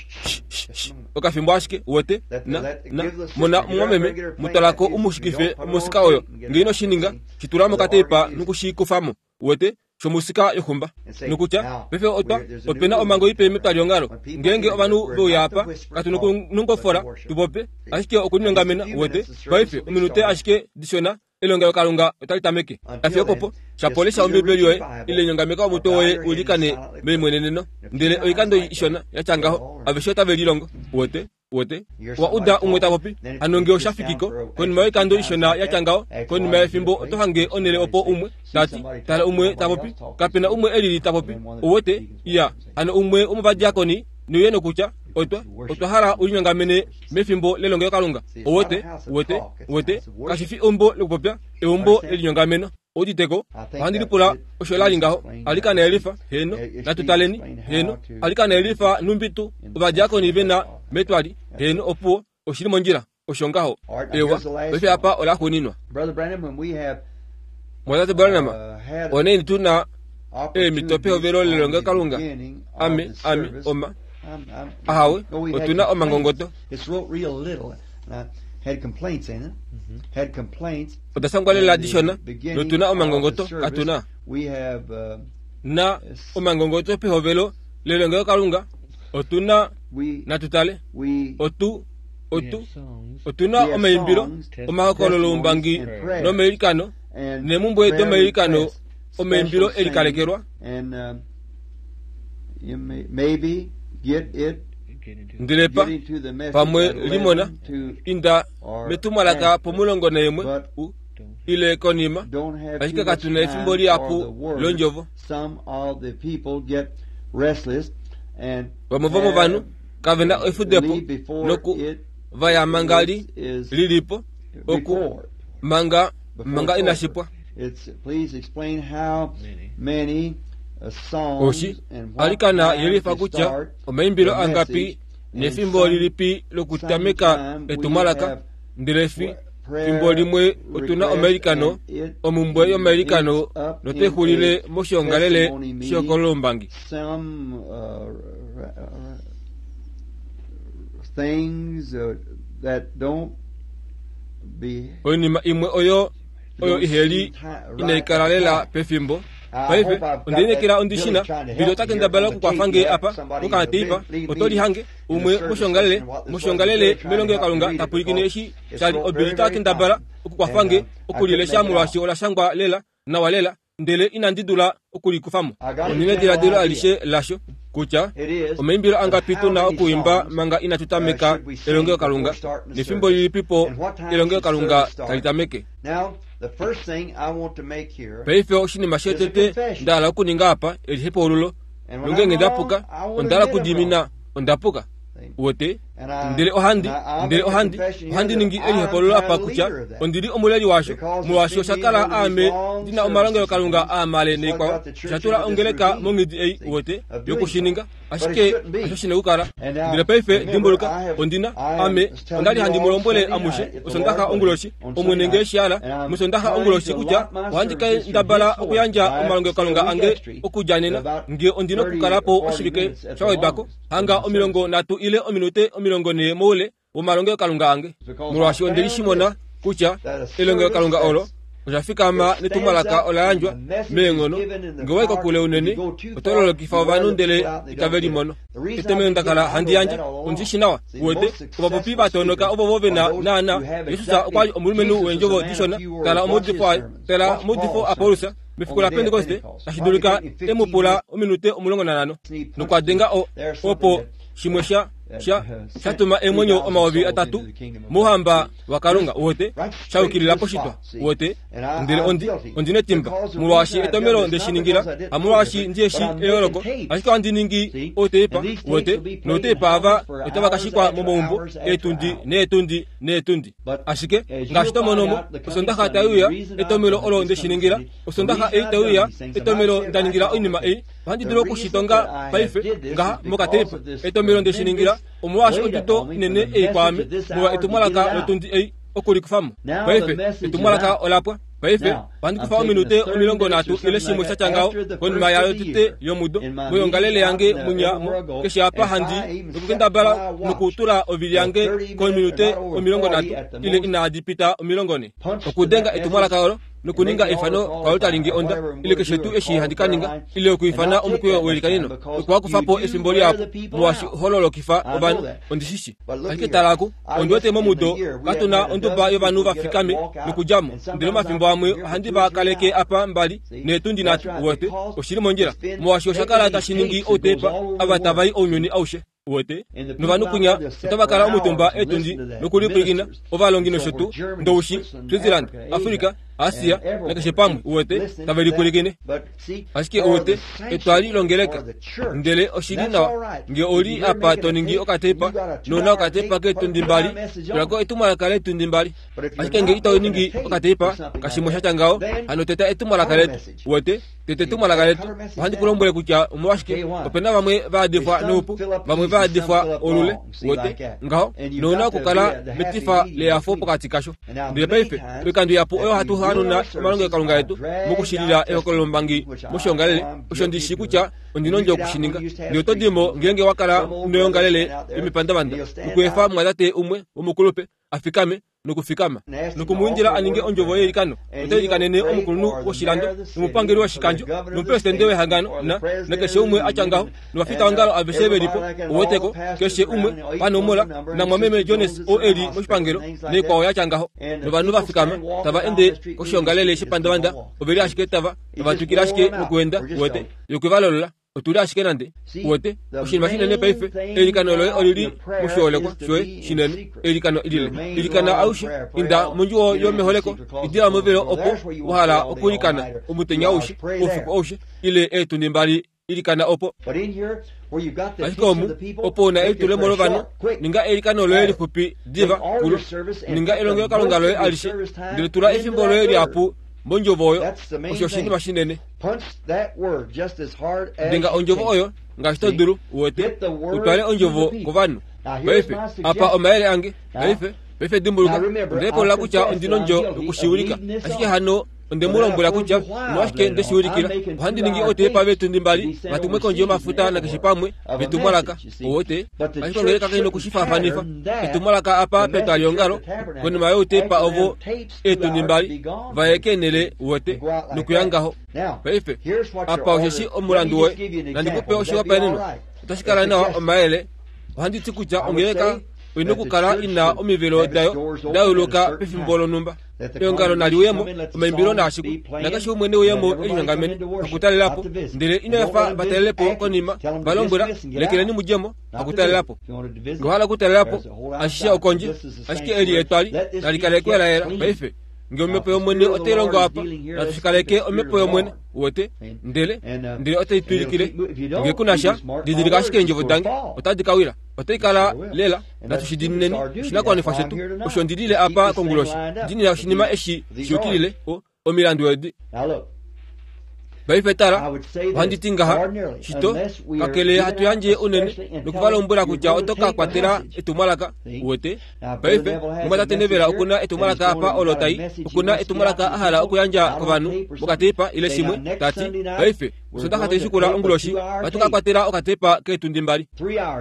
okafimbo ashike uwete na na mona omumwameme mutwalako umushikife omusika oyo nge ino shininga shitula mokateipa nokushikufamo uwete shomusika yoxumba nokutya pefe otwa opena omango ipe metwaliongalo ngenge ovanhu veuya apa katu nongofola tupope ashike okulinyongamena uwete paife ominute ashike dishona elongelokalunga otali tameke afiyo popo shapolesha Ombibeli yoye ile nyongameka omutwe woye ulikane meimweneneno ndele oikando ishona yatya ngaho aveshe otave lilongo uwete uwete wa uda umwe tapopi hano nge oshafikiko konima yoikando ishona yatya ngaho konima yefimbo oto hange onele opo umwe tati tala umwe tapopi kapena umwe elili tapopi uwete iya hano umwe omuvadiakoni niuye nokutya otwa otwa hala ulinyongamene mefimbo lelongelokalunga uwete uwete uwete kashifi eumbo lokupopya eumbo lelinyongameno Ouditeko ohandi lipula osho la li ngaho alikana elifa heno natutaleni heno alikana elifa numbitu ovadiakoni vena metwali heno opuwo oshili mondjila osho ngaho ewa paife apa ola xuuninwa. Mwatate Branham oneni tuna eemhito pehovelo lelongelokalunga ame ame oma ahawe otuna omangongoto oda sangwa lela dishona notuna omangongoto katuna na omangongoto pehovelo lelongelokalunga otuna natutale otu otu otuna omaimbilo omahokololo umbangi nomailikano nemumbwe domailikano omaimbilo elikalekelwa ndele pa pamwe limona inda metumwalaka pomulongo naimwe ile konima ashike katuna efimbo lihapu londjovo. Vamwe vomovanhu kavena efudepo noku vaya manga li lilipo oku manga manga inashipwa. Oshi alikana yelifa kutya omaimbilo angapi nefimbo lilipi lokutameka etumwalaka ndele fimbo limwe otuna omailikano omumbwe yomailikano notexulile moshiongalele shokolombangi. Oinima imwe oyo oyo iheli inaikala lela pefimbo. Paife ondinekela ondishina bilo takendabala okukwafange apa kokateipa otolihange umwe moshongalele moshongalele melongelokalunga tapulikine eshi shali obili takendabala okukwafange okulilesha molwaashi ola shangwa lela nawa lela ndele inandi dula okulikufamo. Ondine diladilo alishe lasho kutya omaimbilo angapi tuna okuimba manga inatutameka elongelokalunga nefimbo lilipipo elongelokalunga tali tameke. Paife oshinima shetete ndahala okuninga apa elihepaululo nongenge ndapuka ondala okudimina ondapuka wote ndele ohandi ndele ohandi ohandi ningi elihepaululo apa kutya ondili omuleli washo molwaashi oshakala aame ndina omalongelokalunga aamale neikwao oshatula ongeleka monghedi ei wote yokushininga ashike osho shina okukala. Ndele paife dimbuluka ondina ame ondali handi mulombwele amushe osondaxa onguloshi omwene nge shiala musondaxa onguloshi kutya ohandi kendabala okuyandja omalongelokalunga ange okudja nena nge ondina okukalapo oshivike shawedwako hanga omilongo nhatu ile ominute omilongo nhee moule womalongelokalunga ange molwaashi ondelishimona kutya elongelokalunga olo oshafikama netumwalaka ola yandjwa meenghono nge wai kokule unene otololokifa ovanhu ndele itave limono. Etomelo ndakala handi yandje ondishi nawa uwete ovapopi vatonoka ovo vena naana Jesus okwali omulumenhu weendjovo dishona tala omaudifo aye tala omaudifo aPaulus mefiku la Pentekoste tashi dulika emupula ominute omulongo nanhano nokwadenga opo shimwe sha sha shatuma emwenyo omayovi atatu mouhamba wakalunga uwete shaukilila poshitwa uwete ndele ondi ondinetimba molwaashi etomelo ndeshiningila hamolwaashi ndieshi eyooloko ashike ohandi ningi outeipa uwete nouteipa ava otava kashikwa momaumbo eetundi neetundi neetundi ashike ngaashi tomonomo osondaxa taiuya etomelo olo ndeshiningila osondaxa ei taiuya etomelo ndaningila oinima ei ohandi dulu okushitonga paife ngaha mokateipa etomelo ndeshiningila omolwaashi oduto inene ei kwaame molwa etumwalaka lotundi ei okulikufamo. Paife etumwalaka olapwa. Paife ohandi kufa ominute omilongo nhatu ile shimwe shatya ngaho konima yayo tete yomudo moyongalele yange munya keshe apa handi nokukendabala nokutula ovili yange kominute omilongo nhatu ile inaadi pita omilongo nhe okudenga etumwalaka olo nokuninga efano kwalo talingi onda ile keshe tuu eshi handi kaninga ile okuifana omukweyo welikanino okwakufapo efimbo lihapu molwaashi hololokifa ovanhu ondishishi. Ashike talaku ondiwete momudo katuna onduba yovanhu vafikame nokudjamo ndele omafimbo amwe ohandi va kaleke apa mbali neetundi nhatu uwete oshili mondjila molwaashi oshakala tashi ningi outeipa ava tavai ounyuni aushe uwete novanhu kunya otava kala omutumba eetundi nokulipwilikina ovalongi nosho tuu Ndoushi, Switzerland, Afrika Asia nakeshe pamwe uwete tave lipwilikine ashike uwete etwali longeleka ndele oshili nawa nge oli apa to ningi okatepa nona okatepa keetundi mbali tulako etumwalaka leetundi mbali ashike nge ito ningi okatepa kashimwe shatya ngaho hano teta etumwalaka letu uwete tete etumwalaka letu ohandi kulombwele kutya omolwashike opena vamwe vaadifwa noupu vamwe vaadifwa olule uwete ngaho nouna okukala metifa leyafo pokati kasho ndele paife oikando yapo oyo hatu hanuna omalongelokalunga etu mokushilila ehokololombangi moshiongalele osho ndishi kutya ondina okushininga ndele oto dimo ngeenge wakala noyongalele yomipandavanda nokuefa mwatate umwe womukulupe afikame nokufikama nokumuindila aninge ondjovo yeilikano otailikanene omukulunhu woshilando nomupangeli woshikandjo nomupresidente wehangano na nakeshe umwe atya ngaho novafitaongalo aveshe velipo oweteko keshe umwe panomola namwameme Jones o eli moshipangelo neikwao yatya ngaho novanhu vafikama tava ende koshiongalele shepandavanda oveli ashike tava tavatwikile ashike nokuenda uwete yokuvalolola otuli ashike nande uwete oshinima shinene paife eilikano loye olili moshiholekwa shoye shinene eilikano ilile ilikana aushe inda mondjuwo yomeholeko idila movelo opo wahala okuilikana omutenya aushe oufiku aushe ile eetundi mbali ilikana opo ashike omu opo una elitulemo lovanhu ninga eilikano loye lixupi diva kulu ninga elongelokalunga loye alishe ndele tula efimbo loye lihapu mondjovo oyo osho oshinima shinene dinga ondjovo oyo ngaashi to dulu uwete utwale ondjovo kovanhu paife apa omayele ange paife paife dimbuluka ndepolola kutya ondina ondjo yokushiulika ashike hano onde mu lombwela kutya omolwashike ndeshiulikila ohandi ningi otepa veetundi mbali vatumwe kondje yomafuta nakeshe pamwe vetumwalaka owote ashike ongeleka kaina okushifaafanifa etumwalaka apa petwaliongalo konima youtepa ovo eetundi mbali vaye keenele uwete nokuya ngaho paife apa osheshi omulandu woye nandikupe oshihopaenenwa otashi kala nawa omayele ohandi ti kutya ongeleka oina okukala ina omivelo dayo dayuluka pefimbo lonhumba eongalo naliuyemo omaimbilo naashiku nakeshe umwe neuyemo elinyongamene hakutalelapo ndele inoefa vatalelepo konima valombwela lekeleni mudjemo hakutalelapo ngewahala okutalelapo ashishe okondje ashike eli etwali nalikalekwe layela paife nge omhepo yomwene otai longo apa natushikaleke omhepo yomwene uwete ndele ndele otai twilikile nge kunasha didilika ashike eendjovo dange otadi kawila otai kala lela natushidineni oshinakuwanifwa shetu osho ndilile apa konguloshi ndinila oshinima eshi shiyukilile omilandu edi paife tala ohandi ti ngaha shito kakele hatu yandje unene nokuvalombwela kutya oto ka kwatela etumwalaka uwete paife omwatate Nevela okuna etumwalaka apa olo tai okuna etumwalaka ahala okuyandja kovanhu mokatepa ile shimwe tati paife osondaxa taishikula onguloshi ohatu ka kwatela okatepa keetundi mbali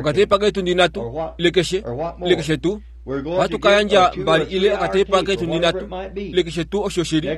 okatepa keetundi nhatu ile keshe ile keshe tuu ohatu ka yandja mbali ile okatepa keetundi nhatu ile keshe tuu osho shili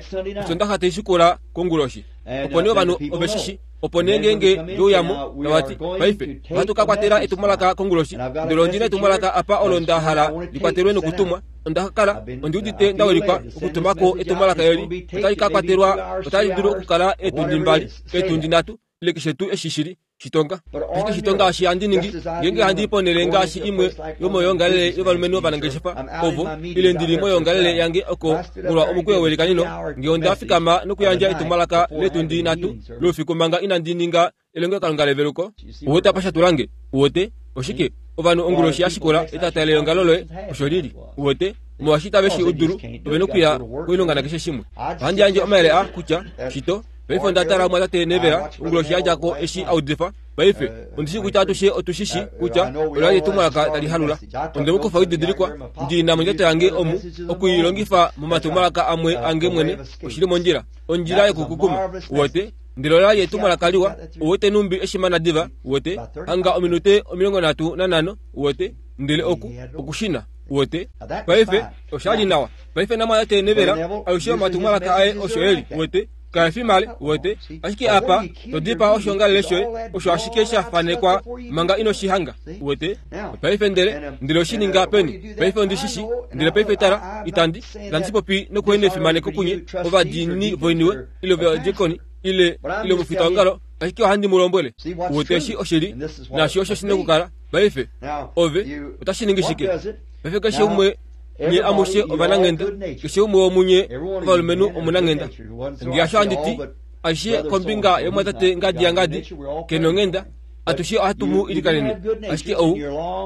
osondaxa taishikula konguloshi opo nee ovanhu oveshishi opo nee ngeenge veuyamo tavati paife ohatu ka kwatela etumwalaka konguloshi ndele ondina etumwalaka apa olo nda hala likwatelwe nokutumwa onda kala ondiudite ndawelikwa okutumako etumwalaka eli otali ka kwatelwa otali dulu okukala eetundi mbali eetundi nhatu ile keshe tuu eshi shili shitonga ashike shitonga ashi handi ningi ngeenge handi ponele ngaashi imwe yomoyoongalele yovalumenhu ovanangeshefa ovo ile ndili moyoongalele yange oko molwa omukweyo welikanino nge onda fikama nokuyandja etumwalaka letundi nhatu loufiku manga inandi ninga elongelokalunga leveluko uwete apa shatulange uwete oshike ovanhu onguloshi yashikula etata leongalo loye osho lili uwete molwaashi tave shi udulu ovena okuya koilonga nakeshe shimwe ohandi yandje omayele a kutya shito paife onda tala mwatate Nevela onguloshi yadjako eshi audifa paife ondishi kutya atushe otushishi kutya ola etumwalaka tali halula onde mukufa oididilikwa ndina mondjato yange omu okuilongifa momatumwalaka amwe ange mwene oshili mondjila ondjila yokukukuma uwete ndele ola etumwalaka liwa uwete numbi eshimana diva uwete hanga ominute omilongo nhatu nanhano uwete ndele oku okushina uwete paife oshali nawa paife namwatate Nevela alushe omatumwalaka aye osho eli uwete kaefi male uwete ashike apa todipa oshiongalele shoye osho ashike shafanekwa manga ino shihanga uwete paife ndele ndele oshininga peni paife ondishishi ndele paife tala itandi itandi popi nokuenda efimaneko kunye ovadiinini voiniwe ile ovadiakoni ile ile omufitaongalo ashike ohandi mu lombwele uwete eshi oshili nashi osho shina okukala paife ove otashi ningi shike paife keshe umwe Nye amushe ovananghenda, keshe umwe womunye ovalumenhu omunanghenda. Ngeasho handiti aishe kombinga yomwatate ngadi yangadi kenonghenda, atushe ohatu mu ilikanene. Ashike ou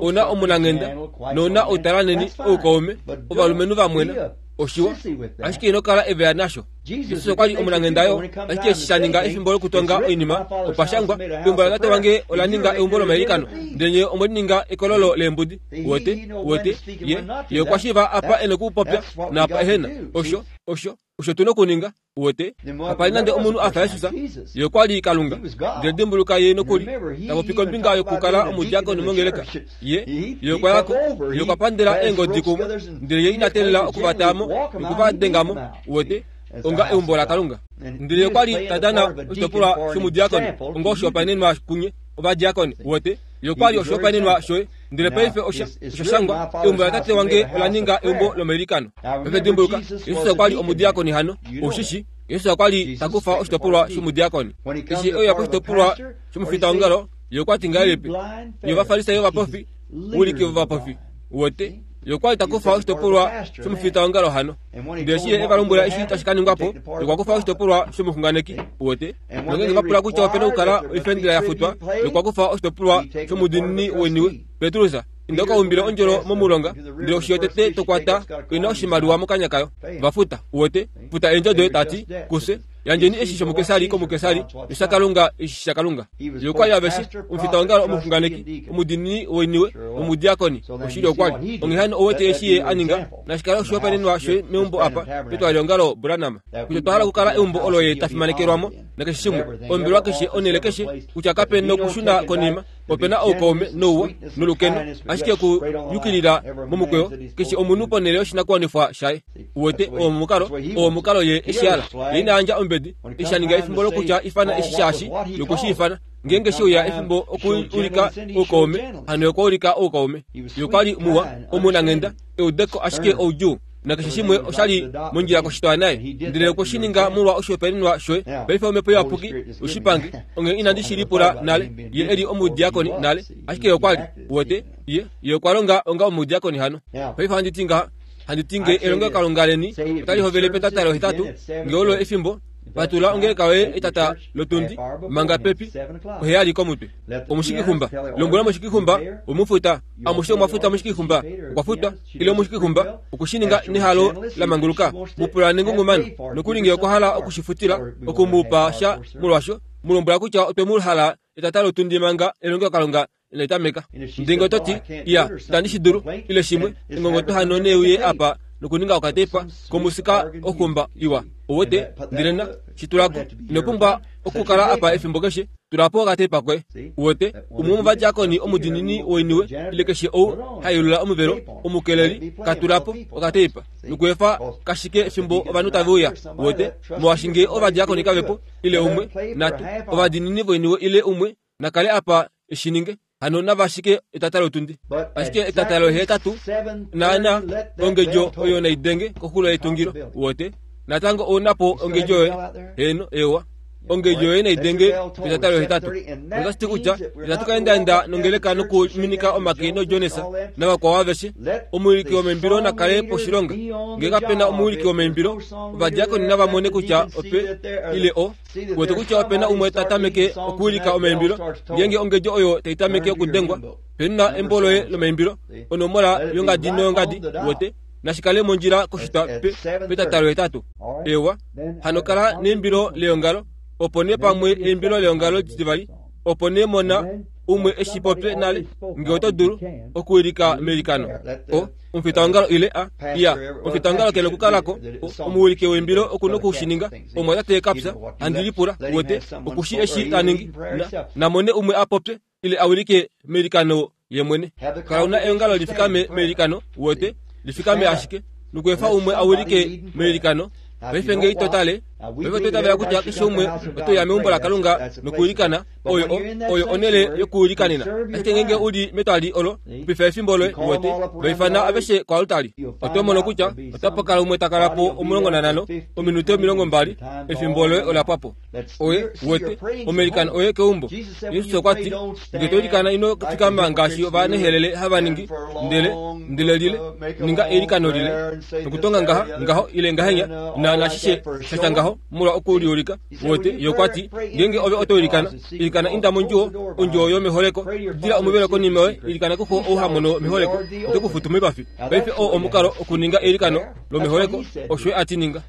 ona omunanghenda nona outalaneni oukaume ovalumenhu vamwena oshiwa, ashike ino kala eveya nasho. Jesus okwa li omunanghenda yo, ashike eshi sha ninga efimbo lokutonga oinima opashangwa, eumbo latate wange ola ninga eumbo lomailikano, ndele nye omwe lininga ekololo leembudi. Wote wote ye ye okwa shiiva apa e nokupopya naapa ehena. Osho osho osho tu nokuninga. Wote kapa li nande omunhu a fa Jesus, ye okwa li Kalunga. Ndele dimbuluka ye nokuli tapopi kombinga yokukala omudiakoni mongeleka. Ye ye okwa yako, ye okwa pandela eengodi kumwe, ndele ye ina teelela okuvataamo nokuva dengamo. Wote onga eumbo laKalunga. Ndele okwa li ta dana oshitopolwa shomudiakoni onga oshihopaenenwa kunye ovadiakoni. Wote ye okwa li oshihopaenenwa shoye. Ndele paife osha oshashangwa, eumbo latate wange ola ninga eumbo lomailikano. Paife dimbuluka, Jesus okwa li omudiakoni hano. Oshishi Jesus okwa li ta kufa oshitopolwa shomudiakoni. Eshi e uya koshitopolwa shomufitaongalo, ye okwa ti ngahelipi? Nye Ovafarisayo ovapofi, wiliki vovapofi. Wote ye okwa li ta kufa oshitopolwa shomufitaongalo hano. Ndele eshi ye e va lombwela eshi tashi ka ningwa po, ye okwa kufa oshitopolwa shomuxunganeki. Wote nongenge va pula kutya opena okukala oifendela ya futwa, ye okwa kufa oshitopolwa shomudiinini weniwe. Petrus, inda ukaumbile ondjolo momulonga, ndele oshi yotete tokwata oina oshimaliwa mokanya kayo. Vafuta. Wote futa eendjo doye, tati kufye yandjeni eshi shomukesari komukesari, noshaKalunga eshi shaKalunga. Ye okwa li aveshe omufitaongalo, omuxunganeki, omudiinini woiniwe nomudiakoni. Oshili okwa li. Onghee hano owete eshi ye a ninga, nashikale oshihopaenenwa shoye meumbo apa petwalihongalo Branham, kutya otwa hala okukala eumbo olo ye ta fimanekelwamo nakeshe shimwe, ombelwa keshe, onhele keshe, kutya kape nokushuna konima, opena oukaume nouwa nolukeno, ashike okuyukilila momukweyo keshe omunhu ponhele yoshinakuwanifwa shaye. Uwete oo omukalo, oo omukalo ye eshi hala. Ye ina yandja ombedi, eshi sha ninga efimbo lokutya ifana eshi shaashi yokushi ifana. Ngeenge she uya efimbo okuulika oukaume, hano okwa ulika oukaume. Ye okwa li muwa, omunanghenda, eudeko ashike oudjuu, nakeshe shimwe osha li mondjila koshitwa naye. Ndele okwe shi ninga molwa oshihopaenenwa shoye. Paife omhepo iyapuki oshipange, onghee inandi shi lipula nale, ye e li omudiakoni nale, ashike ye okwa li. Uwete, ye ye okwa longa onga omudiakoni hano. Paife ohandi ti ngaha, handi ti nge elongelokalunga leni otali hovele petata lohetatu, nge olo efimbo patula ongeleka yoye etata lotundi manga pepi oheyali komutwe. Omushikixumba, lombwela omushikixumba omufuta, amushe omwa futa omushikixumba okwa futwa, ile omushikixumba okushininga nehalo la manguluka. Mupula nengungumano nokuli nge okwa hala okushifutila okumupa sha molwasho, mu lombwela kutya otwe mu hala etata lotundi manga elongelokalunga inali tameka. Ndele oto ti, iya, itandi shi dulu, ile shimwe, engongoto hano neuye apa nokuninga okatepa komusika oxumba iwa. Owete, ndele na shitulako, ino pumbwa okukala apa efimbo keshe, tulapo okatepa koye. Uwete, umwe womovadiakoni omudiinini woiniwe, ile keshe ou hailula omuvelo, omukeleli, katulapo okatepa nokuefa kashike efimbo ovanhu tave uya. Uwete, molwaashi nge ovadiakoni kavepo, ile umwe, natu, ovadiinini voiniwe ile umwe, nakale apa eshininge. Hano nava ashike etata lotundi. Ashike etata lohetatu naana ongedjo oyo naidenge koxulo yetungilo. Uwete, natango ounapo ongedjo yoye. Heno, ewa. Ongedjo yoye naidenge petata lohetatu. Otashi ti kutya itatu ka endaenda nongeleka nokuminika omake noJones navakwao aveshe. Omuwiliki womeimbilo nakale poshilonga. Nge kapena omuwiliki womeimbilo, ovadiakoni nava mone kutya ope ile o uwete kutya opena umwe ta tameke okuwilika omeimbilo. Ngeenge ongedjo oyo tai tameke okudengwa, penuna embo loye lomeimbilo, onomola yongadi noyongadi. Uwete, nashikale mondjila koshitwa pe petata lohetatu. Ewa, hano kala neimbilo leongalo, opo nee pamwe eimbilo leongalo litivali, opo nee mona umwe eshi popye nale, nge oto dulu okuwilika meilikano. O omufitaongalo ile a iya, omufitaongalo kena okukalako, omuwiliki weimbilo oku nokushininga. Omwatate kapya, handi lipula, uwete, okushi eshi ta ningi, namone umwe a popye ile a wilike meilikano ye mwene. Kala una eongalo lifikame meilikano, uwete, lifikame ashike nokuefa umwe a wilike meilikano. Paife nge ito tale, Paife otwa kutya keshe umwe otoya meumbo laKalunga nokuilikana oyo oyo onele yokuilikanena. Ashike ngenge uli metwali olo pifa efimbo loye wote vaifana aveshe koaltari. Oto mono kutya otapa kala umwe takala po omulongo nanhano ominute omilongo mbali efimbo loye ola pwapo. Oye wote omailikano oye keumbo. Jesus okwa ti nge to ilikana ino fikama ngaashi ovanehelele hava ningi ndele ndele lile ninga eilikano lile nokutonga ngaha ngaho ile ngahenya na nashishe shasha ngaho molwa okuliulika wote yokwati ngenge ove oto ilikana ilikana inda mondjuwo ondjuwo yomeholeko dila omuvelo konima yoye ilikana kuxo ouhamono meholeko ote kufutu moipafi. Paife oo omukalo okuninga eilikano lomeholeko osho ati ninga.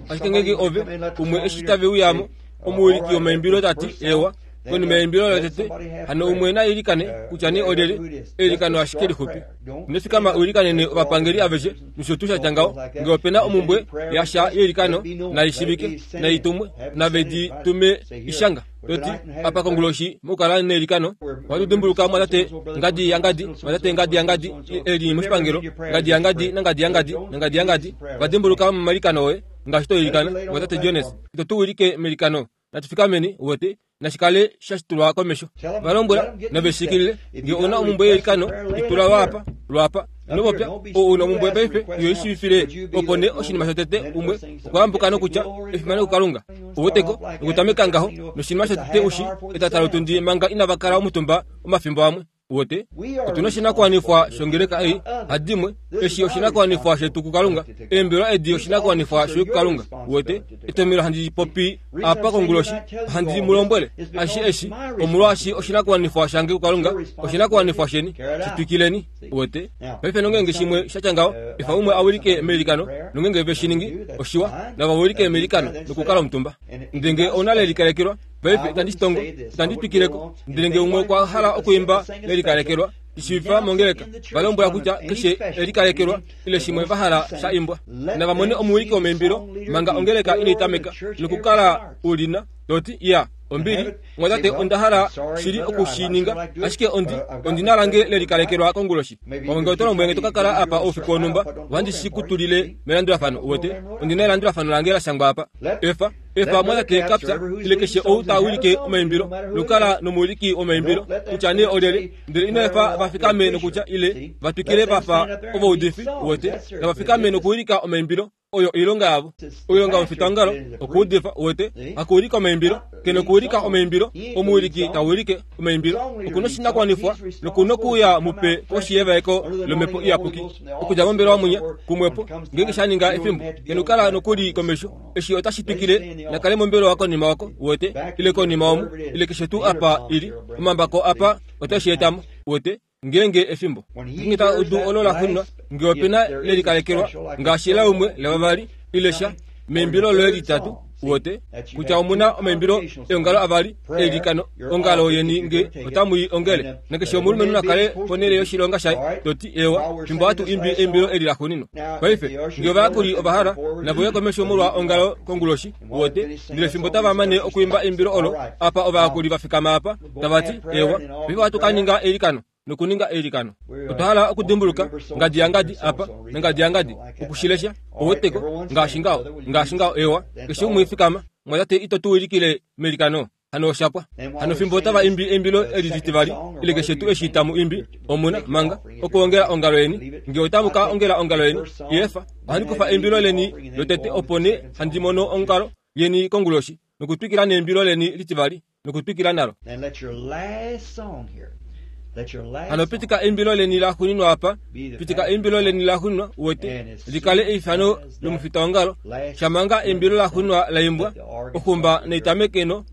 Ashike ngenge ove umwe eshi tave uyamo omuwiliki womaimbilo tati ewa konima yeimbilo lotete hano umwe na ilikane kutya nee olyelye eilikano ashike lixupi. Inofikama uilikanene ovapangeli aveshe nosho tuu shatya ngaho. Ngee opena omumbwe yasha yeilikano naishivike naitumwe navedi tume ishanga toti apa konguloshi mokukala neilikano ohatu dimbuluka mwatate ngadi yangadi mwatate ngadi yangadi eli moshipangelo ngadi yangadi nangadi yangadi nangadi yangadi vadimbuluka momailikano oye ngaashi toilikana mwatate Jones ito tu wilike meilikano natufikameni wote nashikale shashitulwa komesho valombwela naveshikilile nge ona omumbwe yeilikano itula lwapa lwapa inopopya ou una omumbwe paife yo ishivifile opo nee oshinima shotete umwe okwaambuka nokutya efimano kuKalunga oweteko nokutameka ngaho noshinima shotete ushi etatalotundi manga inavakala omutumba omafimbo amwe wote otuna oshinakuwanifwa shongeleka ei hadimwe eshi oshinakuwanifwa shetu kuKalunga eembelwa edi oshinakuwanifwa shoye kuKalunga wote etomelo handi popi apa konguloshi handi mulombwele ashi eshi omolwaashi oshinakuwanifwa shange kuKalunga oshinakuwanifwa sheni shitwikileni wote. Paife nongenge shimwe shatya ngaho efa umwe awilike meilikano nongenge ve shiningi oshiwa navawilike meilikano nokukala omutumba ndenge ouna lelikalekelwa paife itandi shitongo itandi twikileko ndele nge umwe okwa hala okuimba lelikalekelwa ishivifa mongeleka valombwela kutya keshe elikalekelwa ile shimwe vahala sha imbwa navamone omuwiliki womeimbilo manga ongeleka inaitameka nokukala ulina toti ya ombili mwatate onda hala shili okushininga ashike ondi ondina lange lelikalekelwa konguloshi pamwe oto lombwele nge tokakala apa oufiku wonhumba ohandi shikutulile melandulafano wote ondina elandulafano lange la shangwa apa efa efa mwatate kapya ile keshe ou tawilike omaimbilo nokukala nomuwiliki womaimbilo kutya nee olyelye ndele ino efa vafikame nokutya ile vatwikile vafa ovaudifi wote navafikame nokuwilika omaimbilo oyo oilonga yavo oilonga yomufitaongalo okuudifa wote hakuwilika omaimbilo kene okuwilika omaimbilo omuwiliki tawilike omaimbilo okuna oshinakuwanifwa nokuna okuuya mupe koshiyevaeko lomhepo iyapuki okudja mombelewa mwinya kumwepo ngenge shaninga efimbo kene okukala nokuli komesho eshi otashi twikile nakale mombelewa konima wako wote ile konima omu ile keshe tuu apa ili omambako apa otashi etamo wote ngenge efimbo ngenge ta udu olo laxuninwa nge opena lelikalekelwa ngaashi la umwe lavavali ile sha meimbilo loye litatu wote kutya omuna omaimbilo eongalo avali eilikano ongalo yeni nge otamui ongele nakeshe omulumenhu nakale ponele yoshilonga shaye toti ewa fimbo hatu imbi eimbilo eli laxuninwa. Paife nge ovayakuli ovahala navouya komesho molwa ongalo konguloshi wote ndele fimbo tava mane okuimba eimbilo olo apa ovayakuli vafikama apa tavati ewa paife ohatu ka ninga eilikano nokuninga eilikano. Otwa hala okudimbuluka ngadi yangadi apa nangadi yangadi okushilesha oweteko ngaashi ngaho ngaashi ngaho ewa keshe umwe fikama mwatate ito tu wilikile meilikano hano oshapwa hano fimbo tava imbi eimbilo eli litivali ile keshe tuu eshi tamu imbi omuna manga okuongela ongalo yeni nge otamu ka ongela ongalo yeni yefa ohandi kufa eimbilo leni lotete opo nee handi mono ongalo yeni konguloshi nokutwikila neimbilo leni litivali nokutwikila nalo. Hano pitika eimbilo leni laxuninwa apa pitika eimbilo leni laxuninwa wote likale eifano lomufitaongalo shamanga eimbilo laxuninwa laimbwa oxumba neitameke no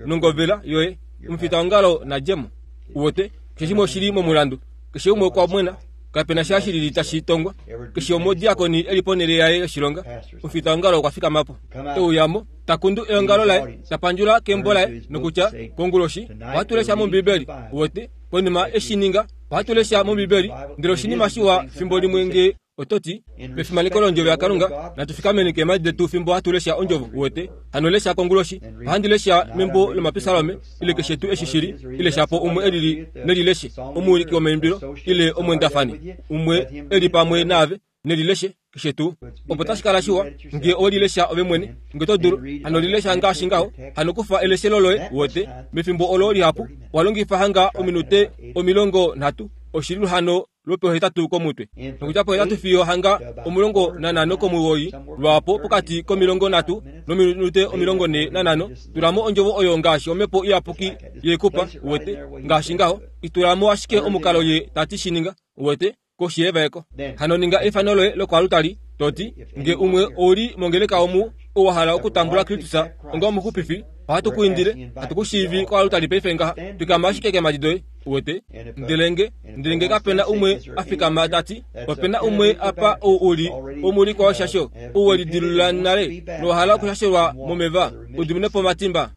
nongovela yoye omufitaongalo nadjemo wote keshe shimwe oshili momulandu keshe umwe okwa mwena kapena sha shilili tashi tongwa keshe omodiakoni eli ponele yaye yoshilonga omufitaongalo okwa fikamapo euyamo takundu eongalo laye tapandjula kembo laye nokutya konguloshi ohatu lesha mombibeli wote konima eshininga ohatu lesha mombibeli ndele oshinima shiwa fimbo limwe nge ototi mefimaneko londjovo yaKalunga natufikameni keemadi detu fimbo hatu lesha ondjovo wote hano lesha konguloshi ohandi lesha membo lomapisalome ile keshe tuu eshi shili ile shapo umwe elili nelileshe omuwiliki womaimbilo ile omwendafani umwe eli pamwe naave Nelileshe keshe tuu opo tashi kala shiwa nge olilesha ove mwene nge to dulu hano lilesha ngaashi ngaho hano kufa eleshelo loye wote mefimbo olo lihapu walongifa hanga ominute omilongo nhatu oshili hano lwopohetatu komutwe nokutya pohetatu fiyo hanga omulongo nanhano komuwoi lwapo pokati komilongo nhatu nominute omilongo ne nanhano tulamo ondjovo oyo ngaashi omhepo iyapuki yekupa wete ngaashi ngaho itulamo ashike omukalo ye tati shininga wete koshi yevaeko hano ninga efano loye lokwalutali toti nge umwe ouli mongeleka omu owahala okutambula Kristus onga omuxupifi ohatu kuindile hatu kushiivi kwalutali paife ngaha twikama ashike kemadi doye wete ndele nge ndele nge kapena umwe afikama tati opena umwe apa ou uli omuulikwa woshasho ou welidilula nale nowahala okushashelwa momeva udiminepo omatimba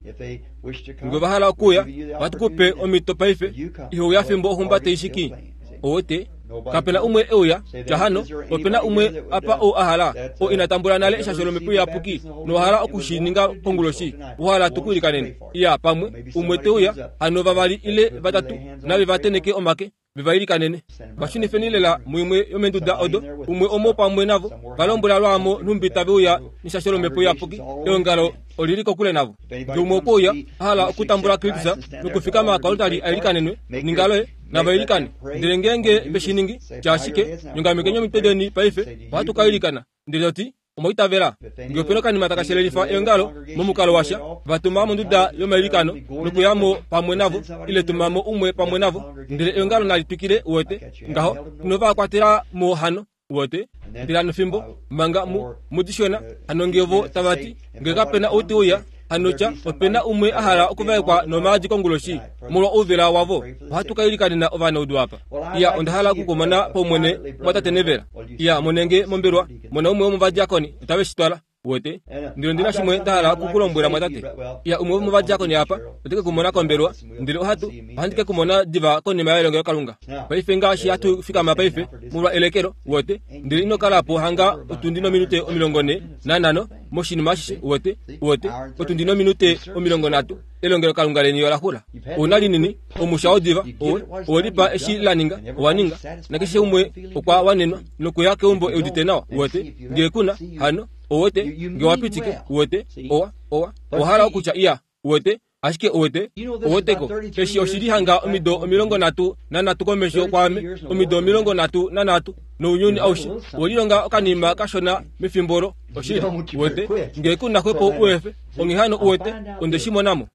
nge vahala okuya ohatu kupe omhito paife ihouya fimbo oxumba teishiki owete kapena umwe euya tya hano opena umwe apa ou ahala o ina tambula nale eshasho lomhepo iyapuki nowahala okushininga konguloshi ohala tukuilikanene iya pamwe umwe teuya hano vavali ile vatatu nave vateneke omake vevailikanene vashunifeni lela muimwe yomenduda odo umwe omo pamwe navo valombwela lwaamo nhumbi taveuya neshasho lomhepo iyapuki eongalo olili kokule navo nge umwe okweuya ahala okutambula Kristus nokufikama kwalutali ailikanenwe ninga loye navailikane ndele ngeenge veshiningi tyashike nyongamekeni omitwe deni paife ohatu kailikana ndele toti omoitavela nge opena okanima takashelelifa eongalo momukalo washa vatuma monduda yomailikano nokuyamo pamwe navo ile tumamo umwe pamwe navo ndele eongalo nali twikile wete ngaho inovakwatela mo hano wote ndele hano fimbo manga mu mudishona hano ngevo tavati nge kapena outi uya hano tya opena umwe ahala okuvaekwa nomaadi konguloshi molwa ouvela wavo ohatu kailikanena ovanaudu apa iya onda hala okukumona paumwene mwatate Nevela iya monenge mombelwa mona umwe womovadiakoni otave shitwala wote ndele ondina shimwe ndahala okukulombwela mwatate iya umwe womovadiakoni apa oteke kumona kombelwa ndele ohatu ohandi ke kumona diva konima yelongelokalunga paife ngaashi hatu fikama paife molwa elekelo wote ndele ino kalapo hanga otundi nominute omilongo ne nanhano moshinima ashishe wote wote otundi nominute omilongo nhatu elongelokalunga leni olaxula ouna linini omusha wodiva owe owelipa eshi laninga owaninga nakeshe umwe okwa wanenwa nokuya keumbo eudite nawa wote nge kuna hano owete nge wapitike wote owa owa owahala okutya iya wote ashike owete oweteko eshi oshili hanga omido omilongo nhatu nanhatu komesho kwaame omido omilongo nhatu nanhatu nounyuni aushe owelilonga okanima kashona mefimbo olo oshili wete nge kuna xwepo uefe onghee hano uwete onde shimonamo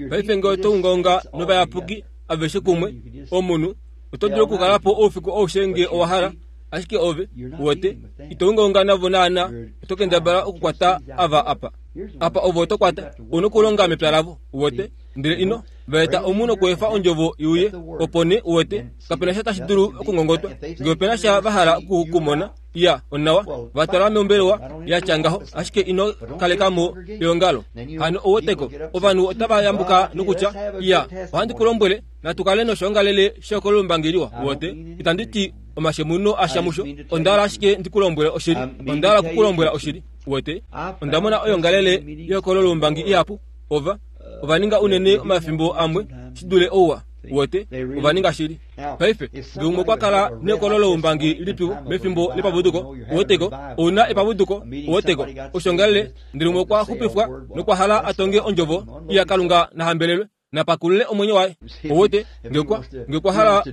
paife nge oto ungaunga novayapuki aveshe kumwe omunhu oto dulu okukalapo oufiku aushe nge owahala ashike ove wete ito ungaunga navo naana oto kendabala okukwata ava apa apa ovo oto kwata ouna okulonga mepya lavo wete ndele ino vaeta omunhu okuefa ondjovo iuye opo ne uwete kapena sha tashi dulu okungongotwa nge opena sha vahala okukumona iya onawa vatwala mombelewa yatya ngaho ashike ino kalekamo eongalo hano oweteko ovanhu otava yambuka nokutya iya ohandi kulombwele natukale noshoongalele shokolumbangeliwa wote itandi ti omashemuno ashamusho ondahala ashike ndikulombwele oshili ondahala okukulombwela oshili wote ondamona oyongalele yokololumbangi ihapu ova ovaninga unene omafimbo amwe shidule ouwa wote ovaninga shili paife nge umwe okwa kala nekololoumbangi lipiwo mefimbo lepavuduko oweteko ouna epavuduko oweteko oshongalele ndele umwe okwa xupifwa nokwahala atonge ondjovo iya Kalunga nahambelelwe napakulule omwenyo waye owete ngekwa ngekwahala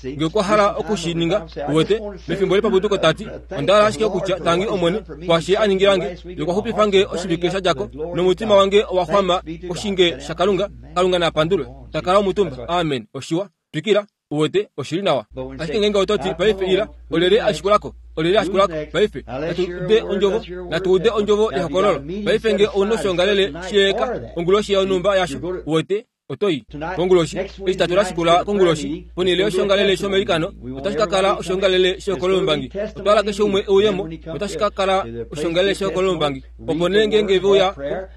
ngekwahala okushininga owete mefimbo lepavuduko tati ondahala ashike okutya tangi omwene kwashe aningilange yokwaxupifange oshivike shadjako nomutima wange owaxwama koshinge shakalunga kalunga napandulwe takala omutumba amen oshiwa twikila uwete oshili nawa ashike ngenge ototi paife ila olele ashikulako olele ashikulako paife natuude ondjovo natuude ondjovo yehokololo paife nge ouna oshongalele shiyeeka onguloshi yonumba yasho uwete otoi konguloshi eshi tatu lashikula konguloshi ponhele yoshongalele shomailikano otashi ka kala oshongalele shehokololombangi otwahala keshe umwe euyemo otashi ka kala oshongalele shehokololombangi opo nee ngeenge veuya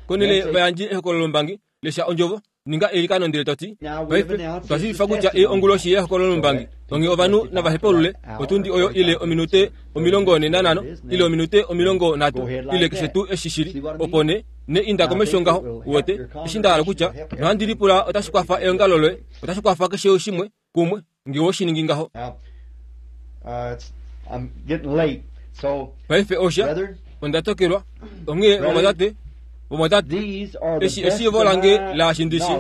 konhele vayandji ehokololombangi lesha ondjovo ninga eilikano ndele toti paife otwa shiivifa kutya ei onguloshi yehokololombangi onghee ovanhu navahepaulule otundi oyo ile ominute omilongo ne nanhano ile ominute omilongo nhatu ile keshe tuu eshi shili opo ne ne inda komesho ngaho uwete eshi ndahala kutya nohandi lipula otashi kwafa eongalo loye otashi kwafa keshe shimwe kumwe nge woshiningi ngaho I'm getting late. Paife osha onda tokelwa onghee vamwatate vamwatate eshi eshiivo lange laashi ndishi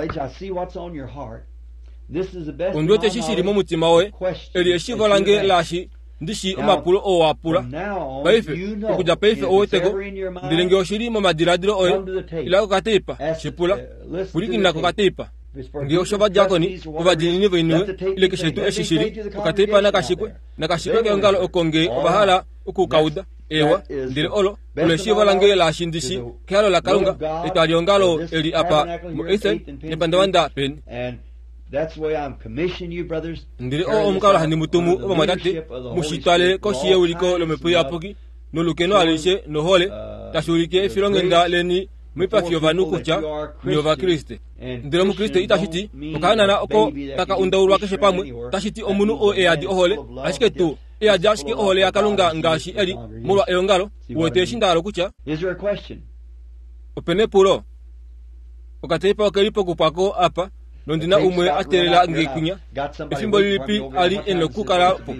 ondi wete eshi shili momutima woye eli eshiivo lange laashi ndishi omapulo oo wa pula paife okudja paife oweteko ndele ngee oshili momadiladilo oye ila kokateipa shipula pwilikina kokateipa ngee osho ovadiakoni ovadiinini voiniwe ile keshe tuu eshi shili okateipa nakashikwe nakashikwe keongalo oko ngee ovahala okukauda ewa ndele olo olo eshiivo lange laashi ndishi kehalo lakalunga etwaliongalo eli apa muEthan nepandavanda peni ndele oo omukalo handi mutumu ovamwatate mushitwale koshi yeuliko lomhepo iyapuki nolukeno alishe nohole tashi ulike efilonghenda leni moipafi yovanhu kutya ni ovakriste. Ndele omukriste itashi ti okahanana oko taka undaulwa keshe pamwe tashi ti omunhu oo eyadi ohole ashike tuu eyadi ashike ohole yakalunga ngaashi eli molwa eongalo uwete eshi ndahala kutya opena epulo okateipa okeli pokupwako apa nondina umwe a teelela nge kwinya efimbo lilipi ali e nokukala po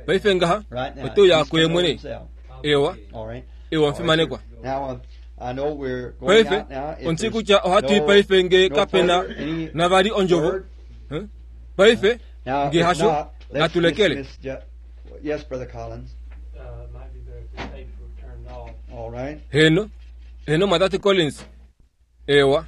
paife ngaha oteuya kuye mwene ewa ewa omufimanekwa paife ondi kutya ohatu i paife nge kapena navali ondjovo paife nge hasho natulekele heno heno mwatate Collins ewa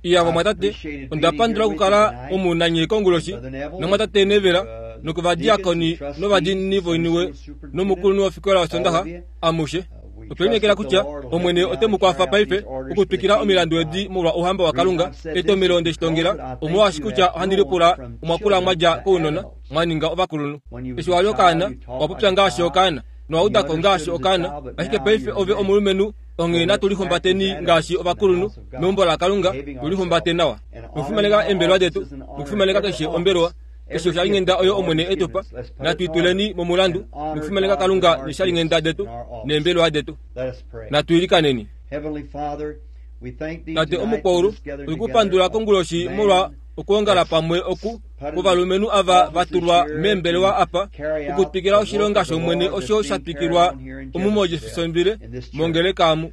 iya vamwatate onda pandula okukala omunanye konguloshi nomwatate Nevela nokovadiakoni novadiinini voiniwe nomukulunhu wofikola yosondaxa amushe otwe lineekela kutya omwene ote mu kwafa paife okutwikila omilandu edi molwa ouhamba wakalunga etomelo ndeshitongela omolwaashi kutya ohandi lipula omwakula mwadja kounona mwa ninga ovakulunhu eshi wali okaana owapopya ngaashi okaana nowaudako ngaashi okaana ashike paife ove omulumenhu onghee natu lihumbateni ngaashi ovakulunhu meumbo lakalunga tulihumbate nawa nokufimaneka eembelewa detu nokufimaneka keshe ombelewa keshe oshalinghenda oyo omwene etupa natu ituleni momulandu nokufimaneka kalunga neshalinghenda detu neembelewa detu natu ilikaneni tate omukwaulu oikupandula konguloshi molwa okuongala pamwe oku kovalumenhu ava vatulwa meembelewa apa okutwikila oshilonga shomwene osho sha twikilwa omu moJeffersonville mongeleka amu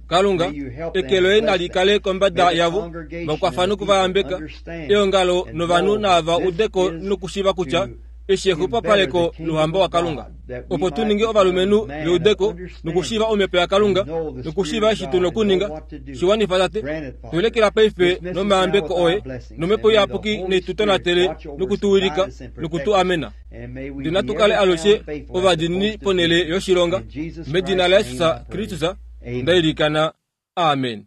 kalunga eke loye nali kale kombada yavo vakwafa nokuvayambeka eongalo novanhu naava udeko nokushiva kutya eshi exupapaleko louhamba wakalunga opo tu ninge ovalumenhu veudeko nokushiiva omhepo yakalunga nokushiiva eshi tu nokuninga shiwanifa tate tulekela paife nomayambeko oye nomhepo iyapuki neitutonatele nokutuwilika nokutu amena ndele natu kale alushe ovadiinini ponhele yoshilonga medina laJesus Kristus ndailikana amen.